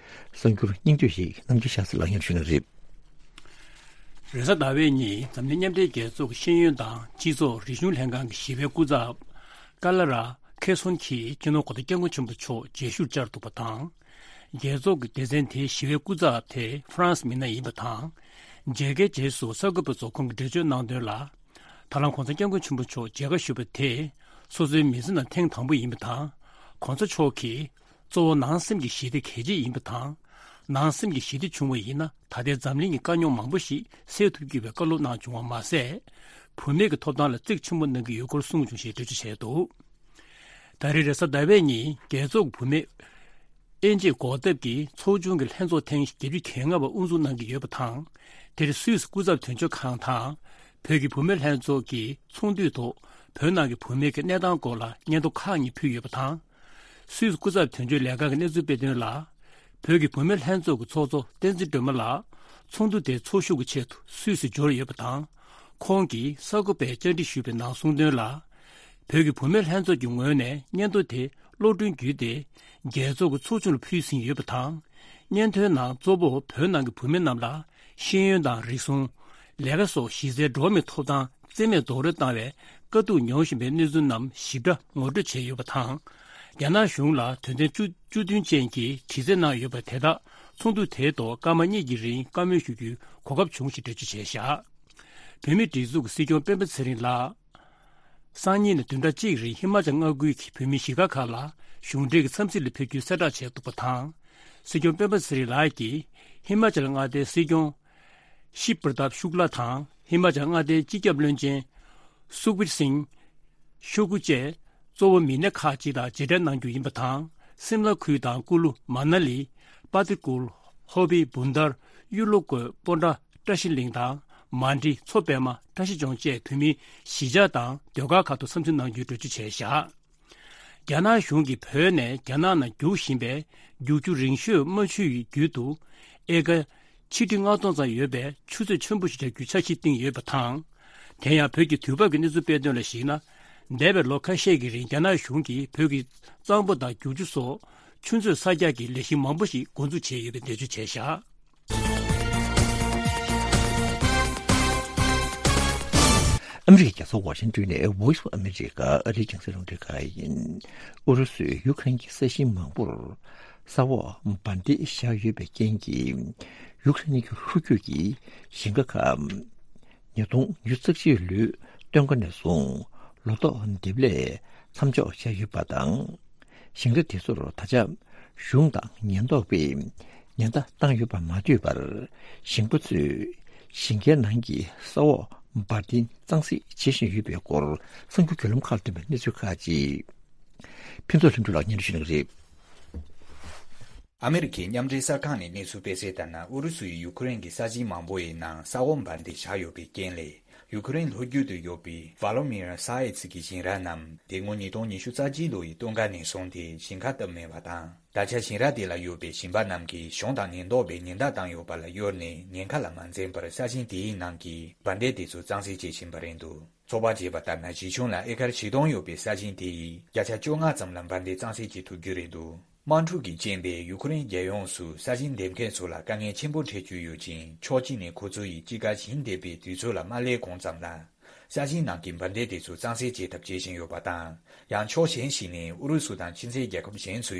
གསར་འགྱུར་སྙིང་བསྡུས་ཤིག་རྣམ་རྒྱལ་ཤཱ་ཚེ་ལགས་སྙན་ཞུ་གནང་གི་རེད། རེས་གཟའ་ཟླ་བའི་ཉིན་འཛམ་གླིང་མཉམ་འབྲེལ་རྒྱལ་ཚོགས་ཀྱི་ཤེས་ཡོན་དང་སྤྱི་ཚོགས་རིག་གཞུང་ལྷན་ཁང་གི་ཞི་བའི་སྐུ་ཚབ་ཀ་ལ་ར་ཁེ་སོན་གྱིས་སྤྱི་ནོར་གོང་ས་སྐྱབས་མགོན་ཆེན་པོ་མཆོག་མཇལ་ཞུར་བཅར་འདུག་པ་དང་། རྒྱལ་ཚོགས་ཀྱི་སྡེ་ཚན་དེའི་ཞི་བའི་སྐུ་ཚབ་དེ་ཧྥ་རན་སི་མི་སྣ་ཡིན་པ་དང་། མཇལ་ཁའི་རྗེས་སུ་གསར་འགོད་པ་ཚོ་ཁོང་གིས་འགྲེལ་བརྗོད་གནང་དོན་ལ། ད་ལམ་གོང་ས་སྐྱབས་མགོན་ཆེན་པོ་མཆོག་མཇལ་ཁ་ཞུ་བ་དེ་སོ་སོའི་མི་ཚེ་ནང་ཐེངས་དང་པོ་ཡིན་པ་དང་། གོང་ས་མཆོག་གིས་གཙོ་བོ་ནང་སེམས་ཀྱི་ཞི་བདེ་གལ་ཆེ་ཡིན་པ་དང་། ནང་སེམས་ཀྱི་ཞི་བདེ་བྱུང་བ་ཡིན་ན། ད་ལྟའི་འཛམ་གླིང་གི་དཀའ་རྙོག་མང་པོ་ཞིག་སེལ་ཐུབ་ཀྱི་ཡོད་པའི་བཀའ་སློབ་གནང་བྱུང་བ་མ་ཟད། བུད་མེད་ཀྱི་ཐོབ་ཐང་ལ་གཙིགས་ཆེན་པོ་གནང་གི་ཡོད་སྐོར་གསུངས་བྱུང་ཞེས་འགྲེལ་བརྗོད་བྱས་འདུག་ད་རེས་རེས་གཟའ་ཟླ་བའི་ཉིན་རྒྱལ་ཚོགས་ཀྱི་བུད་མེད་དབྱེ་འབྱེད་འགོག་ཐབས་ཀྱི་ཚོགས་ཆུང་གི་ལྷན་ཚོགས་ཐེངས་བརྒྱད་ཅུ་གྱ་ལྔ་པ་དབུ་འཛུགས་གནང་གི་ཡོད་པ་དང་། དེར་སུད་སི་སྐུ་ཚབ་དོན་གཅོད་ཁང་དང་། བོད་ཀྱི་བུད་མེད་ལྷན་ཚོགས་ཀྱི་ཚོགས་འདུའི་ཐོག་བོད་ནང་གི་བུད་མེད་ཀྱི་གནས་སྟངས་སྐོར་ལ་སྙན་ཐོ་ཁག་གཉིས་ཕུལ་ཡོད་པ་དང་། སུད་སི་སྐུ་ཚབ་དོན་གཅོད་ལས་ཁང་གིས་གནས་ཚུལ་སྤེལ་དོན་ལ། བོད་ཀྱི་བུད་མེད་ལྷན་ཚོགས་ཀྱི་ཚོགས་གཙོ་བསྟན་འཛིན་སྒྲོལ་མ་ལགས་ཚོགས་འདུ་དེའི་ཚོགས་ཞུགས་ཀྱི་ཆེད་དུ་སུད་སིར་འབྱོར་ཡོད་པ་དང་། ཁོང་གིས་གསར་འགོད་པར་བཅར་འདྲི་ཞུས་པའི་ནང་གསུངས་དོན་ལ། བོད་ཀྱི་བུད་མེད་ལྷན་ཚོགས་ཀྱི་ངོས་ནས་སྙན་ཐོ་དེ་གློག་འཕྲིན་བརྒྱུད་དེ་རྒྱལ་ཚོགས་ཀྱི་ཚོགས་ཆུང་ལ་ཕུལ་ཟིན་ཡོད་པ་དང་། སྙན་ཐོའི་ནང་གཙོ་བོ་བོད་ནང་གི་བུད་མེད་རྣམས་ལ་ཤེས་ཡོན་དང་རིག་གཞུང་། ལས་ཀ་སོགས་གཞི་རྩའི་འགྲོ་བ་མིའི་ཐོབ་ཐང་རྩིས་མེད་རྡོག་རོལ་བཏང་བའི་དཀའ་སྡུག་མྱོང་བཞིན་པའི་གནས་ཚུལ་རྣམས་ཞིབ་ཕྲ་ངོ་སྤྲོད་བྱས་ཡོད་པ་དང་། རྒྱ་ནག་གཞུང་ལ་དོན་ཚན་བཅུ་བཅུ་བདུན་ཅན་གྱི་དྲི་རྩད་གནང་ཡོད་པ་དེ་དག་ཚོགས་འདུ་དེའི་ཐོག་སྐར་མ་གཉིས་ཀྱི་རིང་བཀའ་མོལ་ཞུ་རྒྱུའི་གོ་སྐབས་བྱུང་ཞེས་འགྲེལ་བརྗོད་བྱས་བཞག་བོད་མིའི་སྒྲིག་འཛུགས་ཀྱི་སྲིད་སྐྱོང་སྤེན་པ་ཚེ་རིང་ལགས། སང་ཉིན་ནས་བདུན་ཕྲག་གཅིག་རིང་ཧི་མ་ཅལ་མངའ་ཁུལ་གྱི་བོད་མིའི་གཞིས་ཀ་ཁག་ལ་གཞུང་འབྲེལ་གྱི་འཚམས་གཟིགས་ལ་ཕེབས་རྒྱུའི་གསལ་བསྒྲགས་བྱས་འདུག་པ་དང་། སྲིད་སྐྱོང་སྤེན་པ་ཚེ་རིང་ལགས་ཀྱིས་ཧི་མ་ཅལ་མངའ་སྡེའི་སྲིད་སྐྱོང་ཤིབ་པར་ཏབ་ཤུག་ལ་དང་ཧི་མ་ཅལ་མངའ་སྡེའི་སྤྱི་ཁྱབ་བློན་ཆེན་སུག་བིར་སིང་ཤོ་གུ་བཅས་གཙོ་བོ་མི་སྣ་ཁག་ཅིག་དང་མཇལ་འཕྲད་གནང་རྒྱུ་ཡིན་པ་དང་། སིམ་ལ་ཁུལ་དང་ཀུ་ལུ་མ་ན་ལི། པ་ཏི་ཀུལ། ཧོ་པི། བུན་དར། གཡུ་ལོ་བཀོད། སྤོན་ཊ། བཀྲ་ཤིས་གླིང་དང་། མན་ཌི། མཚོ་པད་མ། བཀྲ་ཤིས་ལྗོངས་བཅས་བོད་མིའི་གཞིས་ཆགས་དང་ཟློས་གར་ཁག་ཏུ་འཚམས་གཟིགས་གནང་རྒྱུའི་གྲོས་ཆོད་བྱས་བཞག་རྒྱ་ནག་གཞུང་གིས་བོད་ནས་རྒྱ་ནག་ནང་རྒྱུག་བཞིན་པའི་རྒྱུག་ཆུ་རིང་ཤོས་རྨ་ཆུ་ཡི་རྒྱུད་དུ་ཨེ་ཀར་ཆིག་ཁྲི་ལྔ་སྟོང་ཙམ་ཡོད་པའི་ཆུ་ཚོད་ཆེན་པོ་ཞིག་རྒྱག་རྒྱུའི་འཆར་གཞི་བཏིང་ཡོད་པ་དང་། དེ་ཡང་བོད་ཀྱི་དུས་བབ་ཀྱི་གནས་ཚུལ་སྤེལ་དོན་ལ་གཞིགས་ན། འདས་པའི་ལོ་ཁ་ཤས་ཀྱི་རིང་རྒྱ་ནག་གཞུང་གིས་བོད་ཀྱི་གཙང་པོ་དང་རྒྱུག་ཆུ་སོགས་ཆུ་མཛོད་གསར་རྒྱག་གི་ལས་གཞི་མང་པོ་ཞིག་འགོ་འཛུགས་བྱས་ཡོད་པའི་འགྲེལ་བརྗོད་བྱས་བཞག་ཨ་མི་རི་ཀའི་རྒྱལ་ས་ཝ་ཤིང་ཏོན་ནས་Voice of America ཨ་རིའི་རྒྱང་སྲིང་རླུང་འཕྲིན་ཁང་ཡིན། ཨུ་རུ་སུས་ཡུ་ཁ་རེན་གྱི་ས་ཞིང་མང་པོར་ས་འོག་འབར་མདེལ་བཞག་ཡོད་པའི་རྐྱེན་གྱིས། ཡུ་ཁ་རེན་གྱི་ལྷོ་རྒྱུད་ཀྱི་ཞིང་ཁ་ཁག་ཉིས་སྟོང་ཉི་ཤུ་རྩ་གཅིག་ལོའི་སྟོན་ཁ་ནས་བཟུང་ལོ་ཏོག་འདེབས་ལས་མཚམས་འཇོག་བྱས་ཡོད་པ་དང་། ཞིང་ར་དེ་ཚོར་ད་ཆ་གཞུང་དང་ཉེན་རྟོག་པས་ཉེན་བརྡ་བཏང་ཡོད་པ་མ་ཐོས་པར། ཞིང་པ་ཚོས་ཞིང་ཁའི་ནང་གི་ས་འོག་འབར་མདེལ་གཙང་སེལ་བྱེད་བཞིན་ཡོད་པའི་སྐོར་གསར་འགྱུར་བརྒྱུད་ལམ་ཁག་ལ་ཐོན་པའི་གནས་ཚུལ་ཁག་ཅིག་ཕུན་ཚོགས་ལྷུན་གྲུབ་ལགས་སྙན་སྒྲོན་ཞུ་གནང་གི་རེད། ཨ་མི་རི་ཀའི་མཉམ་འབྲེལ་གསར་ཁང་ནས་གནས་ཚུལ་སྤེལ་གསལ་ལྟར་ན། ཨུ་རུ་སུ་ཡིས་ཡུ་ཁུ་རེན་གྱི་ས་ཞིང་མང་པོ་ཡི་ནང་ས་འོག་འབར་མདེལ་བཞག་ཡོད་པའི་རྐྱེན་ལས། ཡུ་ཁུ་རེན་ལྷོ་རྒྱུད་དུ་ཡོད་པའི་ཝ་ལོ་མི་ར་སཱ་ཡེ་ཚི་གི་ཞིང་ར་རྣམས་དེ་སྔོན་ཉིས་སྟོང་ཉི་ཤུ་རྩ་གཅིག་ལོ་ཡི་སྟོན་ཁ་ནས་བཟུང་སྟེ་ཞིང་ཁ་བཏབ་མེད་པ་དང་། ད་ཆ་ཞིང་ར་དེ་ལ་ཡོད་པའི་ཞིང་པ་རྣམས་ཀྱིས་གཞུང་དང་ཉེན་རྟོག་པས་ཉེན་བརྡ་བཏང་ཡོད་པ་ལ་གཡོལ་ནས་ཉེན་ཁ་ལ་མ་འཛེམས་པར་ས་ཞིང་དེའི་ནང་གི་འབར་མདེལ་དེ་ཚོ་གཙང་སེལ་བྱེད་བཞིན་པ་རེད་འདུག་ཚོད་དཔག་བྱས་པ་ལྟར་ན། གཞི་གཞུང་ལ་ཨེ་ཀར་བཞི་སྟོང་ཡོད་པའི་ས་ཞིང་དེ་ཡིས་བརྒྱ་ཆ་བཅོ་ལྔ་ཙམ་ལ་འབར་མདེལ་གཙང་སེལ་བྱེད་ཐུབ་རྒྱུ་རེད་འདུག་དམག་འཁྲུག་གི་རྐྱེན་པས་ཡུ་ཁུ་རེན་རྒྱལ་ཡོངས་སུ་ས་ཞིང་འདེབས་མཁན་ཚོ་ལ་དཀའ་ངལ་ཆེན་པོ་འཕྲད་ཀྱི་ཡོད་ཅིང་། ཕྱོགས་གཅིག་ནས་ཁོ་ཚོ་ཡིས་དཔྱིད་ཀ་ཞིང་འདེབས་པའི་དུས་ཚོད་ལ་མ་སླེབས་གོང་ཙམ་ལ། ས་ཞིང་ནང་གི་འབར་མདེལ་དེ་ཚོ་གཙང་སེལ་བྱེད་ཐབས་བྱེད་བཞིན་ཡོད་པ་དང་། ཡང་ཕྱོགས་གཞན་ཞིག་ནས་ཨུ་རུ་སུ་དང་ཕྱི་འབྲེལ་རྒྱལ་ཁབ་གཞན་ཚོས་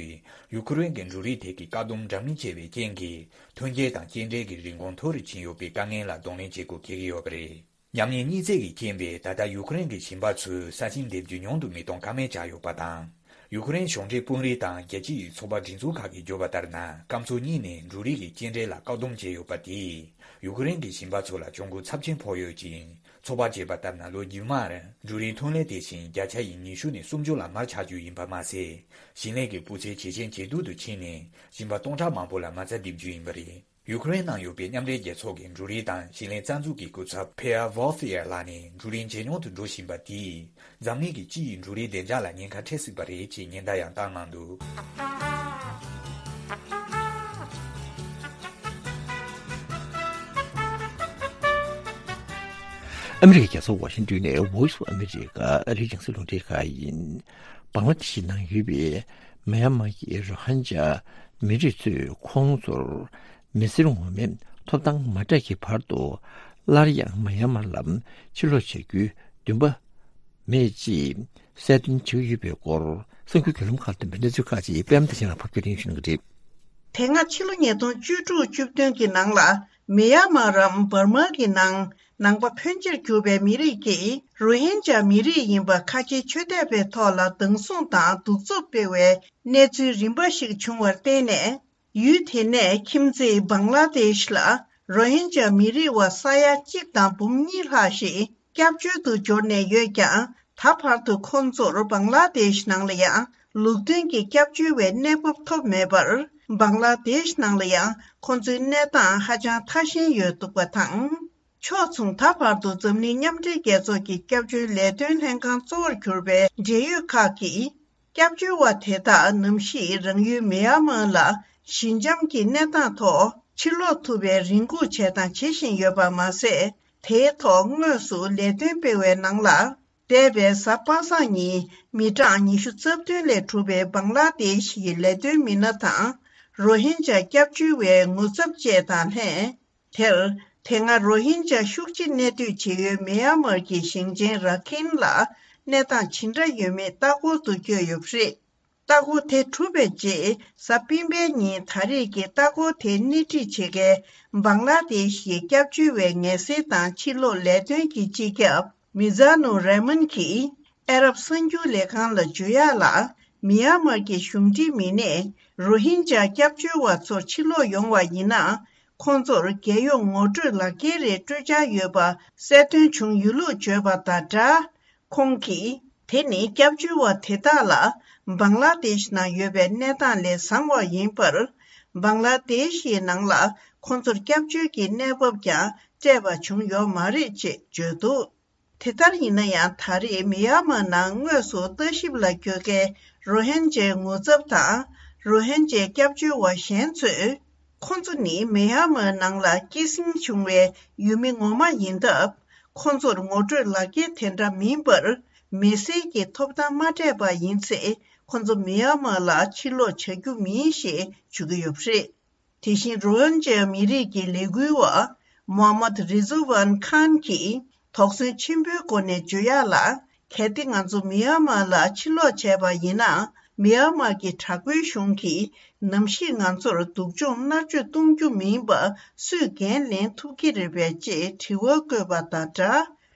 ཡུ་ཁུ་རེན་གྱི་འབྲུ་རིགས་ཐད་ཀྱི་བཀག་སྡོམ་འདྲ་མིན་བྱས་པའི་རྐྱེན་གྱིས། ཐོན་སྐྱེད་དང་སྐྱེལ་འདྲེན་གྱི་རིན་གོང་མཐོ་རུ་ཕྱིན་ཡོད་པའི་དཀའ་ངལ་ལ་གདོང་ལེན་བྱེད་དགོས་འཁེལ་གྱི་ཡོད་པ་རེད། ཉམས་ཉེས་གཉིས་བརྩེགས་ཀྱི་རྐྱེན་པས། ད་ལྟ་ཡུ་ཁུ་རེན་གྱི་ཞིང་པ་ཚོས་ས་ཞིང་འདེབས་རྒྱུ་ཉུང་དུ་མི་གཏོང་ཀ་མེད་ཆགས་ཡོད་པ་དང་། ཡུ་ཁུ་རེན་གཞུང་འབྲེལ་དཔོན་རིགས་དང་རྒྱལ་སྤྱི་ཡི་ཚོགས་པ་སྒྲིག་འཛུགས་ཁག་གིས་བརྗོད་པ་ལྟར་ན། སྐམ་ཚོགས་གཉིས་ནས་འབྲུ་རིགས་ཀྱི་སྐྱེལ་འདྲེན་ལ་བཀག་སྡོམ་བྱས་ཡོད་པ་དེས། ཡུ་ཁུ་རེན་གྱི་ཞིང་པ་ཚོ་ལ་གྱོང་གུན་ཚབས་ཆེན་ཕོག་ཡོད་ཅིང་། ཚོད་དཔག་བྱས་པ་ལྟར་ན། ལོ་རྒྱུན་མར་འབྲུ་རིགས་ཐོན་ལས་དེ་བཞིན་བརྒྱ་ཆ་ཡི་ཉི་ཤུ་ནས་སུམ་ཅུ་ལ་མར་ཆག་རྒྱུ་ཡིན་པ་མ་ཟད། ཞིང་ལས་ཀྱི་སྤུས་ཚད་ཇེ་ཞན་ཇེ་སྡུག་ཏུ་ཕྱིན་ནས། ཞིང་པ་སྟོང་ཕྲག་མང་པོ་ལ་མ་རྩ་རྡིབ་རྒྱུ་ཡིན་པ་རེད། ཡུ་ཁུ་རེན་ནང་ཡོད་པའི་མཉམ་འབྲེལ་རྒྱལ་ཚོགས་ཀྱི་འབྲུ་རིགས་དང་ཞིང་ལས་རྩ་འཛུགས་ཀྱི་སྐུ་ཚབ་ཕེ་ཨ་ཝོལ་ཧྥི་ཡར་ལགས་ནས། འབྲུ་རིགས་ཇེ་ཉུང་དུ་འགྲོ་བཞིན་པ་དེས། འཛམ་གླིང་གི་སྤྱི་ཡི་འབྲུ་རིགས་བདེ་འཇགས་ལ་ཉེན་ཁ་འཕྲད་སྲིད་པ་རེད་ཅེས་ཉེན་བརྡ་ཡང་བཏང་གནང་འདུག་ཨ་མི་རི་ཀའི་རྒྱལ་ས་ཝ་ཤིང་ཏོན་ནས་Voice of America ཨ་རིའི་རྒྱང་སྲིང་རླུང་འཕྲིན་ཁང་ཡིན། བང་ལ་དེ་ཤི་ནང་ཡོད་པའི་མེན་མར་གྱི་རོ་ཧིན་ཇཱ་མི་རིགས་ཚོས་ཁོང་ཚོར་མི་སེར་ངོ་མའི་ཐོབ་ཐང་མ་སྤྲད་ཀྱི་བར་དུ། སླར་ཡང་མེན་མར་ལ་ཕྱིར་ལོག་བྱ་རྒྱུའི་འདུན་པ་མེད་ཅེས་གསལ་སྟོན་བྱེད་ཀྱི་ཡོད་པའི་སྐོར་གསར་འགྱུར་བརྒྱུད་ལམ་ཁག་ལ་ཐོན་པའི་གནས་ཚུལ་ཁག་ཅིག་པད་མ་བདེ་ཆེན་ལགས་ཕབ་སྒྱུར་ཡིན་ཞུ་གནང་གི་རེད། དེ་སྔ་ཕྱི་ལོ་ཉིས་སྟོང་བཅུ་དྲུག་བཅུ་བདུན་གྱི་ནང་ལ་མེན་མར་རམ་འབར་མ་གི་ནང་ནང་པ་ཕོན་ཆེར་གྱུར་པའི་མི་རིགས་ཀྱིས་རོ་ཧིན་ཇཱ་མི་རིགས་ཡིན་པ་ཁ་ཆེའི་ཆོས་དད་པའི་ཐོག་ལ་སྡང་ཟུག་དང་གདུག་རྩུབ་སྤེལ་བའི་གནས་ཚུལ་རིམ་པ་ཞིག་བྱུང་བར་བརྟེན་ནས། ཡུལ་དེ་ནས་ཁྱིམ་མཚེས་བང་ལ་དེཤ་ལ་རོ་ཧིན་ཇཱ་མི་རིགས་བ་ས་ཡ་གཅིག་དང་འབུམ་གཉིས་ལྷག་ཞིག་སྐྱབས་བཅོལ་དུ་འབྱོར་ནས་ཡོད་ཀྱང་། ད་བར་དུ་ཁོང་ཚོར་བང་ལ་དེཤ་ནང་ལ་ཡང་ལུགས་མཐུན་གྱི་སྐྱབས་བཅོལ་བའི་གནས་བབ་ཐོབ་མེད་པར། བང་ལ་དེཤ་ནང་ལ་ཡང་ཁོང་ཚོའི་གནས་སྟངས་ཧ་ཅང་ཐ་ཞན་ཡོད་འདུག་པ་དང་། ཕྱོགས་མཚུངས། ད་བར་དུ་འཛམ་གླིང་མཉམ་འབྲེལ་རྒྱལ་ཚོགས་ཀྱི་སྐྱབས་བཅོལ་ལས་དོན་ལྷན་ཁང་གཙོ་བོར་གྱུར་པའི་འབྲེལ་ཡོད་ཁག་གིས། སྐྱབས་བཅོལ་བ་དེ་དག་ནམ་ཞིག་རང་ཡུལ་མེན་མར་ལ་ ཞི་འཇམ་གྱི་གནས་སྟངས་ཐོག་ཕྱིར་ལོག་ཐུབ་པའི་རེ་སྒུག་བྱས་དང་བྱེད་བཞིན་ཡོད་པ་མ་ཟད། དེའི་ཐོག་དངོས་སུ་ལས་དོན་སྤེལ་བའི་ནང་ལ། འདས་པའི་གཟའ་པ་སངས་ཉིན་མི་གྲངས་ཉི་ཤུ་རྩ་བདུན་ལས་གྲུབ་པའི་བང་ལ་དེཤ་ཡི་ལས་དོན་མི་སྣ་དང་། རོ་ཧིན་ཇཱ་སྐྱབས་བཅོལ་བའི་ངོ་ཚབ་བཅས་དང་ལྷན། དེར་དེ་སྔ་རོ་ཧིན་ཇཱ་ཤུགས་ཆེ་གནས་སྡོད་བྱེད་ཡུལ་མི་ཡན་མར་གྱི་ཞིང་ཆེན་ར་ཁིན་ལ་གནས་སྟངས་ཇི་འདྲ་ཡོད་མེད་ལྟ་སྐོར་དུ་བསྐྱོད་ཡོད་པ་རེད། ལྟ་སྐོར་དེ་གྲུབ་པའི་རྗེས་གཟའ་སྤེན་པའི་ཉིན་ད་རེས་ཀྱི་ལྟ་སྐོར་དེ་སྣེ་ཁྲིད་བྱེད་མཁན་བང་ལ་དེཤ་ཡི་སྐྱབས་བཅོལ་བའི་ངལ་སེལ་དང་ཕྱིར་ལོག་ལས་དོན་གྱི་སྤྱི་ཁྱབ་མི་ཛ་ནུ་རེ་མན་གྱིས། ཨ་རབ་གསར་འགྱུར་ལས་ཁང་ལ་བརྗོད་ཡག་ལ། མི་ཡན་མར་གྱི་གཞུང་འབྲེལ་མི་སྣས་རོ་ཧིན་ཇཱ་སྐྱབས་བཅོལ་བ་ཚོ་ཕྱིར་ལོག་ཡོང་བ་ཡིན་ན། ཁོང་ཚོར་རྒྱལ་ཡོངས་ངོ་སྤྲོད་ལག་འཁྱེར་རེ་སྤྲོད་འཆར་ཡོད་པ་གསལ་སྟོན་བྱུང་ཡོད་ལུགས་བརྗོད་པ་དང་སྦྲགས། ཁོང་གིས། དེ་ནི་སྐྱབས་བཅོལ་བ་དེ་དག་ལ་བང་ལ་དེཤ་ནང་ཡོད་པའི་གནས་སྟངས་ལས་བཟང་བ་ཡིན་པར། བང་ལ་དེཤ་ཡི་ནང་ལ་ཁོང་ཚོར་སྐྱབས་བཅོལ་གྱི་གནས་བབ་ཀྱང་སྤྲད་པ་བྱུང་ཡོད་མ་རེད་ཅེས་བརྗོད་འདུག་དེ་ལྟར་ཡིན་ན་ཡང་། ད་རེས་མི་ཡན་མར་ནང་དངོས་སུ་ལྟ་ཞིབ་ལ་བསྐྱོད་མཁན་རོ་ཧིན་ཇའི་ངོ་ཚབ་དང་། རོ་ཧིན་ཇའི་སྐྱབས་བཅོལ་བ་གཞན་ཚོས། ཁོ་ཚོ་ནི་མི་ཡན་མར་ནང་ལ་སྐྱེད་སྲིང་བྱུང་བའི་ཡུལ་མི་ངོ་མ་ཡིན་སྟབས། ཁོ་ཚོར་ངོ་སྤྲོད་ལག་འཁྱེར་དེ་འདྲ་མིན་པར། མི་སེར་གྱི་ཐོབ་ཐང་མ་སྤྲད་པ་ཡིན་ཚེ། ཁོ་ཚོ་མི་ཡན་མར་ལ་ཕྱིར་ལོག་བྱ་རྒྱུ་མིན་ཞེས་བརྗོད་ཀྱི་ཡོད་པ་རེད། དེ་བཞིན་རོ་ཧིན་ཇཱ་མི་རིགས་ཀྱི་ལས་འགུལ་བ་མོ་ཧམ་མད་རི་ཛུ་ཝན་ཁཱན་གྱིས་དོགས་ཟོན་ཆེན་པོའི་སྒོ་ནས་བརྗོད་ཡག་ལ། གལ་ཏེ་ང་ཚོ་མི་ཡན་མར་ལ་ཕྱིར་ལོག་བྱས་པ་ཡིན་ན། མི་ཡན་མར་གྱི་དྲག་པོའི་གཞུང་གིས་ནམ་ཞིག་ང་ཚོར་སྡུག་སྦྱོང་མནར་གཅོད་གཏོང་རྒྱུ་མིན་པ་སུས་འགན་ལེན་ཐུབ་ཀྱི་རེད་པས་ཅེས་དྲི་བ་བཀོད་པ་དང་སྦྲགས།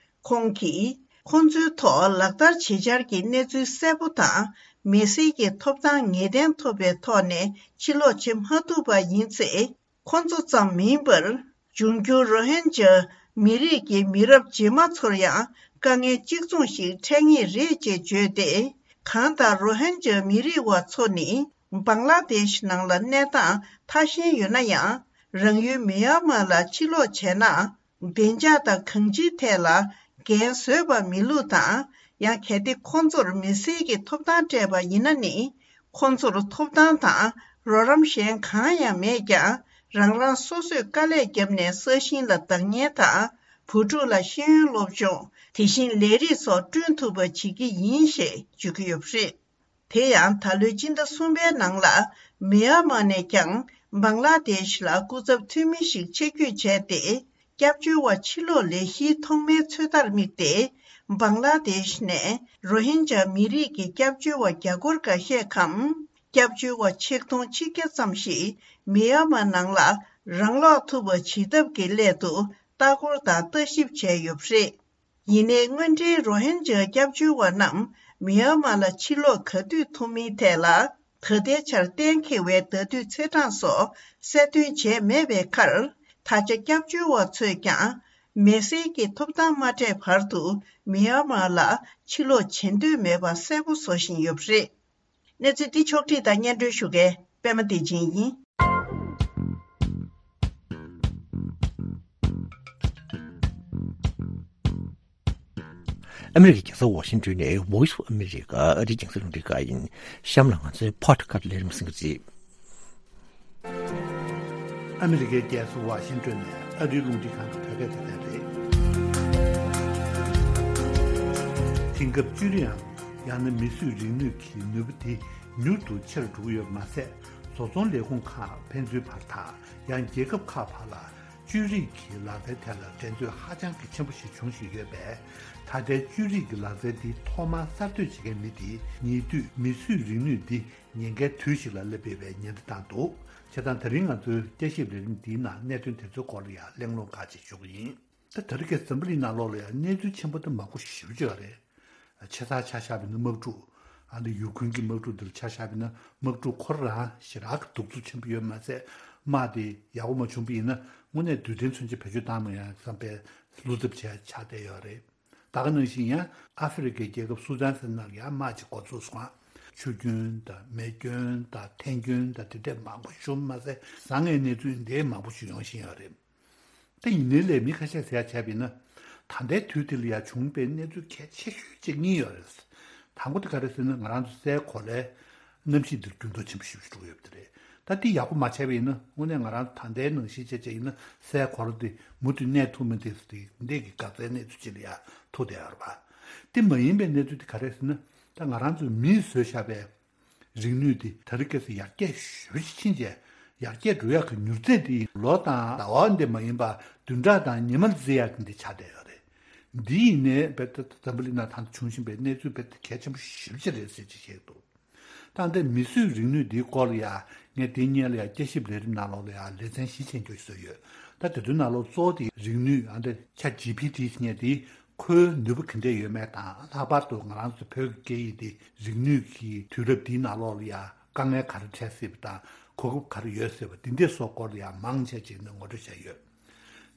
ཁོང་གིས། ཁོང་ཚོའི་ཐོག་ལག་བསྟར་བྱེད་འཆར་གྱི་གནས་ཚུལ་གསལ་པོ་དང་། མི་སེར་གྱི་ཐོབ་ཐང་ངེས་གཏན་ཐོབ་པའི་ཐོག་ནས་ཕྱིར་ལོག་བྱེད་མ་ཐུབ་པ་ཡིན་ཚེ། ཁོང་ཚོ་ཙམ་མིན་པར། འབྱུང་འགྱུར་རོ་ཧིན་ཇཱ་མི་རིགས་ཀྱི་མི་རབས་རྗེས་མ་ཚོར་ཡང་དཀའ་ངལ་གཅིག་མཚུངས་ཤིག་འཕྲད་ངེས་རེད་ཅེས་བརྗོད་དེ། གང་ལྟར་རོ་ཧིན་ཇཱ་མི་རིགས་བ་ཚོ་ནི། བང་ལ་དེཤ་ནང་ལ་གནས་སྟངས་ཐ་ཞན་ཡོད་ན་ཡང་། རང་ཡུལ་མི་ཡན་མར་ལ་ཕྱིར་ལོག་བྱས་ན། བདེ་འཇགས་དང་གང་ཅིའི་ཐད་ལ་འགན་བཟོད་པ་མེད་ལུགས་དང་། ཡང་གལ་ཏེ་ཁོང་ཚོར་མི་སེར་གྱི་ཐོབ་ཐང་སྤྲད་པ་ཡིན་ན་ནི། ཁོང་ཚོར་ཐོབ་ཐང་དང་རོགས་རམ་གཞན་གང་ཡང་མེད་ཀྱང་། རང་རང་སོ་སོས་དཀའ་ལས་བརྒྱབ་ནས་ས་ཞིང་ལ་བདག་གཉེར་དང་། བུ་ཕྲུག་ལ་ཤེས་ཡོན་སློབ་སྦྱོང་། དེ་བཞིན་ལས་རིགས་སོགས་བསྐྲུན་ཐུབ་པ་བྱེད་ཀྱི་ཡིན་ཞེས་བརྗོད་ཀྱི་ཡོད་པ་རེད། དེ་ཡང་ད་ལོའི་སྤྱི་ཟླ་གསུམ་པའི་ནང་ལ། མི་ཡན་མར་ནས་ཀྱང་བང་ལ་དེཤ་ལ་སྐུ་ཚབ་འཐུས་མི་ཞིག་ཆེད་བསྐྱོད་བྱས་ཏེ། སྐྱབས་བཅོལ་བ་ཕྱིར་ལོག་ལས་གཞིའི་ཐོག་མའི་ཚོད་ལྟར་དམིགས་ཏེ། བང་ལ་དེཤ་ནས་རོ་ཧིན་ཇཱ་མི་རིགས་ཀྱི་སྐྱབས་བཅོལ་བ་རྒྱ་སྒོར་འགའ་ཤས་གམ། སྐྱབས་བཅོལ་བ་ཆིག་སྟོང་ཆིག་བརྒྱ་ཙམ་ཞིག་མི་ཡན་མར་ནང་ལ་རང་ལོག་ཐུབ་པ་བྱེད་ཐབས་ཀྱི་སླད་དུ་ལྟ་སྐོར་དང་ལྟ་ཞིབ་བྱས་ཡོད་པ་རེད། ཡིན་ནའི། དངོས་འབྲེལ་རོ་ཧིན་ཇཱ་སྐྱབས་བཅོལ་བ་རྣམས་མི་ཡན་མར་ལ་ཕྱིར་ལོག་ག་དུས་ཐུབ་མིན་ཐད་ལ། ད་ལྟའི་ཆར་གཏན་འཁེལ་བའི་ཟླ་དུས་ཚེས་གྲངས་སོགས་གསལ་སྟོན་བྱས་མེད་པའི་ཁར། ད་ཆ་སྐྱབས་བཅོལ་བ་ཚོས་ཀྱང་། མི་སེར་གྱི་ཐོབ་ཐང་མ་སྤྲད་བར་དུ་མི་ཡན་མར་ལ་ཕྱིར་ལོག་བྱེད་འདོད་མེད་པ་གསལ་པོ་བཟོ་བཞིན་ཡོད་པ་རེད། གནས་ཚུལ་འདི་ཕྱོགས་བསྒྲིགས་དང་སྙན་སྒྲོན་ཞུ་མཁན་པད་མ་བདེ་ཆེན་ཡིན། ཨ་མི་རི་ཀའི་རྒྱལ་ས་ཝ་ཤིང་ཏོན་ནས་Voice of America ཨ་རིའི་རྒྱང་སྲིང་རླུང་འཕྲིན་ཁང་ཡིན། གཤམ་ལ་ང་ཚོའི་Podcast ལས་རིམ་གསན་གྱི་རེད། ཨ་མི་རི་ཀའི་རྒྱལ་ས་ཝ་ཤིང་ཏོན་ནས་ཨ་རིའི་རླུང་འཕྲིན་ཁང་གི་བོད་སྐད་སྡེ་ཚན་རེད། དེང་སྐབས་བཅོས་རིག་ཨང་། ཡང་ན་མིས་བཟོས་རིག་ནུས་ཀྱི་ནུས་པ་དེ་མྱུར་དུ་ཆེ་རུ་འགྲོ་གི་ཡོད་པ་མ་ཟད། བཟོ་ཚོང་ལས་ཁུངས་ཁག་ཕན་ཚུན་བར་དང་། ཡང་རྒྱལ་ཁབ་ཁག་བར་ལ་བཅོས་རིག་གི་ལག་རྩལ་ཐད་ལ་འགྲན་རྩོད་ཧ་ཅང་གི་ཆེན་པོ་ཞིག་འབྱུང་བཞིན་ཡོད་པས། ད་ལྟའི་བཅོས་རིག་གི་ལག་རྩལ་འདི་ཐོག་མར་གསར་གཏོད་བྱེད་མཁན་མི་དེས་ཉེ་དུས་མིས་བཟོས་རིག་ནུས་འདི་ཉེན་ཁའི་དུས་ཤིག་ལ་སླེབས་ཡོད་པའི་ཉེན་བརྡ་བཏང་འདུག་བྱས་ཙང་། ད་རིང་ང་ཚོའི་བསྐྱར་ཞིབ་ལས་རིམ་འདིའི་ནང་གནད་དོན་དེ་ཚོའི་སྐོར་ལ་ཡང་གླེང་སློང་ཁག་ཅིག་ཞུ་གི་ཡིན། ད་ད་རེས་ཀྱི་འཛམ་བུ་གླིང་ནང་ལོགས་ལ་ཡང་གནས་ཚུལ་ཆེན་པོ་དེ་མང་པོ་ཞེ་པོ་ཅིག་ཡོད་རེད། ཆེ་ས་ཆ་བཞག་པ་ཡིན་ན་དམག་འཁྲུག་ཨ་ནི་ཡུ་ཁུན་གྱི་དམག་འཁྲུག་འདིར་ཆ་བཞག་པ་ཡིན་ན། དམག་འཁྲུག་ཁོ་རང་ཞེ་དྲག་གི་གདུག་རྩུབ་ཆེན་པོ་ཡོད་མ་ཟད། དམག་དེ་ཡག་པོ་མ་བྱུང་པ་ཡིན་ན། དངོས་གནས་རྡུལ་ཕྲན་མཚོན་ཆ་བེད་སྤྱོད་བཏང་མ་ཡོང་བསམ་པའི་བློ་འཚབ་བྱས་ཆགས་བསྡད་ཡོད་རེད། ད་ག་ནང་བཞིན་ཡང་ཨ་ཧྥེ་རི་ཁའི་རྒྱལ་ཁབ་སུ་དཱན་ཟེར་ནང་ཡང་དམག་ཅིག་འགོ་ཚུགས་སོང་། ཆུ་རྒྱུན་དང་མེ་སྐྱོན་དང་ཐན་སྐྱོན་དང་དེ་འདྲས་མང་པོ་བྱུང་མ་ཟད། བཟང་ངན་གནས་ཚུལ་འདི་མང་པོ་ཞིག་ཡོང་བཞིན་ཡོད་རེད། དེ་ཡིན་ནའི་ལས་མི་ཁ་ཤས་ཟེར་ཡ་བྱས་པ་ཡིན་ན། ད་ལྟའི་དུས་འདི་ལ་ཡ་བྱུང་པའི་གནས་ཚུལ་གལ་ཆེ་ཤོས་གཅིག་གཉིས་ཡོད་རེད། དང་པོ་དེ་ག་རེ་ཟེར་ན། ང་རང་ཚོ་སའི་གོ་ལའི་ གནམ་གཤིས་འདིར་འགྱུར་ལྡོག་ཆེན་པོ་ཞེ་པོ་ཅིག་འགྲོ་གི་ཡོད་པ་དེ་རེད། ད་འདི་ཡག་པོ་མ་བྱས་པ་ཡིན་ན་དངོས་གནས་ང་རང་ད་ལྟའི་ནང་བཞིན་བྱས་བྱས་ཡིན་ན་སའི་གོ་ལ་འདི་མུ་མཐུད་གནས་ཐུབ་མིན་དེ་འདི་འདྲའི་གི་འགག་རྩའི་གནས་ཚུལ་ཅིག་ལ་ཡ་ཐུག་བསྡད་ཡོད་རེད་པ། དེ་མ་ཡིན་པའི་གནས་ཚུལ་དེ་ག་རེ་ཟེར་ན། ད་ང་རང་ཚོས་མིས་བཟོས་བཞག་པའི་རིག་ནུས་དེ་དེ་རིང་ཁ་སང་ཡར་རྒྱས་ཞེ་པོ་ཅིག་ཕྱིན་བྱས། ཡར་རྒྱས་འགྲོ་ཡག་གི་མྱུར་ཚད་དེ་ལོ་དང་ཟླ་བ་འདི་མ་ཡིན་པ་བདུན་ཕྲག་དང་ཉི་མ་ལ་བརྩི་ཡག་གི་འདི་ཆགས་བསྡད་ཡོད་རེད། འདི་ཡིན་ནའི་རྦད་དེ་འཛམ་བུ་གླིང་ནང་ད་ལྟ་བྱུང་བཞིན་པའི་གནས་ཚུལ་རྦད་དེ་གལ་ཆེན་པོ་ཞེ་པོ་ཅིག་རེད་ཟེར་ཅིག་བཤད་འདུག་ད་ལྟ་མིས་བཟོས་རིག་ནུས་འདིའི་སྐོར་ལ་ཡ་ངས་དེའི་སྔོན་ལ་ཡ་བསྐྱར་ཞིབ་ལས་རིམ་ནང་ལོགས་ལ་ཡ་ལེ་ཚན་བཞི་ཅན་འགྱོ་བཟོས་ཡོད། ད་དེ་ཚོའི་ནང་ལོགས་གཙོ་བོ་དེ་རིག་ནུས་ཨ་འདི་ཆ་ཇི་པི་ཊི་ཟེར་མཁན་དེ་ཁོའི་ནུས་པ་ག་འདྲས་ཡོད་མེད་དང་། ལྷག་པར་དུ་ང་རང་ཚོ་བོད་ཀྱི་སྐད་ཡིག་འདི་རིག་ནུས་ཀྱི་དུས་རབས་འདིའི་ནང་ལོགས་ལ་ཡ་དཀའ་ངལ་ག་རེ་འཕྲད་སྲིད་པ་དང་། གོ་སྐབས་ག་རེ་ཡོད་སྲིད་པ་འདི་འདྲས་སོགས་སྐོར་ལ་ཡ་མང་ཆེ་ཅིག་ནས་ངོ་སྤྲོད་བྱས་ཡོད།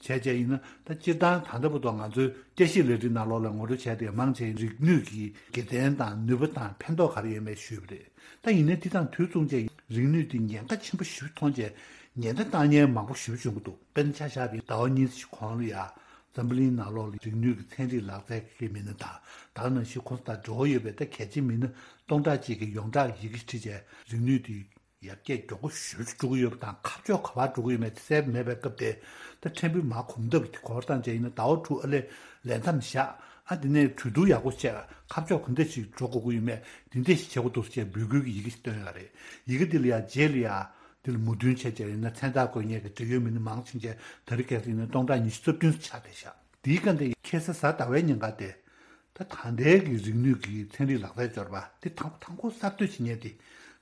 བྱས་བྱས་ཡིན་ན་ད་སྤྱིར་བཏང་ད་ལྟ་བར་དུ་ང་ཚོའི་བསྐྱར་ཞིབ་ལས་རིམ་ནང་ལོགས་ལ་ངོ་སྤྲོད་བྱས་ཏེ་མང་ཆེ་རིག་ནུས་ཀྱི་དགེ་མཚན་དང་ནུས་པ་དང་ཕན་ཐོགས་ག་རེ་ཡོད་མེད་ཞུས་པ་རེད། ད་ཡིན་ནའི་དེ་དང་དུས་མཚུངས་བྱས་རིག་ནུས་དེ་ཉེན་ཁ་ཆེན་པོ་ཞེ་པོ་མཐོང་བྱས་ཉེན་བརྡ་བཏང་མཁན་མང་པོ་ཞེ་པོ་བྱུང་གི་འདུག་དཔེར་ན་ཆ་བཞག་པའི་ཟླ་བ་གཉིས་ཙམ་གོང་ལ་ཡ་འཛམ་བུ་གླིང་ནང་ལོགས་ལ་རིག་ནུས་ཀྱི་ཚན་རིག་ལག་རྩལ་གྱི་མི་སྣ་དང་། ད་ག་ནང་བཞིན་ཁོང་ཚོ་དང་འབྲེལ་བ་ཡོད་པའི་ད་གལ་ཆེའི་མི་སྣ་སྟོང་ཕྲག་གཅིག་གི་ཡོངས་གྲགས་ཡི་གེ་བྲིས་བྱས་རིག་ནུས་དེ་ཡར་རྒྱས་མགྱོགས་པོ་ཞེ་པོ་ཅིག་འགྲོ་གི་ཡོད་པ་དང་། ཁ་ཕྱོགས་ག་པར་འགྲོ་གི་ཡོད་མེད་དེ་གསལ་པོ་མེད་པའི་སྐབས་དེ། ད་ཕྲན་བུ་མར་གོམ་སྟབས་དེ་གོ་བར་བཏང་བྱས་ཡིན་ན་ཟླ་བ་དྲུག་ཨ་ལས་ལས་མཚམས་བཞག་ཨ་དེ་ནས་གྲོས་བསྡུར་ཡག་པོ་བྱས། ཁ་ཕྱོགས་ག་འདྲ་ཞིག་འགྲོ་དགོས་ཀྱི་ཡོད་མེད་དེ་འདྲ་ཞིག་བྱེད་དགོས་འདུག་ཟེར་བྱས་འབོད་སྐུལ་གྱི་ཡི་གེ་ཞིག་བཏོན་ཡོད་རེད། ཡི་གེ་དེ་ལ་ཡ་རྗེས་ལ་ཡ་དེ་ལ་མོས་མཐུན་བྱས་བྱས་ཡིན་ན་མཚན་རྟགས་འགོད་མཁན་གྱི་འབྲེལ་ཡོད་མི་སྣ་མང་ཆེ་བྱས་དེ་རིང་ཁ་སང་ཡིན་ན་སྟོང་ཕྲག་ཉི་ཤུ་རྩ་བདུན་ཙམ་ཆགས་བསྡད་ཤག་དེའི་སྐབས་དེ་ཁ་སང་གཟའ་ཟླ་བའི་ཉིན་ཀ་དེ། ད་ད་ལྟའི་གི་རིག་ནུས་ཀྱི་ཚན་རིག་ལག་རྩལ་སྦྱོར་བ་དེ་དང་པོ་དང་པོ་གསར་གཏོད་བྱེད་མཁན་དེ་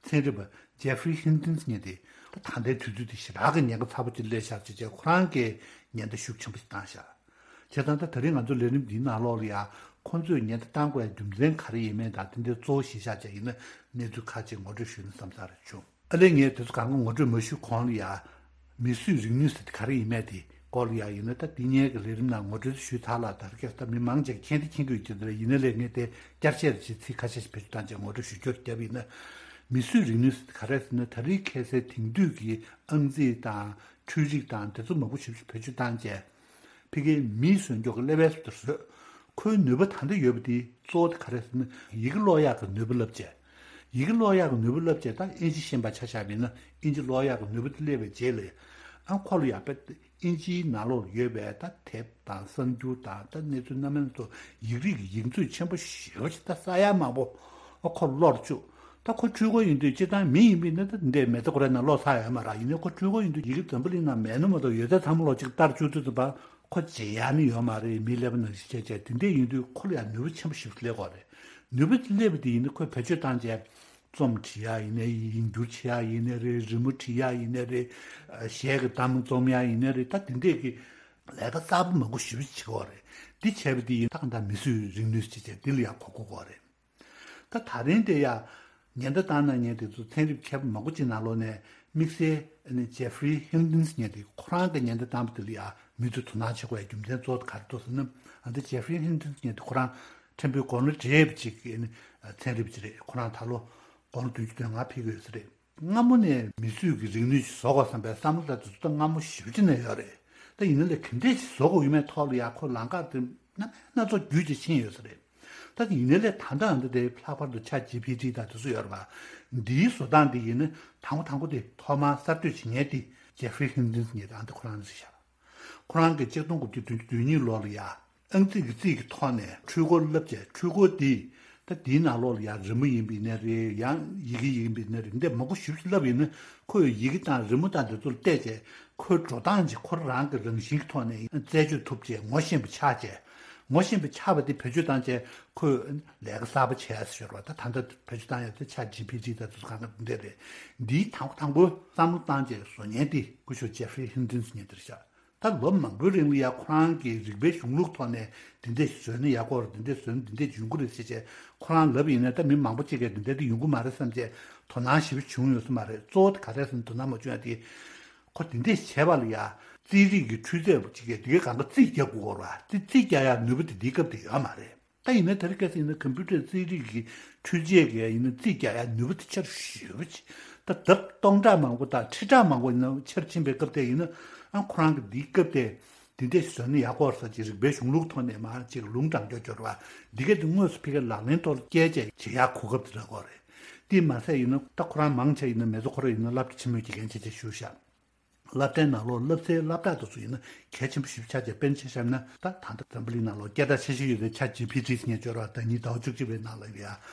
ཚན་རིག་པ་ཇེ་ཧྥི་རི་ཧིན་ཏིན་ཟེར་མཁན་དེ། ད་ད་ལྟའི་དུས་ཚོད་དེ་ཞེ་དྲག་གི་ཉེན་ཁ་ཚ་པོ་ཅིག་སླེབས་ཤག་ཅེས་བྱས་ཁོ་རང་གིས་ཉེན་བརྡ་ཤུགས་ཆེན་པོ་ཞིག་བཏང་ཤག་བྱས་ཙང་ད་ད་རིང་ང་ཚོ་ལས་རིམ་འདིའི་ནང་ལོགས་ལ་ཡང་ཁོང་ཚོས་ཉེན་བརྡ་བཏང་དགོས་པའི་རྒྱུ་མཚན་ག་རེ་ཡིན་མིན་དང་དེ་འདྲའི་གཙོ་བོ་གཞི་བཞག་བྱས་ཡིན་ན་གནས་ཚུལ་ཁག་ཅིག་ངོ་སྤྲོད་ཞུས་ན་བསམ་ས་རེ་བྱུང་། ཨ་ལས་ངས་དེ་ཚོ་གང་ག་ངོ་སྤྲོད་མ་ཞུས་གོང་ལ་ཡ། མིས་བཟོས་རིག་ནུས་ཟེར་དེ་ག་རེ་ཡིན་མིན་དེ་སྐོར་ལ་ཡ་ཡིན་ན། ད་འདི་སྔོན་གྱི་ལས་རིམ་ནང་ངོ་སྤྲོད་ཞུས་ཚར་ལ། ད་རེས་ད་མི་མང་ཆེ་གིས་མཁྱེན་དེ་མཁྱེན་གྱི་ཡོད་ཀྱི་རེད། ཡིན་ན་ལས་ངས་དེ་བསྐྱར་བཤད་ཅིག་ཚིག་ཁ་ཤས་ཤིག་བེད་སྤྱོད་བཏང་བྱས་ངོ་སྤྲོད་ཞུ་རྒྱུ་བརྒྱབ་ཡིན་ན། མིས་བཟོས་རིག་ནུས་ཟེར་དེ་ག་རེ་ཟེར་ན། ད་རེས་ཁ་སང་དེང་དུས་ཀྱི་ཨང་རྩིས་དང་འཕྲུལ་རིག་དང་དེ་ཚོ་མང་པོ་ཞེ་པོ་ཞིག་བེད་སྤྱོད་བཏང་བྱས། ཕ་གིའི་མིས་བཟོས་མགྱོགས་ཀྱི་ཀླད་པའི་སུ་དེར་བཟོས། ཁོའི་ནུས་པ་ད་ལྟ་ཡོད་པ་དེ་གཙོ་བོ་དེ་ག་རེ་ཟེར་ན། ཡི་གེ་ཀློག་ཡག་གི་ནུས་པ་བསླབ་བྱས། ཡི་གེ་ཀློག་ཡག་གི་ནུས་པ་བསླབ་བྱས། ད་དབྱིན་ཇི་ཤེས་པ་ཆ་བཞག་པ་ཡིན་ན་དབྱིན་ཇི་ཀློག་ཡག་གི་ནུས་པ་དེ་སླེབས་པའི་རྗེས་ལ། ཨ་ཁོ་ལ་ཡག་པའི་དབྱིན་ཇིའི་ནང་ལོགས་ཡོད་པའི་ད་དེབ་དང་གསར་འགྱུར་དང་ད་གནས་ཚུལ་སྣ་མིན་སོགས་ཡིག་རིགས་ཀྱི་ཡིག་མཛོད་ཆེན་པོ་ཞེ་པོ་ཅིག་ད་ས་ཡ་མང་པོ་ཨ་ཁོ་ཀློག་བཅུག་ད་ཁོ་འཕྲུལ་འཁོར་ཡིན་དུས་སྤྱིར་བཏང་མི་ཡིན་པས་ན་ད་འདི་མེ་ཏོག་ར་ན་ཀློག་ཚར་ཡོད་མ་རེད། ཡིན་ནའི་ཁོ་འཕྲུལ་འཁོར་ཡིན་དུས་ཡི་གེ་འཛམ་བུ་གླིང་ནང་མེད་ན་མ་གཏོགས་ཡོད་ཚད་ཚང་མ་ཀློག་ཅིག་ལྟར་བཅུག་དུས་ཙམ་པ་ཁོ་བརྗེད་ཡག་ནི་ཡོད་མ་རེད། མིའི་ཀླད་པ་ནང་བཞིན་བྱས་བྱས་དེ་འདྲས་ཡིན་དུས་ཁོ་ལ་ཡང་ནུས་པ་ཆེན་པོ་ཞིག་སླེབས་ཀྱི་ཡོད་རེད། ནུས་པ་སླེབས་པ་དེ་ཡིན་ན་ཁོས་བེད་སྤྱོད་བཏང་བྱས་རྩོམ་འབྲི་ཡག་ཡིན་ནའི་ཡིན་སྒྱུར་བྱེད་ཡག་ཡིན་ནའི་རེད། རི་མོ་འབྲི་ཡག་ཡིན་ནའི་རེད། གཞས་ཀྱི་གཏམ་རྩོམ་ཡག་ཡིན་ནའི་རེད། ད་དེ་འདྲས་ཀྱི་ལས་ཀ་གསར་པ་མང་པོ་ཞེ་པོ་ཅིག་བྱེད་ཀྱི་ཡོད་རེད། འདི་བྱས་པ་དེ་ཡིན་ད་གང་ལྟར་མིས་བཟོས་རིག་ནུས་ཟེར་བྱས་འདི་ལ་ཡང་གོ་དགོས་ཀྱི་ཡོད་རེད། ད་ད་རིང་དེ་ཡ། ཉེན་བརྡ་བཏང་གནང་མཁན་དེ་ཚོ་ཚན་རིག་མཁས་པ་མང་པོ་ཅིག་ནང་ལོགས་ནས་དམིགས་བསལ་ཨ་ནི་ཇེ་ཧྥི་རི་ཧིན་ཏིན་ཟེར་མཁན་དེ་ཁོ་རང་གི་ཉེན་བརྡ་བཏང་བ་དེ་ལ་ཡ་མི་ཚོས་དོ་སྣང་བྱེད་དགོས་པའི་རྒྱུ་མཚན་གཙོ་བོ་དེ་ག་རེ་འདུག་ཟེར་ན། ཨ་འདི་ཇེ་ཧྥི་རི་ཧིན་ཏིན་ཟེར་མཁན་དེ་ཁོ་རང་ཕྲན་བུའི་དགུང་ལོ་བགྲེས་པ་ཅིག་གི་ཨ་ནི་ཚན་རིག་པ་ཅིག་རེད། ཁོ་རང་ད་ལོ་དགུང་ལོ་བདུན་ཅུ་དོན་ལྔ་ཕེབས་ཀྱི་ཡོད་ས་རེད། སྔ་མོ་ནས་མིས་བཟོས་ཀྱི་རིག་ནུས་ཤིག་བཟོ་དགོས་བསམ་པའི་བསམ་བློ་དང་དེ་ཚོ་ད་སྔ་མོ་ཞེ་པོ་ཅིག་ནས་ཡོད་རེད། ད་ཡིན་ན་ལས་ག་འདྲས་ཤིག་བཟོ་དགོས་ཡོད་མེད་ཐོག་ལ་ཡ་ཁོ་ལམ་ཁ་དེ་སྣ་སྣ་ཚོགས་བརྒྱུད་ཅིག་ཕྱིན་ཡོད་ས་རེད། ད་ཡིན་ན་ལས་ད་ལྟ་ཨ་འདི་དེ་ལྷག་པར་དུ་ཆ་ཇི་པི་ཊི་དང་དེ་ཚོ་ཡོད་རེད་པ། འདིའི་བཟོ་སྟངས་དེ་ཡིན་ན་དང་པོ་དང་པོ་དེ་ཐོག་མར་གསར་གཏོད་བྱེད་མཁན་དེ་ཇེ་ཧྥི་རི་ཧིན་ཏིན་ཟེར་མཁན་དེ་ཨ་འདི་ཁོ་རང་རེད་ཤག་ཁོ་རང་གིས་ཆིག་སྟོང་དགུ་བརྒྱ་བདུན་ཅུ་དོན་གཉིས་ལོ་ལ་ཡ། ཨང་རྩིས་ཀྱི་རྩིས་ཀྱི་ཐོག་ནས་འཕྲུལ་འཁོར་བསླབ་བྱས། འཕྲུལ་འཁོར་འདི་ད་འདིའི་ནང་ལོགས་ལ་ཡང་རི་མོ་ཡིན་པ་ཡིན་ནའི་རེད། ཡང་ཡི་གེ་ཡིན་པ་ཡིན་ནའི་རེད། འདི་མང་པོ་ཞེ་པོ་ཅིག་བསླབས་ཡིན་ན་ཁོས་ཡི་གེ་དང་རི་མོ་དང་འདི་ཚོ་ལ་བལྟས་བྱས་ཁོའི་འགྲོ་སྟངས་ཅིག་ཁོ་རང་གི་རང་བཞིན་གྱི་ཐོག་ནས་རྩད་གཅོད་ཐུབ་བྱས་ངོ་ཤེས་པ་ཆགས་བྱས། ངོ་ཤེས་པ་ཆགས་པ་དེ་བེད་སྤྱོད་བཏང་བྱས་ཁོས་ལས་ཀ་གསར་པ་བྱས་ཟེར་བ། ད་ད་ལྟ་བེད་སྤྱོད་བཏང་ཡག་དེ་ཆ་ཇི་པི་ཊི་དང་དེ་ཚོ་གང་ག་འདི་འདྲ་རེད། འདིའི་དང་པོ་དང་པོ་བསམ་བློ་བཏང་བྱས་བཟོ་མཁན་དེ་སྐུ་ཞབས་ཇེ་ཧྥི་རི་ཧིན་ཏིན་ཟེར་མཁན་དེ་རེད་ཤག་ད་ལོ་མང་པོའི་རིང་ལ་ཡ་ཁོ་རང་གིས་རིག་པའི་གཞུང་ལུགས་ཐོག་ནས་འདི་འདྲས་བཟོས་ན་ཡག་པོ་རེད། འདི་འདྲས་བཟོས་ན་འདི་འདྲས་ཡོང་གི་རེད་ཟེར་བྱས་ཁོ་རང་ལབ་ཡིན་ན། ད་མི་མང་པོ་ཅིག་གིས་འདི་འདྲས་དེ་ཡོང་གི་མ་རེད་བསམ་བྱས་དོ་སྣང་ཞེ་པོ་བྱུང་ཡོད་ས་མ་རེད། གཙོ་བོ་དེ་ག་རེ་ཟེར་ན་དོ་སྣང་མ་བྱུང་ཡ་དེ་ཁོ་འདི་འདྲས་བྱས་པ་ལ་ཡ་རྩིས་རིག་གི་འཕྲུལ་ཆས་ཅིག་གིས་འདི་གའི་སྒང་ག་རྩིས་རྒྱག་དགོས་རེད་པ། དེ་རྩིས་རྒྱག་ཡ་ནུས་པ་དེ་འདིའི་སྐབས་དེ་ཡོད་མ་རེད། ད་ཡིན་ན་དེ་རིང་ཁ་སང་ཡིན་ན་ཀམ་པུ་ཊར་རྩིས་རིག་གི་འཕྲུལ་ཆས་ཀྱིས་ཡིན་ན་རྩིས་རྒྱག་ཡ་ནུས་པ་དེ་ཆེ་རུ་ཞེ་པོ་ཅིག་ད་ལྡབ་སྟོང་ཕྲག་མང་པོ་དང་ཁྲི་ཕྲག་མང་པོ་ཡིན་ན་ཆེ་རུ་ཕྱིན་པའི་སྐབས་དེ་ཡིན་ན། ཨ་ཁོ་རང་གི་འདིའི་སྐབས་དེ་འདི་འདྲས་བཟོས་ན་ཡག་པོ་རེད་ཟེར་ཅིག་རིག་པའི་གཞུང་ལུགས་ཐོག་ནས་མར་ཅིག་ལུང་དྲངས་རྒྱུ་སྦྱོར་བ་འདི་ག་དེ་དངོས་སུ་ཕ་གིར་ལག་ལེན་ཐོག་ལ་བསྐྱལ་བྱས་བྱེད་ཡག་གོ་སྐབས་དེ་རག་གི་རེད། དེ་མ་ཟད་ཡིན་ན་ད་ཁོ་རང་མང་ཆེ་ཡིན་ན་མེ་ཛོ་ཁོ་ར་ཡིན་ན་སློབ་གྲྭ་ཆེན་མོའི་དགེ་རྒན་བྱས་བྱས་བཞུགས་ཤག་སློབ་གྲྭའི་ནང་ལོགས་སློབ་ཚན་སློབ་གྲྭ་དེ་ཚོ་ཡིན་ན་གལ་ཆེན་པོ་ཞེ་པོ་ཆགས་བྱས། དཔེར་ན་ཆ་བཞག་ན་ད་ད་ལྟ་འཛམ་བུ་གླིང་ནང་ལོགས་སྐད་གྲགས་ཆེ་ཤོས་ཡོད་པའི་ཆ་ཇི་པི་ཊི་ཟེར་མཁན་ཅིག་ཡོད་རེད་པ། ཟླ་ཉིན་ཟླ་བ་བཅུ་གཅིག་པའི་ནང་ལ་ཡ་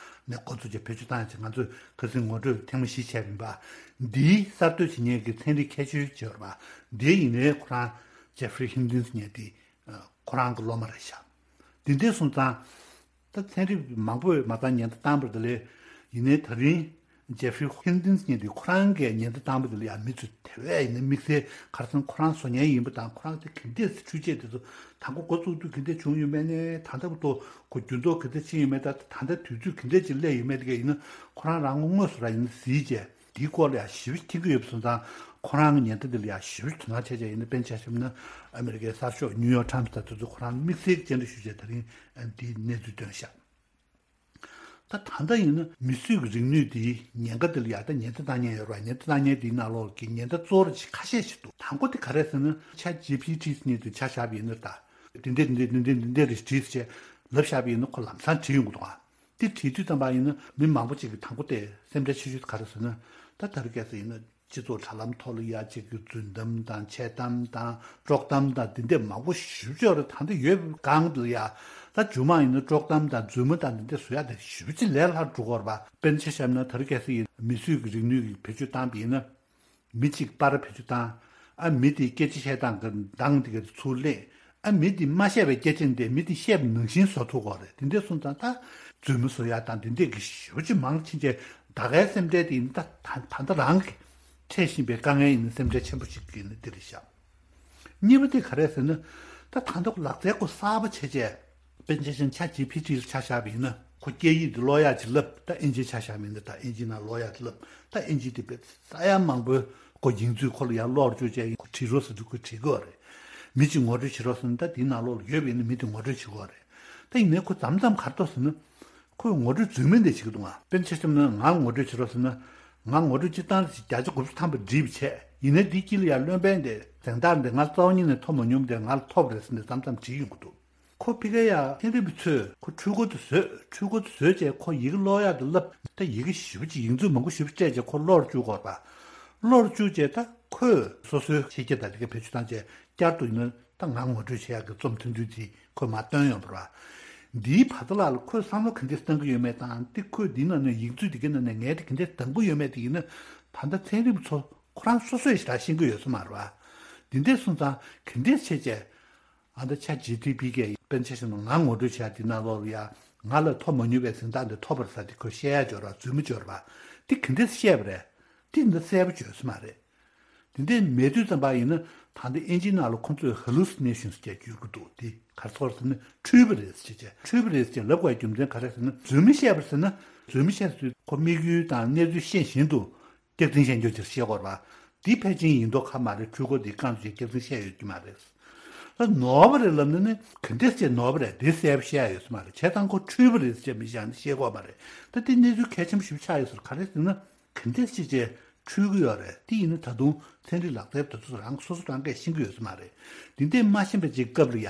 ནས་འགོ་བཙུགས་བྱས་བེད་སྤྱོད་བཏང་ཡ་ཅིག་ང་ཚོས་ཁ་སང་ངོ་སྤྲོད་ཐེངས་མ་བཞི་བྱས་པ་ཡིན་པ། འདིའི་གསར་གཏོད་བྱེད་མཁན་གྱི་ཚན་རིག་མཁས་མཆོག་ཅིག་ཡོད་རེད་པ། འདི་ཡིན་ནའི་ཁོ་རང་ཇེ་ཧྥི་རི་ཧིན་ཏིན་ཟེར་མཁན་དེ་ཁོ་རང་གི་སློབ་མ་རེད་ཤག་དེ་འདྲ་སོང་ཙང་། ད་ཚན་རིག་མང་པོས་མ་རྩ་ཉེན་བརྡ་བཏང་བ་དེ་ལས། ཡིན་ནའི་ད་རིང་ཇེ་ཧྥི་རི་ཧིན་ཏིན་ཟེར་མཁན་དེ་ཁོ་རང་གིས་ཉེན་བརྡ་བཏང་བ་དེ་ལ་ཡང་མི་ཚོས་དེ་བས་ཡིན་ན་དམིགས་བསལ་ཁ་སང་ཁོ་རང་བཟོ་མཁན་ཡིན་པ་དང་། ཁོ་རང་དེ་ག་འདྲས་འཕྲུལ་ཆས་དེ་ཚོ་དང་པོ་འགོ་བཙུགས་དུས་ག་འདྲས་བྱུང་ཡོད་མེད་ནས། ད་ལྟ་བར་དུ་ཁོ་འགྱུར་ལྡོག་ག་འདྲས་ཕྱིན་ཡོད་མེད། ད་ད་ལྟ་དུས་ཚོད་ག་འདྲས་ཅིག་སླེབས་ཡོད་མེད་དེ་ག་ཡིན་ན་ཁོ་རང་རང་ངོ་དངོས་སུ་ར་ཡིན་ན་གཟིགས་བྱས། དེའི་སྐོར་ལ་ཡང་ཞིབ་མཁྱེན་གྱི་ཡོད་པ་སོང་ཙང་། ཁོ་རང་གི་ཉེན་བརྡ་འདི་ལ་ཡང་ཞིབ་དོ་སྣང་བྱས་བྱས་ཡིན་ན། དཔེར་ན་ཆ་བཞག་ན་ཨ་མི་རི་ཀའི་གསར་ཤོག་ནིའུ་ཡོག་ཊའིམ་སི་དང་དེ་ཚོ་ཁོ་རང་དམིགས་བསལ་གྱི་བཅར་འདྲི་ཞུས་བྱས་ད་རིང་འདིའི་གནས་ཚུལ་བཏོན་ཤག་ད་ད་ལྟ་ཡིན་ན་མི་གསོད་ཀྱི་རིག་ནུས་འདིའི་ཉེན་ཁ་འདི་ལ་ཡང་ད་ཉེན་བརྡ་བཏང་མཁན་ཡོད་རེད་པ། ཉེན་བརྡ་བཏང་མཁན་འདིའི་ནང་ལོགས་ཀྱི་ཉེན་བརྡ་གཙོ་བོ་ཁ་ཤས་ཤིག་འདུག་དང་པོ་དེ་ག་རེ་ཟེར་ན། ཆ་ཇི་པི་ཊི་ཟེར་མཁན་དེ་ཆ་བཞག་པ་ཡིན་ན། ད་འདི་འདྲས་འདི་འདྲས་འདི་འདྲས་འདི་འདྲས་རེད་བྲིས་བྱས་ལབ་བཞག་པ་ཡིན་ན་ཁོ་ལམ་སང་བྲིས་ཡོང་གི་འདུག་ཨ། དེ་བྲིས་དུས་ཙམ་པ་ཡིན་ན་མི་མང་པོ་ཅིག་གིས་དང་པོ་དེ་སེམས་ཁྲལ་ཆེ་ཤོས་ག་རེ་ཟེར་ན། ད་ད་རེས་གལ་སྲིད་ཡིན་ན་སྤྱི་ཚོགས་དྲ་ལམ་ཐོག་ལ་ཡ་གཅིག་གི་རྫུན་གཏམ་དང་འཆལ་གཏམ་དང་དཀྲོག་གཏམ་དང་འདི་འདྲས་མང་པོ་ཞེ་པོ་ཅིག་ཡོད་རེད། ད་འདི་ཡོད་སྒང་ལ་ཡ་ད་མཇུག་མ་ཡིན་ན་དཀྲོག་གཏམ་དང་རྫུན་མ་དང་འདི་འདྲས་བཟོ་ཡ་དེ་ཞེ་པོ་ཅིག་ལས་སླ་རུ་འགྲོ་གི་ཡོད་རེད་པ། དཔེར་ན་ཆ་བཞག་ན་ད་རེས་གལ་སྲིད་ཡིན་མི་གསོད་ཀྱི་རིག་ནུས་ཀྱི་བེད་སྤྱོད་བཏང་པ་ཡིན་ན། མི་གཅིག་པར་བེད་སྤྱོད་བཏང་། ཨ་མི་དེས་སྐད་ཆ་བཤད་སྟངས་ཀྱི་གདངས་དེ་ག་ཚུར་ལེན། ཨ་མི་དེས་མ་བཤད་པའི་སྐད་ཆ་འདི་མི་དེས་བཤད་པ་ནང་བཞིན་བཟོ་ཐུབ་ཀྱི་ཡོད་རེད། དེ་འདྲས་སོང་ཙང་ད་རྫུན་མ་བཟོ་ཡ་དང་དེ་འདྲས་ཀྱི་ཞེ་པོ་ཅིག་མང་ཕྱིན་བྱས། ད་གའི་སེམས་ཁྲལ་དེ་ཡིན་ན་ད་ད་ད་ལྟ་རང་གི་འཕྲད་བཞིན་པའི་དཀའ་ངལ་ཡིན་ན་སེམས་ཁྲལ་ཆེན་པོ་ཞིག་ཡིན་ན་འདི་རེད་ཤག་གཉིས་པ་དེ་ག་རེ་ཟེར་ན། ད་ད་ལྟ་ལག་རྩལ་ཁོ་གསར་པ་བྱས་བྱས། དཔེར་ན་ཆ་བཞག་ན་ཆ་ཇི་པི་ཊི་ལ་ཆ་བཞག་པ་ཡིན་ན། ཁོ་སྐད་ཡིག་འདི་ཀློག་ཡག་ཅིག་ལབ། ད་ཨིན་ཇི་ཆ་བཞག་པ་ཡིན་ན། ད་ཨིན་ཇི་ནང་ཀློག་ཡག་ཅིག་ལབ། ད་ཨིན་ཇི་དེ་བས་ས་ཡ་མང་པོའི་ཁོ་ཡིག་མཛོད་ཁོ་ལ་ཡར་ཀློག་བཅུག་བྱས། ཁོ་བྲིས་རོགས་ཟེར་དུས་ཁོས་བྲིས་ཀྱི་ཡོད་རེད། མི་གཅིག་ངོ་སྤྲོད་བྱེད་རོགས་ཟེར་ན་ད་དེའི་ནང་ལོགས་ལ་ཡོད་པ་ཡིན་ན་མི་དེ་ངོ་སྤྲོད་བྱེད་ཀྱི་ཡོད་རེད། ད་ཡིན་ནའི་ཁོ་མཚམས་མཚམས་ག་རེ་འདུག་ཟེར་ན། ཁོས་ངོ་སྤྲོད་རྫུན་མ་འདི་བྱེད་ཀྱི་འདུག་ཨ། དཔེར་ན་ཆ་བཞག་ན་ང་ངོ་སྤྲོད་བྱེད་རོགས་ཟེར་ན། ང་ངོ་སྤྲོད་སྤྱིར་བཏང་ལ་བརྒྱ་ཆ་དགུ་བཅུ་ཐམ་པ་འགྲིག་པ་བྱས། ཡིན་ནའི་འདི་དཀྱིལ་ལ་ཡར་བློན་དཔོན་དེ་གཟེངས་རྟགས་འདི་ང་རྩ་བ་ཉིད་ནས་ཐོབ་མ་མྱོང་། དེ་ང་ལ་ཐོབ་རེད་ཟེར་ནས་མཚམས་མཚམས་བྲིས་ཡོང་གི་འདུག་ཁོ་ཕ་གིར་ཡ་ཚན་རིག་པ་ཚོས་ཁོ་འཕྲུལ་འཁོར་དེ་བཟོས། འཕྲུལ་འཁོར་དེ་བཟོས་བྱས་ཁོ་ཡི་གེ་ཀློག་ཡག་དེ་བསླབས། ད་ཡི་གེ་ཞེ་པོ་ཅིག་ཡིག་མཛོད་མང་པོ་ཞེ་པོ་སྤྲད་བྱས་ཁོ་ཀློག་བཅུག་གི་ཡོད་རེད་པ། ཀློག་བཅུག་བྱས་ད་ཁོས་སོ་སོའི་ཤེས་རྒྱ་དང་དེ་ག་བེད་སྤྱོད་བཏང་བྱས་བསྐྱར་དུ་ཡིན་ན་ད་ང་ངོ་སྤྲོད་བྱེད་ཡག་གི་རྩོམ་ཐུང་ཐུང་དེ་ཁོས་མར་བཏོན་ཡོང་བ་རེད་པ། འདིའི་བར་ཐག་ལ་ཁོས་བསམ་བློ་ག་འདྲས་བཏང་གི་ཡོད་མེད་དང་། དེ་ཁོས་འདིའི་ནང་ནས་ཡིག་མཛོད་དེ་གའི་ནང་ནས་ངས་དེ་ག་འདྲས་འདང་གི་ཡོད་མེད་དེ་ཡིན་ན། ད་ལྟ་ཚན་རིག་པ་ཚོ་ཁོ་རང་སོ་སོས་ཞེ་དྲག་ཤེས་ཀྱི་ཡོད་ས་མ་རེད་པ། འདི་འདྲས་སོང་ཙང་ག་འདྲས་བྱས་བྱས། ཨ་ད་ཆ་ཇི་པི་ཊི་གིས་དཔེར་ན་ཆ་བཞག་ན་ང་ངོ་སྤྲོད་བྱས་དེ་ནང་ལོགས་ལ་ཡ་ང་ལ་ཐོབ་མ་མྱོང་བའི་གཟེངས་རྟགས་འདི་ཐོབ་པ་རེད་ཟེར་དེ་ཁོས་བཤད་ཡག་ཅིག་ཡོད་རེད་པ། རྫུན་མ་ཅིག་ཡོད་རེད་པ། དེ་ག་འདྲས་བཤད་པ་རེད། དེ་འདི་གསལ་པོ་བརྗོད་ས་མ་རེད། དེ་འདྲས་མེད་དུས་ཙམ་པ་ཡིན་ན། ད་ལྟ་ཨིན་ཇིའི་ནང་ལ་ཁོ་ཚོས་ཧ་ལུ་སི་ནེ་ཤན་ཟེར་བརྗོད་ཀྱི་འདུག་དེ་ག་རེ་ཟེར་ན་འཁྲུལ་པ་རེད་ཟེར་བྱས། འཁྲུལ་པ་རེད་ཟེར་ལབ་དགོས་རྒྱུ་མཚན་ག་རེ་ཟེར་ན། རྫུན་མ་བཤད་པ་ཟེར་ན། རྫུན་མ་བཤད་དུས་ཁོ་དམིགས་ཡུལ་དང་གནས་ཚུལ་ཤེས་བཞིན་དུ་སྐྱག་རྫུན་བཤད་རྒྱུ་ཅིག་བཤད་དགོས་རེད་པ། འདི་ཕལ་ཆེར་ཡིན་མདོག་ཁ་མ་རེད། འཕྲུལ་འཁོར་འདི་རྐང་བཙུགས་སྐྱག་རྫུན་བཤད་ཡོད་ཀྱི་མ་རེད། ད་ནོར་བ་རེད་ལབ་ན་ནི་ག་འདྲས་བྱས་ནོར་བ་རེད། འདི་གསལ་པོ་བཤད་ཡ་ཡོད་ས་མ་རེད། བྱས་ཙང་ཁོ་འཁྲུལ་པ་རེད་ཟེར་མི་བཞག་ནས་བཤད་དགོས་མ་རེད། ད་འདི་གནས་ཚུལ་གལ་ཆེན་པོ་ཞིག་ཆགས་ཡོད་ཟེར། ག་རེ་ཟེར་ན། ག་འདྲས་བྱས་བྱས་འཁྲུལ་གྱི་ཡོད་རེད། དེ་ཡིན་ན་ད་དུང་ཚན་རིག་ལག་རྩལ་དེ་ཚོ་རང་སོ་སོ་རང་གིས་ཤེས་ཀྱི་ཡོད་ས་མ་རེད། འདི་འདྲས་མ་ཤེས་པ་ཅིག་སྐབས་ལ་ཡ།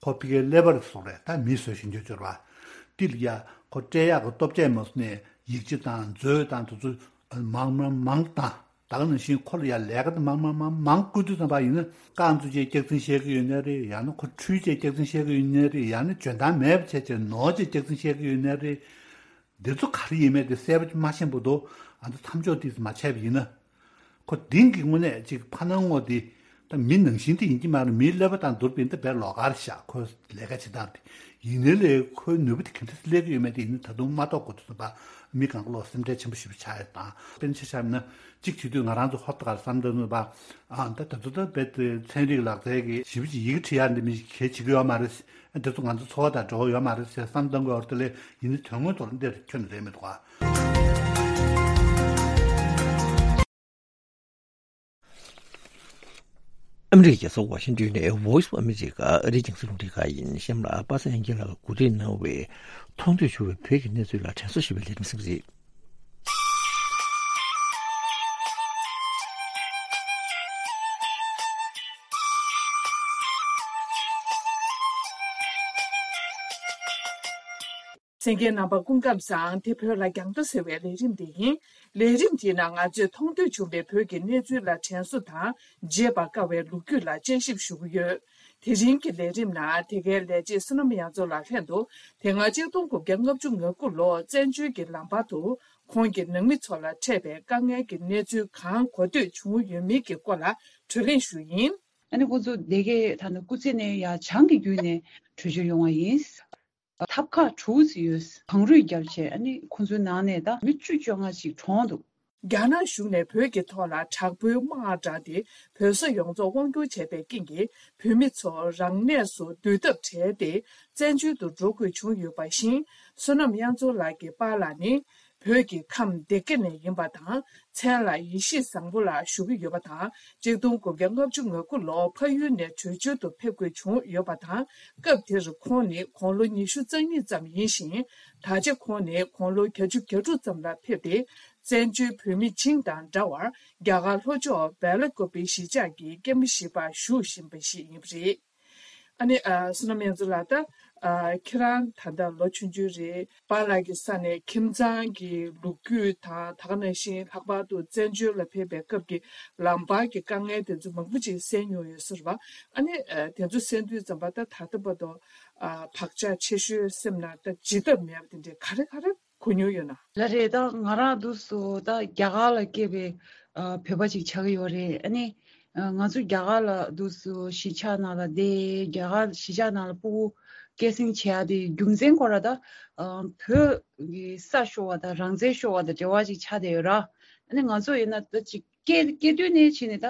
ཁོ་ཕ་གིར་ཀླད་པ་རེད་སོང་རེད། ད་མི་བཟོ་བཞིན་འགྱོ་འགྱོ་ར། དེ་ལ་ཡ་ཁོ་སྤྲད་ཡག་གི་སྟོབས་ཆེ་མ་སོང་ནས་ཡིག་ཆ་དང་མཛོད་དང་དེ་ཚོ་མང་མང་མང་བཏང་། ད་ག་ནང་བཞིན་ཁོ་ལ་ཡ་ལས་ཀ་དེ་མང་མང་མང་མང་བསྐུར་དུས་ཙམ་པ་ཡིན་ན། རྐང་བཙུགས་བྱས་སྐྱག་རྫུན་བཤད་ཀྱི་ཡོད་ནའི་རེད། ཡང་ན་ཁོ་འཁྲུལ་བྱས་སྐྱག་རྫུན་བཤད་ཀྱི་ཡོད་ནའི་རེད། ཡང་ན་འཇོན་ཐང་མེད་པ་བྱས་བྱས་ནོར་བྱས་སྐྱག་རྫུན་བཤད་ཀྱི་ཡོད་ནའི་རེད། འདི་ཚོ་ག་རེ་ཡིན་མེད་དེ་གསལ་པོ་མ་ཤེས་པ་འདུག་ཨ་ད་མཚམས་འཇོག་དེ་མ་བྱས་པ་ཡིན་ན། ཁོ་འདི་གི་དངོས་གནས་ཅིག་ཕ་ནང་ངོ་དེ་ད་མི་ནང་བཞིན་དེ་ཡིན་གྱི་མ་རེད། མིའི་ཀླད་པ་དང་བསྡུར་བ་ཡིན་ན་ད་དཔེ་ལོགས་ཀ་རེད་ཤག་ཁོས་ལས་ཀ་བྱེད་སྟངས་དེ། ཡིན་ནའི་ལས་ཁོའི་ནུས་པ་དེ་ག་འདྲས་སླེབས་ཀྱི་ཡོད་མེད་དེ་ཡིན་ན་ད་དུང་མ་རྟོགས་གོ་དུས་ཙམ་པ་མི་གང་ག་ལོག་སེམས་ཁྲལ་ཆེན་པོ་ཞེ་པོ་ཆགས་ཡ་དང་། དཔེར་ན་ཆ་བཞག་ན་གཅིག་བྱེད་དུས་ང་རང་ཚོ་ཧོབ་ཏེ་ག་རེ་བསམ་བློ་བཏང་ནས་པ། ཨ་ད་དུང་ད་དཔེ་དེ་ཚན་རིག་ལག་རྩལ་གྱི་ཞེ་པོ་ཅིག་ཡི་གེ་འབྲི་ཡག་འདི་མི་ཞིག་གལ་ཆེ་གི་ཡོད་མ་རེད། ཨ་དེ་ཚོ་ང་ཚོ་འཚོ་བ་དང་འབྲེལ་བ་ཡོད་མ་རེད་ཟེར་བསམ་བཏང་གི་ཡོད་རེད། དེ་ལས་ཡིན་ནའི་དོན་དངོས་ཐོག་ལ་འདིར་ཁྱོན་ནས་རེད་མི་འདུག་ག་ཨ་མི་རི་ཀའི་རྒྱལ་ས་ཝ་ཤིང་ཏོན་ནས་Voice of America ཨ་རིའི་རྒྱང་སྲིང་རླུང་འཕྲིན་ཁང་ཡིན། གཤམ་ལ་པ་སངས་དབྱངས་སྐྱིད་ལགས་ཀྱིས་གོ་སྒྲིག་གནང་བའི་མཐོང་ཐོས་བྱུང་བའི་བོད་ཀྱི་གནས་ཚུལ་ལ་དྲན་གསོ་ཞུ་བའི་ལས་རིམ་ཞིག་རེད། གསན་མཁན་རྣམ་པ་སྐུ་ཁམས་བཟང་། དེ་བོད་ལ་རྒྱང་ཐག་ཟེར་བའི་ལས་རིམ་དེ་ཡིན། ལས་རིམ་དེའི་ནང་ང་ཚོས་མཐོང་ཐོས་བྱུང་བའི་བོད་ཀྱི་གནས་ཚུལ་ལ་དྲན་གསོ་དང་བརྗེད་པར་དཀའ་བའི་ལོ་རྒྱུས་ལ་དཔྱད་ཞིབ་ཞུ་གི་ཡོད། དེ་རིང་གི་ལས་རིམ་ནང་དེ་གའི་ལས་བྱེད་བསོད་ནམས་དབྱངས་མཚོ་ལགས་ལྷན་དུ་དེ་སྔ་གཅིག་སྟོང་དགུ་བརྒྱ་ལྔ་བཅུ་ང་དགུ་ལོར་བཙན་བྱོལ་གྱི་ལམ་བར་དུ་ཁོང་གི་ནང་མི་ཚོ་ལ་འཕྲད་པའི་དཀའ་ངལ་གྱི་གནས་ཚུལ་གང་གོ་ཐོས་བྱུང་ཡོད་མིན་གྱི་སྐོར་ལ་གྲོས་གླེང་ཞུ་ཡིན། ཨ་ནི་ཁོང་ཚོ་སྡེ་དགེ་ད་ནི་སྐུ་ཚེ་ནས་ཡ་བྱང་གི་བརྒྱུད་ནས་བྲོས་བྱོལ་ཡོང་བ་ཡིན། ཐབ་ཁག་དྲུག་ཙམ་ཡོད། གངས་རུད་བརྒྱབ་བྱས་ཨ་ནི་ཁོང་ཚོའི་ནང་ནས་ད་མི་བཅུ་བཅོ་ལྔ་ཞིག་གྲོངས་འདུག། རྒྱ་ནག་གཞུང་ནས་བོད་ཀྱི་ཐོག་ལ་དྲག་པོའི་དམག་དྲངས་ཏེ་བོད་ས་ཡོངས་རྫོགས་དབང་བསྒྱུར་བྱས་པའི་རྐྱེན་གྱིས་བོད་མི་ཚོ་རང་གནས་སུ་སྡོད་ཐབས་བྲལ་ཏེ་བཙན་བྱོལ་དུ་འགྲོ་དགོས་བྱུང་ཡོད་པ་བཞིན། བསོད་ནམས་དབྱངས་མཚོ་ལགས་ཀྱི་པཱ་ལགས་ནི་བོད་ཀྱི་ཁམས་སྡེ་དགེ་ནས་ཡིན་པ་དང་མཚན་ལ་ཡེ་ཤེས་བཟང་པོ་ལགས་ཞུ་གི་ཡོད་པ་དང་། གཅིག་སྟོང་དགུ་བརྒྱ་ལྔ་བཅུ་ང་དགུ་ལོར་ཕ་ཡུལ་ནས་བྲོས་བྱོལ་དུ་ཕེབས་དགོས་བྱུང་ཡོད་པ་དང་། སྐབས་དེར་ཁོང་ནི་དགུང་ལོ་ཉི་ཤུ་རྩ་གཉིས་ཙམ་ཡིན་ཞིང་། ད་ཆ་ཁོང་ནི་དགུང་ལོ་བརྒྱད་ཅུ་གྱ་དྲུག་ཙམ་ལ་ཕེབས་ཏེ། བཙན་བྱོལ་བོད་མི་བྱིངས་དང་འདྲ་བར་རྒྱ་གར་ལྷོ་ཕྱོགས་བེ་ལ་ཀོ་པི་གཞིས་ཆགས་ཀྱི་སྐྱེས་མ་བཞི་པར་བཞུགས་བཞིན་པ་ཞིག་ཡིན་པ་རེད། ཨ་ནི་ཨ། བསོད་ནམས་དབྱངས་མཚོ་ལགས། ད་ཨ། ཁྱེད་རང་ད་ལྟ་ལོ་ཆུང་ཆུང་རེད། པཱ་ལགས་ཀྱི་ས་ནས་ཁྱིམ་ཚང་གི་ལོ་རྒྱུས་དང་། ད་ག་ནང་བཞིན་ལྷག་པར་དུ་བཙན་བྱོལ་ལ་ཕེབས་པའི་སྐབས་ཀྱི་ལམ་བར་གྱི་དཀའ་ངལ་དེ་ཚོ་མང་པོ་ཅིག་གསན་མྱོང་ཡོད་ས་རེད་པ། ཨ་ནི་ཨ། དེ་ཚོ་གསན་དུས་ཙམ་པ་ད་ད་ལྟ་བར་དུ་ཨ། བག་ཆགས་ཆེ་ཤོས་སེམས་ནང་ད་བརྗེད་ཐབས་མེད་པ་དེ་འདྲའི་ག་རེ་ག་རེ་གོ་མྱོང་ཡོད་ན། ལགས་རེད། ད་ང་རང་འདུག་སེ་ད་རྒྱ་གར་ལ་སྐྱེས་པའི་ཨ། བོད་པ་ཅིག་ཆགས་ཀྱི་ཡོད་རེད། ཨ་ནི་ཨ། ང་ཚོ་རྒྱ་གར་ལ་འདུག་སེ་གཞིས་ཆགས་ནང་ལ་བསྡད། རྒྱ་གར་གཞིས་ཆགས་ནང་ལ་ཕྲུ་གུ་སྐྱེད་སྲིང་བྱེད་ཡ་དེ་རྒྱུ་མཚན་ཁོ་རང་ད་ཨ། བོད་ཀྱི་ས་ཤོར་བ་དང་རང་བཙན་ཤོར་བ་དང་འབྲེལ་བ་ཅིག་ཆགས་བསྡད་ཡོད་ར། ཨ་ནི་ང་ཚོ་ཡིན་ན་ད་ཅིག་སྐྱེས་སྐྱེས་དུས་ནས་བྱས་ནས་ད་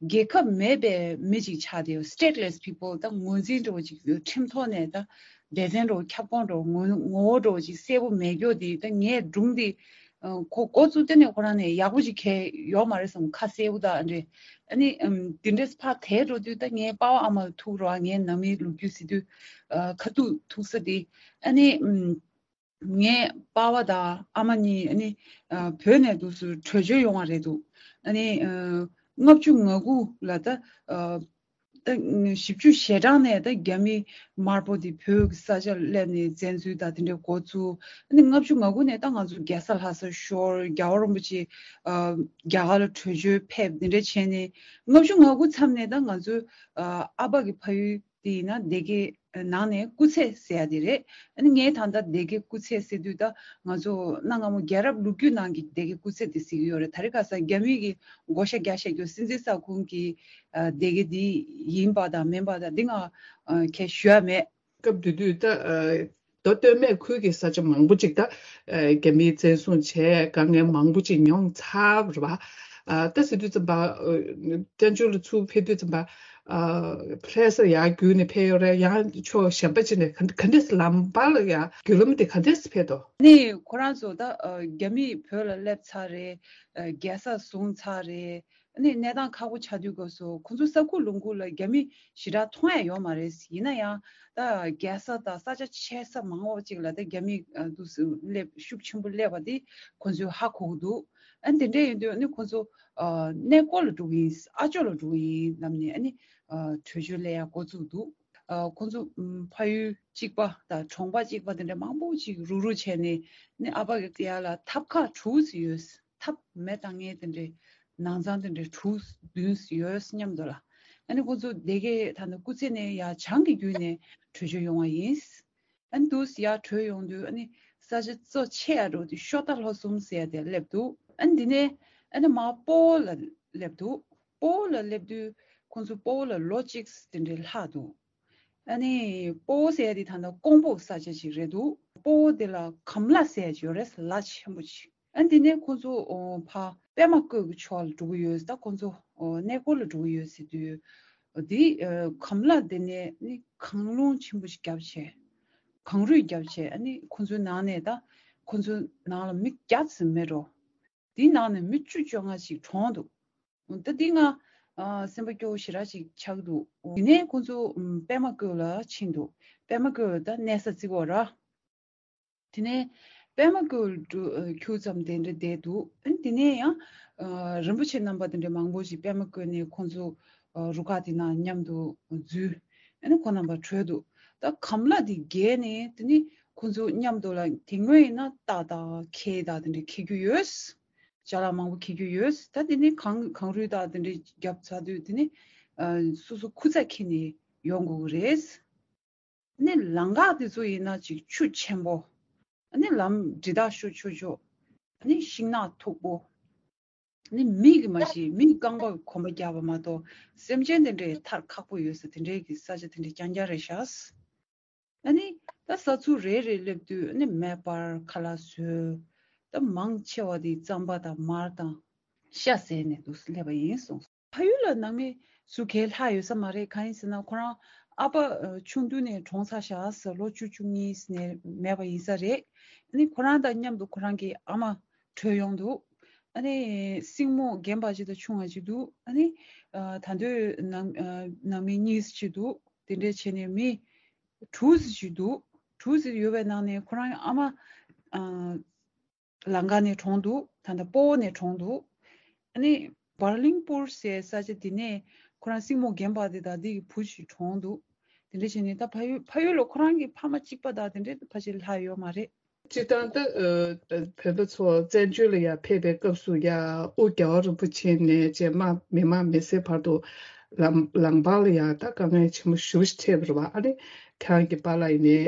རྒྱལ་ཁབ་མེད་པའི་མི་ཅིག་ཆགས་བསྡད་ཡོད། stateless people། ད་ངོས་འཛིན་འདྲ་བོ་ཅིག་ཁྲིམས་ཐོག་ནས་ད་སྡེ་ཚན་འདྲ་བོ་ཁྱབ་ཁོངས་འདྲ་བོ་ངོ་ངོ་བོ་འདྲ་བོ་ཅིག་གསལ་པོ་མེད་རྒྱུ་དེ། ད་ངའི་སྒྲུང་དེ་ཨ། ཁོ་འགོ་བཙུགས་དེ་ནས་ཁོ་རང་ནས་ཡག་པོ་ཅིག་གང་ཡོད་མ་རེད་བསམ། ཁ་གསལ་པོ་ད་འདྲ། ཨ་ནི་ཨམ། དེ་འདྲས་ཕར་དེད་འགྲོ་དུས་ད་ངའི་པ་ཕ་ཨ་མ་ལ་ཐུག་རོགས། ངའི་ནང་མིའི་ལོ་རྒྱུས་ཟེར་དུས་ཨ། ཁ་ཐུག་ཐུག་ས་དེ། ཨ་ནི་ཨམ། ངའི་པ་ཕ་དང་ཨ་མ་གཉིས་ཨ་ནི་ཨ། བོད་ནས་འདུག་སེ་བྲོས་བྱོལ་ཡོང་བ་རེད་འདུག། ཨ་ནི་ཨ། ལྔ་བཅུ་ང་དགུ་ལ་ད་ཨ། ད་བཞི་བཅུ་ཞེ་གྲངས་ནས་ད་རྒྱ་མི་དམར་པོ་དེ་བོད་ཀྱི་ས་ཆར་སླེབས་ནས་བཙན་འཛུལ་དང་དེ་འདྲའི་འགོ་བཙུགས། ཨ་ནི་ལྔ་བཅུ་ང་དགུ་ནས་ད་ང་ཚོ་རྒྱལ་ས་ལྷ་ས་ཤོར། རྒྱལ་བ་རིན་པོ་ཆེ་ཨ། རྒྱ་གར་ལ་བྲོས་བྱོལ་ཕེབས། དེ་འདྲ་བྱས་ནས་ལྔ་བཅུ་ང་དགུ་མཚམས་ནས་ད་ང་ཚོའི་ཨ། ཨ་ཕ་གི་ཕ་ཡུལ་དེ་ཡིན་ན་སྡེ་དགེ་ནང་ནས་སྐུ་ཚེ་ཟེར་ཡ་དེ་རེད། ཨ་ནི་ངས་ད་ལྟ་སྡེ་དགེ་སྐུ་ཚེ་ཟེར་དུས་ད་ང་ཚོ་གནའ་སྔ་མོ་རྒྱལ་རབས་ལོ་རྒྱུས་ནང་གི་སྡེ་དགེ་སྐུ་ཚེ་དེ་ཟེར་གྱི་ཡོད་རེད། ད་རེས་ཁ་སང་རྒྱ་མི་གི་བགོ་བཤའ་རྒྱག་བཞག་རྒྱུ་སྲིད་འཛིན་ས་ཁོངས་ཀྱི་ཨ། སྡེ་དགེ་འདི་ཡིན་པ་དང་མིན་པ་དང་འདི་ང་ཨ། གས་ཞུ་ཡ་མེད། སྐབས་དེ་དུས་ད་ཨ། མདོ་སྟོད་སྨད་ཁུལ་གྱི་ས་ཆ་མང་པོ་ཅིག་ད་ཨ། རྒྱ་མིས་བཙན་བཟུང་བྱས། དཀའ་ངལ་མང་པོ་ཅིག་མྱོང་ཚར་བ་རེད་པ། ཨ། ད་ཟེར་དུས་ཙམ་པ་ཨ། བཙན་བྱོལ་ལ་ཚུར་ཕེབས་དུས་ཙམ་པ་ཨ། ལྷ་ས་ཡར་བརྒྱུད་ནས་ཕེབས་ཡོད་རེད། ཡང་ཕྱོགས་གཞན་པ་ཅིག་ནས་ག་ག་འདྲས་ལམ་བར་ལ་ཡ་བརྒྱུད་ལམ་དེ་ག་འདྲས་ཕེབས་འདུག། ནི་ཁོ་རང་ཚོ་ད་ཨ། རྒྱ་མིས་བོད་ལ་སླེབས་ཚར་རེད། ཨ། རྒྱལ་ས་བཟུང་ཚར་རེད། ཨ་ནི་གནས་སྟངས་ཁག་པོ་ཆགས་དུས་སྐབས་སུ་ཁོ་ཚོ་ས་ཁུག་ལུང་ཁུག་ལ་རྒྱ་མི་ཞེ་དྲག་མཐོང་ཡ་ཡོད་མ་རེད། ཡིན་ན་ཡང་ད་རྒྱལ་ས་དང་ས་ཆ་ཆེ་ས་མང་བ་ཅིག་ལ་ད་རྒྱ་མི་ཨ། འདུག་སེ་སླེབས། ཤུགས་ཆེན་པོ་སླེབས་པ་དེ་ཁོ་ཚོས་ཧ་གོ་གི་འདུག། ཨ་ནི་དེ་འདྲ་ཡིན་དུས་ཨ་ནི་ཁོ་ཚོ་ཨ། གནས་སྐོར་ལ་འགྲོ་གི་ཡིན། ཨ་ཅོ་ལ་འགྲོ་གི་ཡིན་ལབ་ནས་ཨ་ནི་ཨ། བྲོས་བྱོལ་སླེབས་ཡ་འགོ་བཙུགས་འདུག། ཨ། ཁོ་ཚོ་ཨམ། ཕ་ཡུལ་གཅིག་པ་དང་གྲོང་པ་གཅིག་པ་དེ་འདྲ་མང་པོ་ཅིག་རུག་རུག་བྱས་ནས་ནི་ཨ་ཕ་གི་ཡ་ལ་ཐབ་ཁག་དྲུག་ཙམ་ཡོད། ཐབ་མེ་བཏང་མཁན་དེ་འདྲའི་ནང་ཚང་དེ་འདྲའི་དྲུག་བདུན་ཡོད་སྙམ་འདུག་ལ། ཨ་ནི་ཁོ་ཚོ་སྡེ་དགེ་ད་ནི་སྐུ་ཚེ་ནས་ཡར་བྱང་གི་བརྒྱུད་ནས་བྲོས་བྱོལ་ཡོང་བ་ཡིན། ཨ་ནི་འདུག་སེ་ཡར་བྲོས་ཡོང་དུས་ཨ་ནི་ས་ཆ་གཙོ་ཆེ་ཡ་འདྲ་བོ་དེ་ཤོ་རྟ་ལྷོ་གསུམ་ཟེར་ཡ་དེ་སླེབས་འདུག། ཨ་ནི་འདི་ནས་ཨ་ནི་མར་སྤོ་བོ་ལ་སླེབས་འདུག། སྤོ་བོ་ལ་སླེབས་དུས་ཁོང་ཚོ་སྤོ་བོ་ལ་ལོ་གཅིག་དེ་འདྲའི་ལྷག་འདུག། ཨ་ནི་སྤོ་བོ་ཟེར་ཡ་དེ་ད་ལྟ་ཀོང་པོ་ས་ཆ་ཅིག་རེད་འདུག། སྤོ་བོ་དེ་ལ་གམ་ལ་ཟེར་ཡ་ཅིག་ཡོད་རེད། ལ་ཆེན་པོ་ཅིག། ཨ་འདི་ནས་ཁོང་ཚོ་ཨོ་ཕ་པདྨ་བཀོད་ཀྱི་ཕྱོགས་ལ་འགྲོ་གི་ཡོད། ད་ཁོང་ཚོ་ཨོ་གནས་སྐོར་ལ་འགྲོ་གི་ཡོད་ཟེར་དུས་འདི་ཨ་གམ་ལ་དེ་ནས་ནི་གངས་ལུང་ཆེན་པོ་ཞིག་བརྒྱབ་བྱས། གངས་རུད་བརྒྱབ་བྱས། ཨ་ནི་ཁོང་ཚོའི་ནང་ནས་ད་ཁོང་ཚོའི་ནང་ལ་མི་བརྒྱ་ཙམ་མེད་འགྲོ། དེའི་ནང་ནས་མི་བཅུ་བཅོ་ལྔ་ཞིག་གྲོངས་འདུག། ད་འདི་ང་ཨ་སེམས་པ་སྐྱོ་བོ་ཞེ་དྲག་ཅིག་ཆགས་འདུག། དེ་ནས་ཁོང་ཚོ་ཨམ་པདྨ་བཀོད་ལ་ཕྱིན་འདུག། པདྨ་བཀོད་ལ་ད་གནས་ས་བརྩི་གི་ཡོད་ར། དེ་ནས་པདྨ་བཀོད་ལ་འགྲོ་ཨ་ཁྱུག་ཙམ་དེ་འདྲ་བསྡད་འདུག། ཨ་དེ་ནས་ཡང་ཨ་རིན་པོ་ཆེ་རྣམ་པ་དེ་འདྲ་མང་པོ་ཞིག་པདྨ་བཀོད་ནས་ཁོང་ཚོ་ཨ་རུ་ཁག་དེ་ནང་མཉམ་དུ་འཛུལ། ཨ་ནི་ཁོང་རྣམ་པ་བྲོས་འདུག། ད་གམ་ལ་དེ་བརྒལ་ནས་དེ་ནི་ ཁོང་ཚོ་མཉམ་དུ་ལ་དེ་སྔོན་ཡིན་ན་རྟ་དང་ཁལ་དང་དེ་འདྲ་འཁྱེར་རྒྱུ་ཡོད། ཅ་ལག་མང་པོ་འཁྱེར་རྒྱུ་ཡོད། ད་དེ་ནི་གངས་གངས་རུད་དང་དེ་འདྲ་རྒྱབ་ཚར་དུས་དེ་ནི་ཨ་སོ་སོ་ཁུར་ཚ་འཁྱེར་ནས་ཡོང་དགོས་ཀྱི་རེད། ནི་ལམ་ཁ་དེ་ཚོ་ཡིན་ན་ཅིག་ཆུ་ཆེན་པོ། ནི་ལམ་འདྲི་དག་ཤོ་ཆོ་ཆོ། ནི་ཤིང་ནགས་མཐུག་པོ། ནི་མི་གི་མ་གཞི་མི་རྐང་པ་གོམ་པ་རྒྱག་པ་མ་གཏོགས་སེམས་ཅན་དེ་འདྲའི་ཐར་ཁག་པོ་ཡོད་ས་དེ་འདྲའི་གི་ས་ཆ་དེ་འདྲའི་རྐྱང་རྐྱང་རེད་ཤག་ཨ་ནི་ད་ས་ཚུགས་རེ་རེ་སླེབས་དུས་ཨ་ནི་མེ་འབར་ཁ་ལག་ཟོས། ད་མང་ཆེ་བ་དེ་རྩམ་པ་དང་མར་དང་ཤ་ཟས་ནས་འདུག་སླེབས་པ་ཡིན་གསུངས། ཕ་ཡུལ་ལ་ནང་མི་སུ་གས་ལྷག་ཡོད་ས་མ་རེད། གང་ཡིན་ཟེར་ན་ཁོ་རང་ཨ་ཕ་ཆུང་དུས་ནས་གྲོངས་ཚར་ཤག་ཟེར། ལོ་བཅུ་བཅུ་གཉིས་ནས་མེད་པ་ཡིན་ས་རེད། ཨ་ནི་ཁོ་རང་དང་མཉམ་དུ་ཁོ་རང་གི་ཨ་མ་བྲོས་ཡོང་འདུག་ཨ་ནི་སྲིང་མོ་རྒན་པ་ཅིག་དང་ཆུང་བ་ཅིག་འདུག་ཨ་ནི་ད་དུང་ནང་ནང་མི་གཉིས་ཅིག་འདུག་དེ་འདྲས་བྱས་ནས་མི་དྲུག་ཅིག་འདུག་དྲུག་ཅིག་ཡོད་པའི་ནང་ནས་ཁོ་རང་ཨ་མ་ལང་ཀ་ནས་གྲོངས་འདུག་ད་ལྟ་སྤོ་བོ་ནས་གྲོངས་འདུག་ཨ་ནི་བར་གླིང་སྤུར་ཟེར་ས་ཆ་དེ་ནས་ཁོ་རང་སྲིང་མོ་རྒན་པ་དེ་དང་དེ་གི་བུ་ཞིག་གྲོངས་འདུག་དེ་འདྲ་བྱས་ནས་ད་ཕ་ཡུལ་ཕ་ཡུལ་ལ་ཁོ་རང་གི་ཕ་མ་གཅིག་པ་དང་དེ་འདྲ་ཕལ་ཆེར་ལྷག་ཡོད་མ་རེད། སྤྱིར་བཏང་ད་བོད་པ་ཚོ་བཙན་བྱོལ་ལ་ཡར་ཕེབས་པའི་སྐབས་སུ་ཡ་ཨོ་རྒྱལ་བ་རིན་པོ་ཆེ་ནས་རྗེས་མ་མི་མང་མི་སེར་བར་དུ་ལམ་ལམ་བར་ལ་ཡ་ད་དཀའ་ངལ་ཆེན་པོ་ཞེ་པོ་ཞིག་འཕྲད་པ་རེད་བ། ཨ་ནི་ཁྱེད་རང་གི་པཱ་ལགས་ཡིན་ནའི་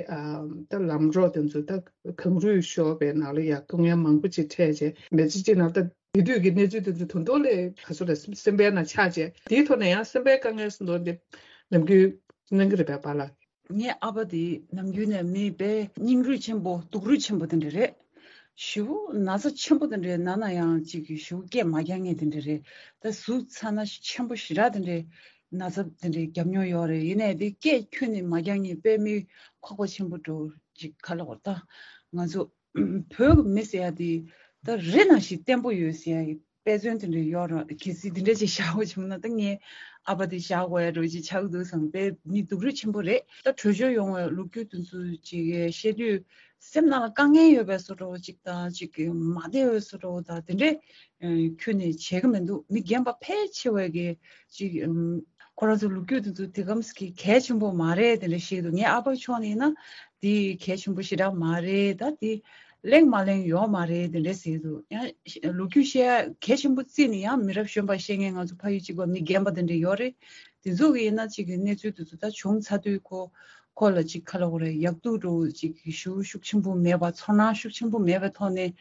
ད་ལམ་རོགས་དེ་ཚོ་ད་གངས་རུད་ཤོར་བའི་ནང་ལ་ཡ་དཀའ་ངལ་མང་པོ་ཅིག་འཕྲད་བྱས་མི་ཚེ་གཅིག་ནང་ད་དེ་དུས་ཀྱི་གནས་ཚུལ་དེ་ཚོ་ད་དུང་ལས་ག་ཚོད་ལ་སེམས་པའི་ནང་ཆགས་བྱས་དེའི་ཐོག་ནས་ཡང་སེམས་པའི་དཀའ་ངལ་སུ་འདུག་འདི་ནམ་རྒྱུན་གནང་གི་རེད་པས་པཱ་ལགས། ངའི་ཨ་ཕ་དེ་ནམ་རྒྱུན་ནས་མི་དཔེ་སྙིང་རུས་ཆེན་པོ་སྡུག་རུས་ཆེན་པོ་དེ་འདྲ་རེད། ཞེ་པོ་ན་ཚ་ཆེན་པོ་དེ་འདྲའི་ན་ན་ཡང་ཅིག་གི་ཞེ་པོ་སྐད་མ་རྒྱག་མཁན་དེ་འདྲ་རེད། ད་གཟུགས་ཚ་ན་ཆེན་པོ་ཞེ་དྲག་དེ་འདྲའི་ན་ཚ་དེ་འདྲའི་རྒྱབ་མྱོང་ཡོད་རེད། ཡིན་ནའི་དེ་སྐད་ཁྱོན་ནས་མ་རྒྱག་མཁན་དཔེ་མི་ཁོག་པ་ཆེན་པོ་འདྲ་ཅིག་ག་ལ་བར་ད་ང་ཚོ་བོད་ཀྱི་མི་ཟེར་ཡ་དེ་ད་རི་ནང་བཞིན་བརྟན་པོ་ཡོད་ཟེར་ཡ་གི་དཔེ་མཚོན་དེ་འདྲ་ཡོད་རེད། གལ་སྲིད་དེ་འདྲ་ཅིག་བཞག་དགོས་བྱུང་ན་ད་ངའི་ཨ་ཕ་དེ་བཞག་དགོས་ཡ་འདྲ་ཅིག་ཆགས་འདུག་བསམ། དཔེ་མི་སྡུག་རུས་ཆེན་པོ་རེད། ད་བྲོས་བྱོལ་ཡོང་བའི་ལོ་རྒྱུས་དེ་ཚོ་ཅིག་བཤད་དུས་སེམས་ནང་ལ་དཀའ་ངལ་ཡོད་པའི་བཟོ་འདྲ་བོ་ཅིག་དང་ཅིག་མ་བདེ་བའི་བཟོ་འདྲ་བོ་དང་དེ་འདྲའི་ཁྱོན་ནས་བྱེད་ཀྱི་མི་འདུག་མི་རྒན་པ་ཕལ་ཆེ་བས་ཀྱི་ཅིག་ཁོ་རང་ཚོ་ལོ་རྒྱུས་དེ་ཚོ་དེ་གམ་ཟིག་གལ་ཆེན་པོ་མ་རེད་དེ་འདྲ་བཤད་འདུག་ངའི་ཨ་ཕ་ཕྱོགས་ནས་ཡིན་ན་དེ་གལ་ཆེན་པོ་ཞེ་དྲག་མ་རེད། ད་དེ་གླེང་མ་གླེང་ཡོད་མ་རེད་དེ་འདྲ་ཟེར་འདུག་ཡང་ལོ་རྒྱུས་བཤད་ཡ་གལ་ཆེན་པོ་བརྩིས་ནས་ཡང་མི་རབས་གཞོན་པ་བཤད་མཁན་ང་ཚོ་ཕ་ཡུལ་གཅིག་པ་མི་རྒན་པ་དེ་འདྲ་ཡོད་རེད། དེ་ཚོ་གི་ཡིན་ན་ཅིག་གི་གནས་ཚུལ་དེ་ཚོ་ད་བྱུང་ཚར་དུས་ཁོ་ཁོ་ལ་ཅིག་ག་ལབ་དགོས་རེད། ཡག་སྡུག་འདྲ་བོ་ཅིག་གི་ཞུ་ཤུགས་ཆེན་པོ་མེད་པ་ཚོར་སྣང་ཤུགས་ཆེན་པོ་མེད་པའི་ཐོག་ནས་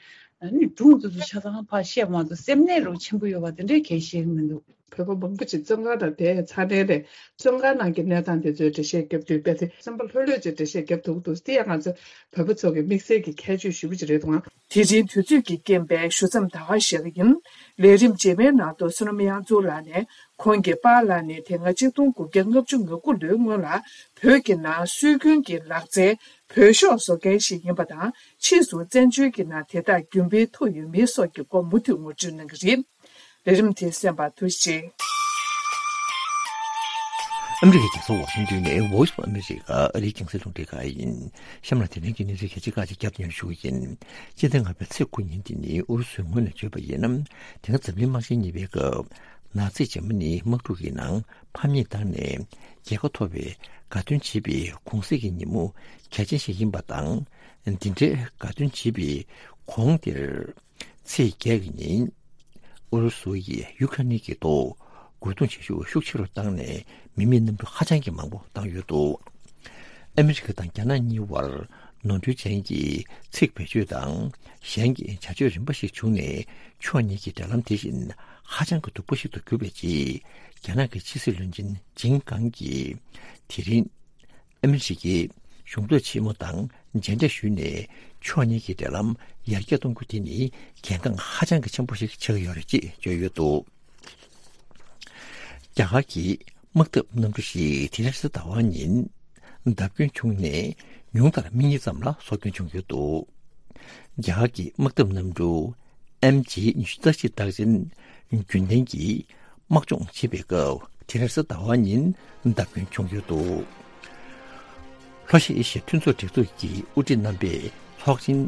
ནི་སྒྲུང་དེ་ཚོ་ཆ་ཚང་ཕར་བཤད་པ་མ་གཏོགས་སེམས་ནད་རོ་ཆེན་པོ་ཡོད་པ་དེ་འདྲའི་གལ་བཤད་གི་མི་འདུག་བོད་པ་མང་པོ་ཅིག་བཙོན་ཁང་ནང་བསྡད་ཚར་ནའི་རེད། བཙོན་ཁང་ནང་གི་གནས་སྟངས་དེ་ཚོའི་འགྲེལ་བཤད་རྒྱབ་དུས་དཔེ་དེ་སེམས་པ་ལྷོད་ལྷོད་ཅིག་འགྲེལ་བཤད་རྒྱབ་ཐུབ་འདུག་དེ་ཡང་ང་ཚོ་བོད་པ་ཚོ་གི་དམིགས་བསལ་གྱི་ཁྱད་ཆོས་ཞེ་པོ་ཅིག་རེད་འདུག་ཨང་། དེ་རིང་དུས་ཚོད་ཀྱི་རྐྱེན་པས་ཞུ་མཚམས་ད་ག་བཞག་གི་ཡིན། ལས་རིམ་རྗེས་མའི་ནང་དུ་བསོད་ནམས་དབྱངས་འཛོམས་ལགས་ནས་ཁོང་གི་པཱ་ལགས་ནས་དེ་སྔ་གཅིག་སྟོང་དགུ་བརྒྱ་ལྔ་བཅུ་ང་དགུ་ལོའི་སྔོན་ལ་བོད་ཀྱི་ནང་སྲོལ་རྒྱུན་གྱི་ལག་རྩལ་བོད་ཤོག་བཟོ་མཁན་ཞིག་ཡིན་པ་དང་ཕྱིས་སུ་བཙན་བྱོལ་གྱི་ནང་དེ་དག་རྒྱུན་སྤེལ་ཐུབ་ཡོད་མེད་སོགས་ཀྱི་སྐོར་མུ་མཐུད་ངོ་སྤྲོད་གནང་གི་རེད། ལས་རིམ་དེ་གསན་པར་ཐུགས་རྗེ་ཆེ། ཨ་མི་རི་ཀའི་རྒྱལ་ས་ཝ་ཤིང་ཏོན་ནས་Voice of America ཨ་རིའི་རྒྱང་སྲིང་རླུང་འཕྲིན་ཁང་ཡིན། གཤམ་ལ་དེ་རིང་གི་གནས་ཚུལ་གལ་ཆེ་ཁག་ཅིག་བརྒྱབ་སྟེ་སྙན་ཞུ་གི་ཡིན། སྤྱི་ཟླ་ལྔ་པའི་ཚེས་དགུ་ཉིན་དེ་ནི་ཨུ་རུ་སུའི་ངོས་ནས་བརྗོད་པ་ཡིན་ན། དེ་སྔ་འཛམ་གླིང་དམག་ཆེན་གཉིས་པའི་སྐབས་ནཱ་ཛི་འཇར་མ་ནིའི་དམག་འཁྲུག་གི་ནང་ཕམ་ཉེས་བཏང་ནས་རྒྱལ་ཁ་ཐོབ་པའི་དགའ་སྟོན་བྱེད་པའི་གུང་གསེང་གི་ཉིན་མོ་གལ་ཆེན་ཞིག་ཡིན་པ་དང་། འདི་འདྲའི་དགའ་སྟོན་བྱེད་པའི་གོང་དེར། ཚེས་བརྒྱད་ཀྱི་ཉིན། ཨུ་རུ་སུ་ཡིས་ཡུ་ཁ་རེན་གྱི་ཐོག་རྒོལ་རྡུང་བྱེད་ཤུགས་ཤུགས་ཆེ་རུ་བཏང་ནས་མི་མེད་གནམ་གྲུ་ཧ་ཅང་གི་མང་པོ་བཏང་ཡོད་འདུག་ཨ་མི་རི་ཀ་དང་རྒྱ་ནག་གཉིས་བར་ནོར་འཁྲུལ་ཅན་གྱི་ཚིག་བེད་སྤྱོད་དང་གཞན་གྱི་བྱ་སྤྱོད་རིམ་པ་ཞིག་བྱུང་ནས་ཕྱོགས་གཉིས་ཀྱི་འབྲེལ་ལམ་དེ་བཞིན་ཧ་ཅང་གི་སྡུག་པོ་ཞིག་ཏུ་གྱུར་པའི་རྗེས། རྒྱ་ནག་གི་ཕྱི་སྲིད་བློན་ཆེན་ཇིན་ཀང་གིས་དེ་རིང་། ཨ་མི་རི་ཀའི་གཞུང་འབྲེལ་ཆེན་མོ་དང་མཇལ་འཕྲད་ཞུས་ནས་ཕྱོགས་གཉིས་ཀྱི་འབྲེལ་ལམ་ཡར་རྒྱས་གཏོང་རྒྱུ་དེ་ནི་གལ་འགངས་ཧ་ཅང་གི་ཆེན་པོ་ཞིག་ཆགས་ཀྱི་ཡོད་རེད་ཅེས་བརྗོད་ཡོད་འདུག་རྒྱ་གར་གྱི་དམག་འཐབ་གནམ་གྲུ་ཞིག་དེ་རིང་རེས་གཟའ་ཟླ་བ་ཉིན་བརྡབ་སྐྱོན་བྱུང་ནས་ཉུང་མཐར་མི་གཉིས་ཙམ་ལ་སྲོག་སྐྱོན་བྱུང་ཡོད་འདུག་རྒྱ་གར་གྱི་དམག་འཐབ་གནམ་གྲུ་ཨེམ་ཇི་ཉི་ཤུ་རྩ་གཅིག་རྟགས་ཅན་རྒྱུན་ལྡན་གྱི་དམག་སྦྱོང་བྱེད་པའི་སྐབས་དེ་རིང་རེས་གཟའ་ཟླ་བ་ཉིན་བརྡབ་སྐྱོན་བྱུང་ཡོད་འདུག་ལྷོ་ཨེ་ཤི་ཡའི་མཐུན་ཚོགས་སྒྲིག་འཛུགས་ཀྱི་དབུ་ཁྲིད་རྣམ་པས་ཚོགས་ཆེན་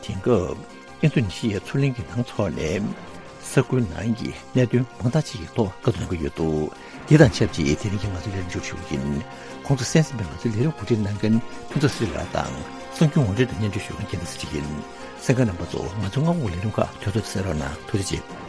དེང་སྐབས་ཨིན་རྡུ་ནི་ཤི་ཡའི་མཚོ་གླིང་གི་ནང་འཚོགས་ནས་ས་ཁུལ་ནང་གི་གནད་དོན་མང་དག་ཅིག་གི་ཐོག་བཀའ་བསྡུར་གནང་གི་ཡོད་འདུག་འདི་དང་ཆབས་ཅིག་དེ་རིང་གི་ང་ཚོའི་ལས་རིམ་མཇུག་ཞུ་གི་ཡིན། ཁོང་ཚོ་གསན་གཟིགས་པའི་ང་ཚོའི་ལས་རིམ་གོ་སྒྲིག་གནང་མཁན་ཕུན་ཚོགས་སྲིད་ལགས་དང་ གསར་འགྱུར་ངོ་སྤྲོད་དང་སྙན་སྒྲོན་ཞུ་མཁན་རྒྱལ་མཚན་ཚེ་རིང་ཡིན། གསན་མཁན་རྣམ་པ་ཚོ་ང་ཚོའི་སྔ་དགོང་གི་ལས་རིམ་ཁག་དུས་ཚོད་དང་གསན་རོགས་གནང་། ཐུགས་རྗེ་ཆེ།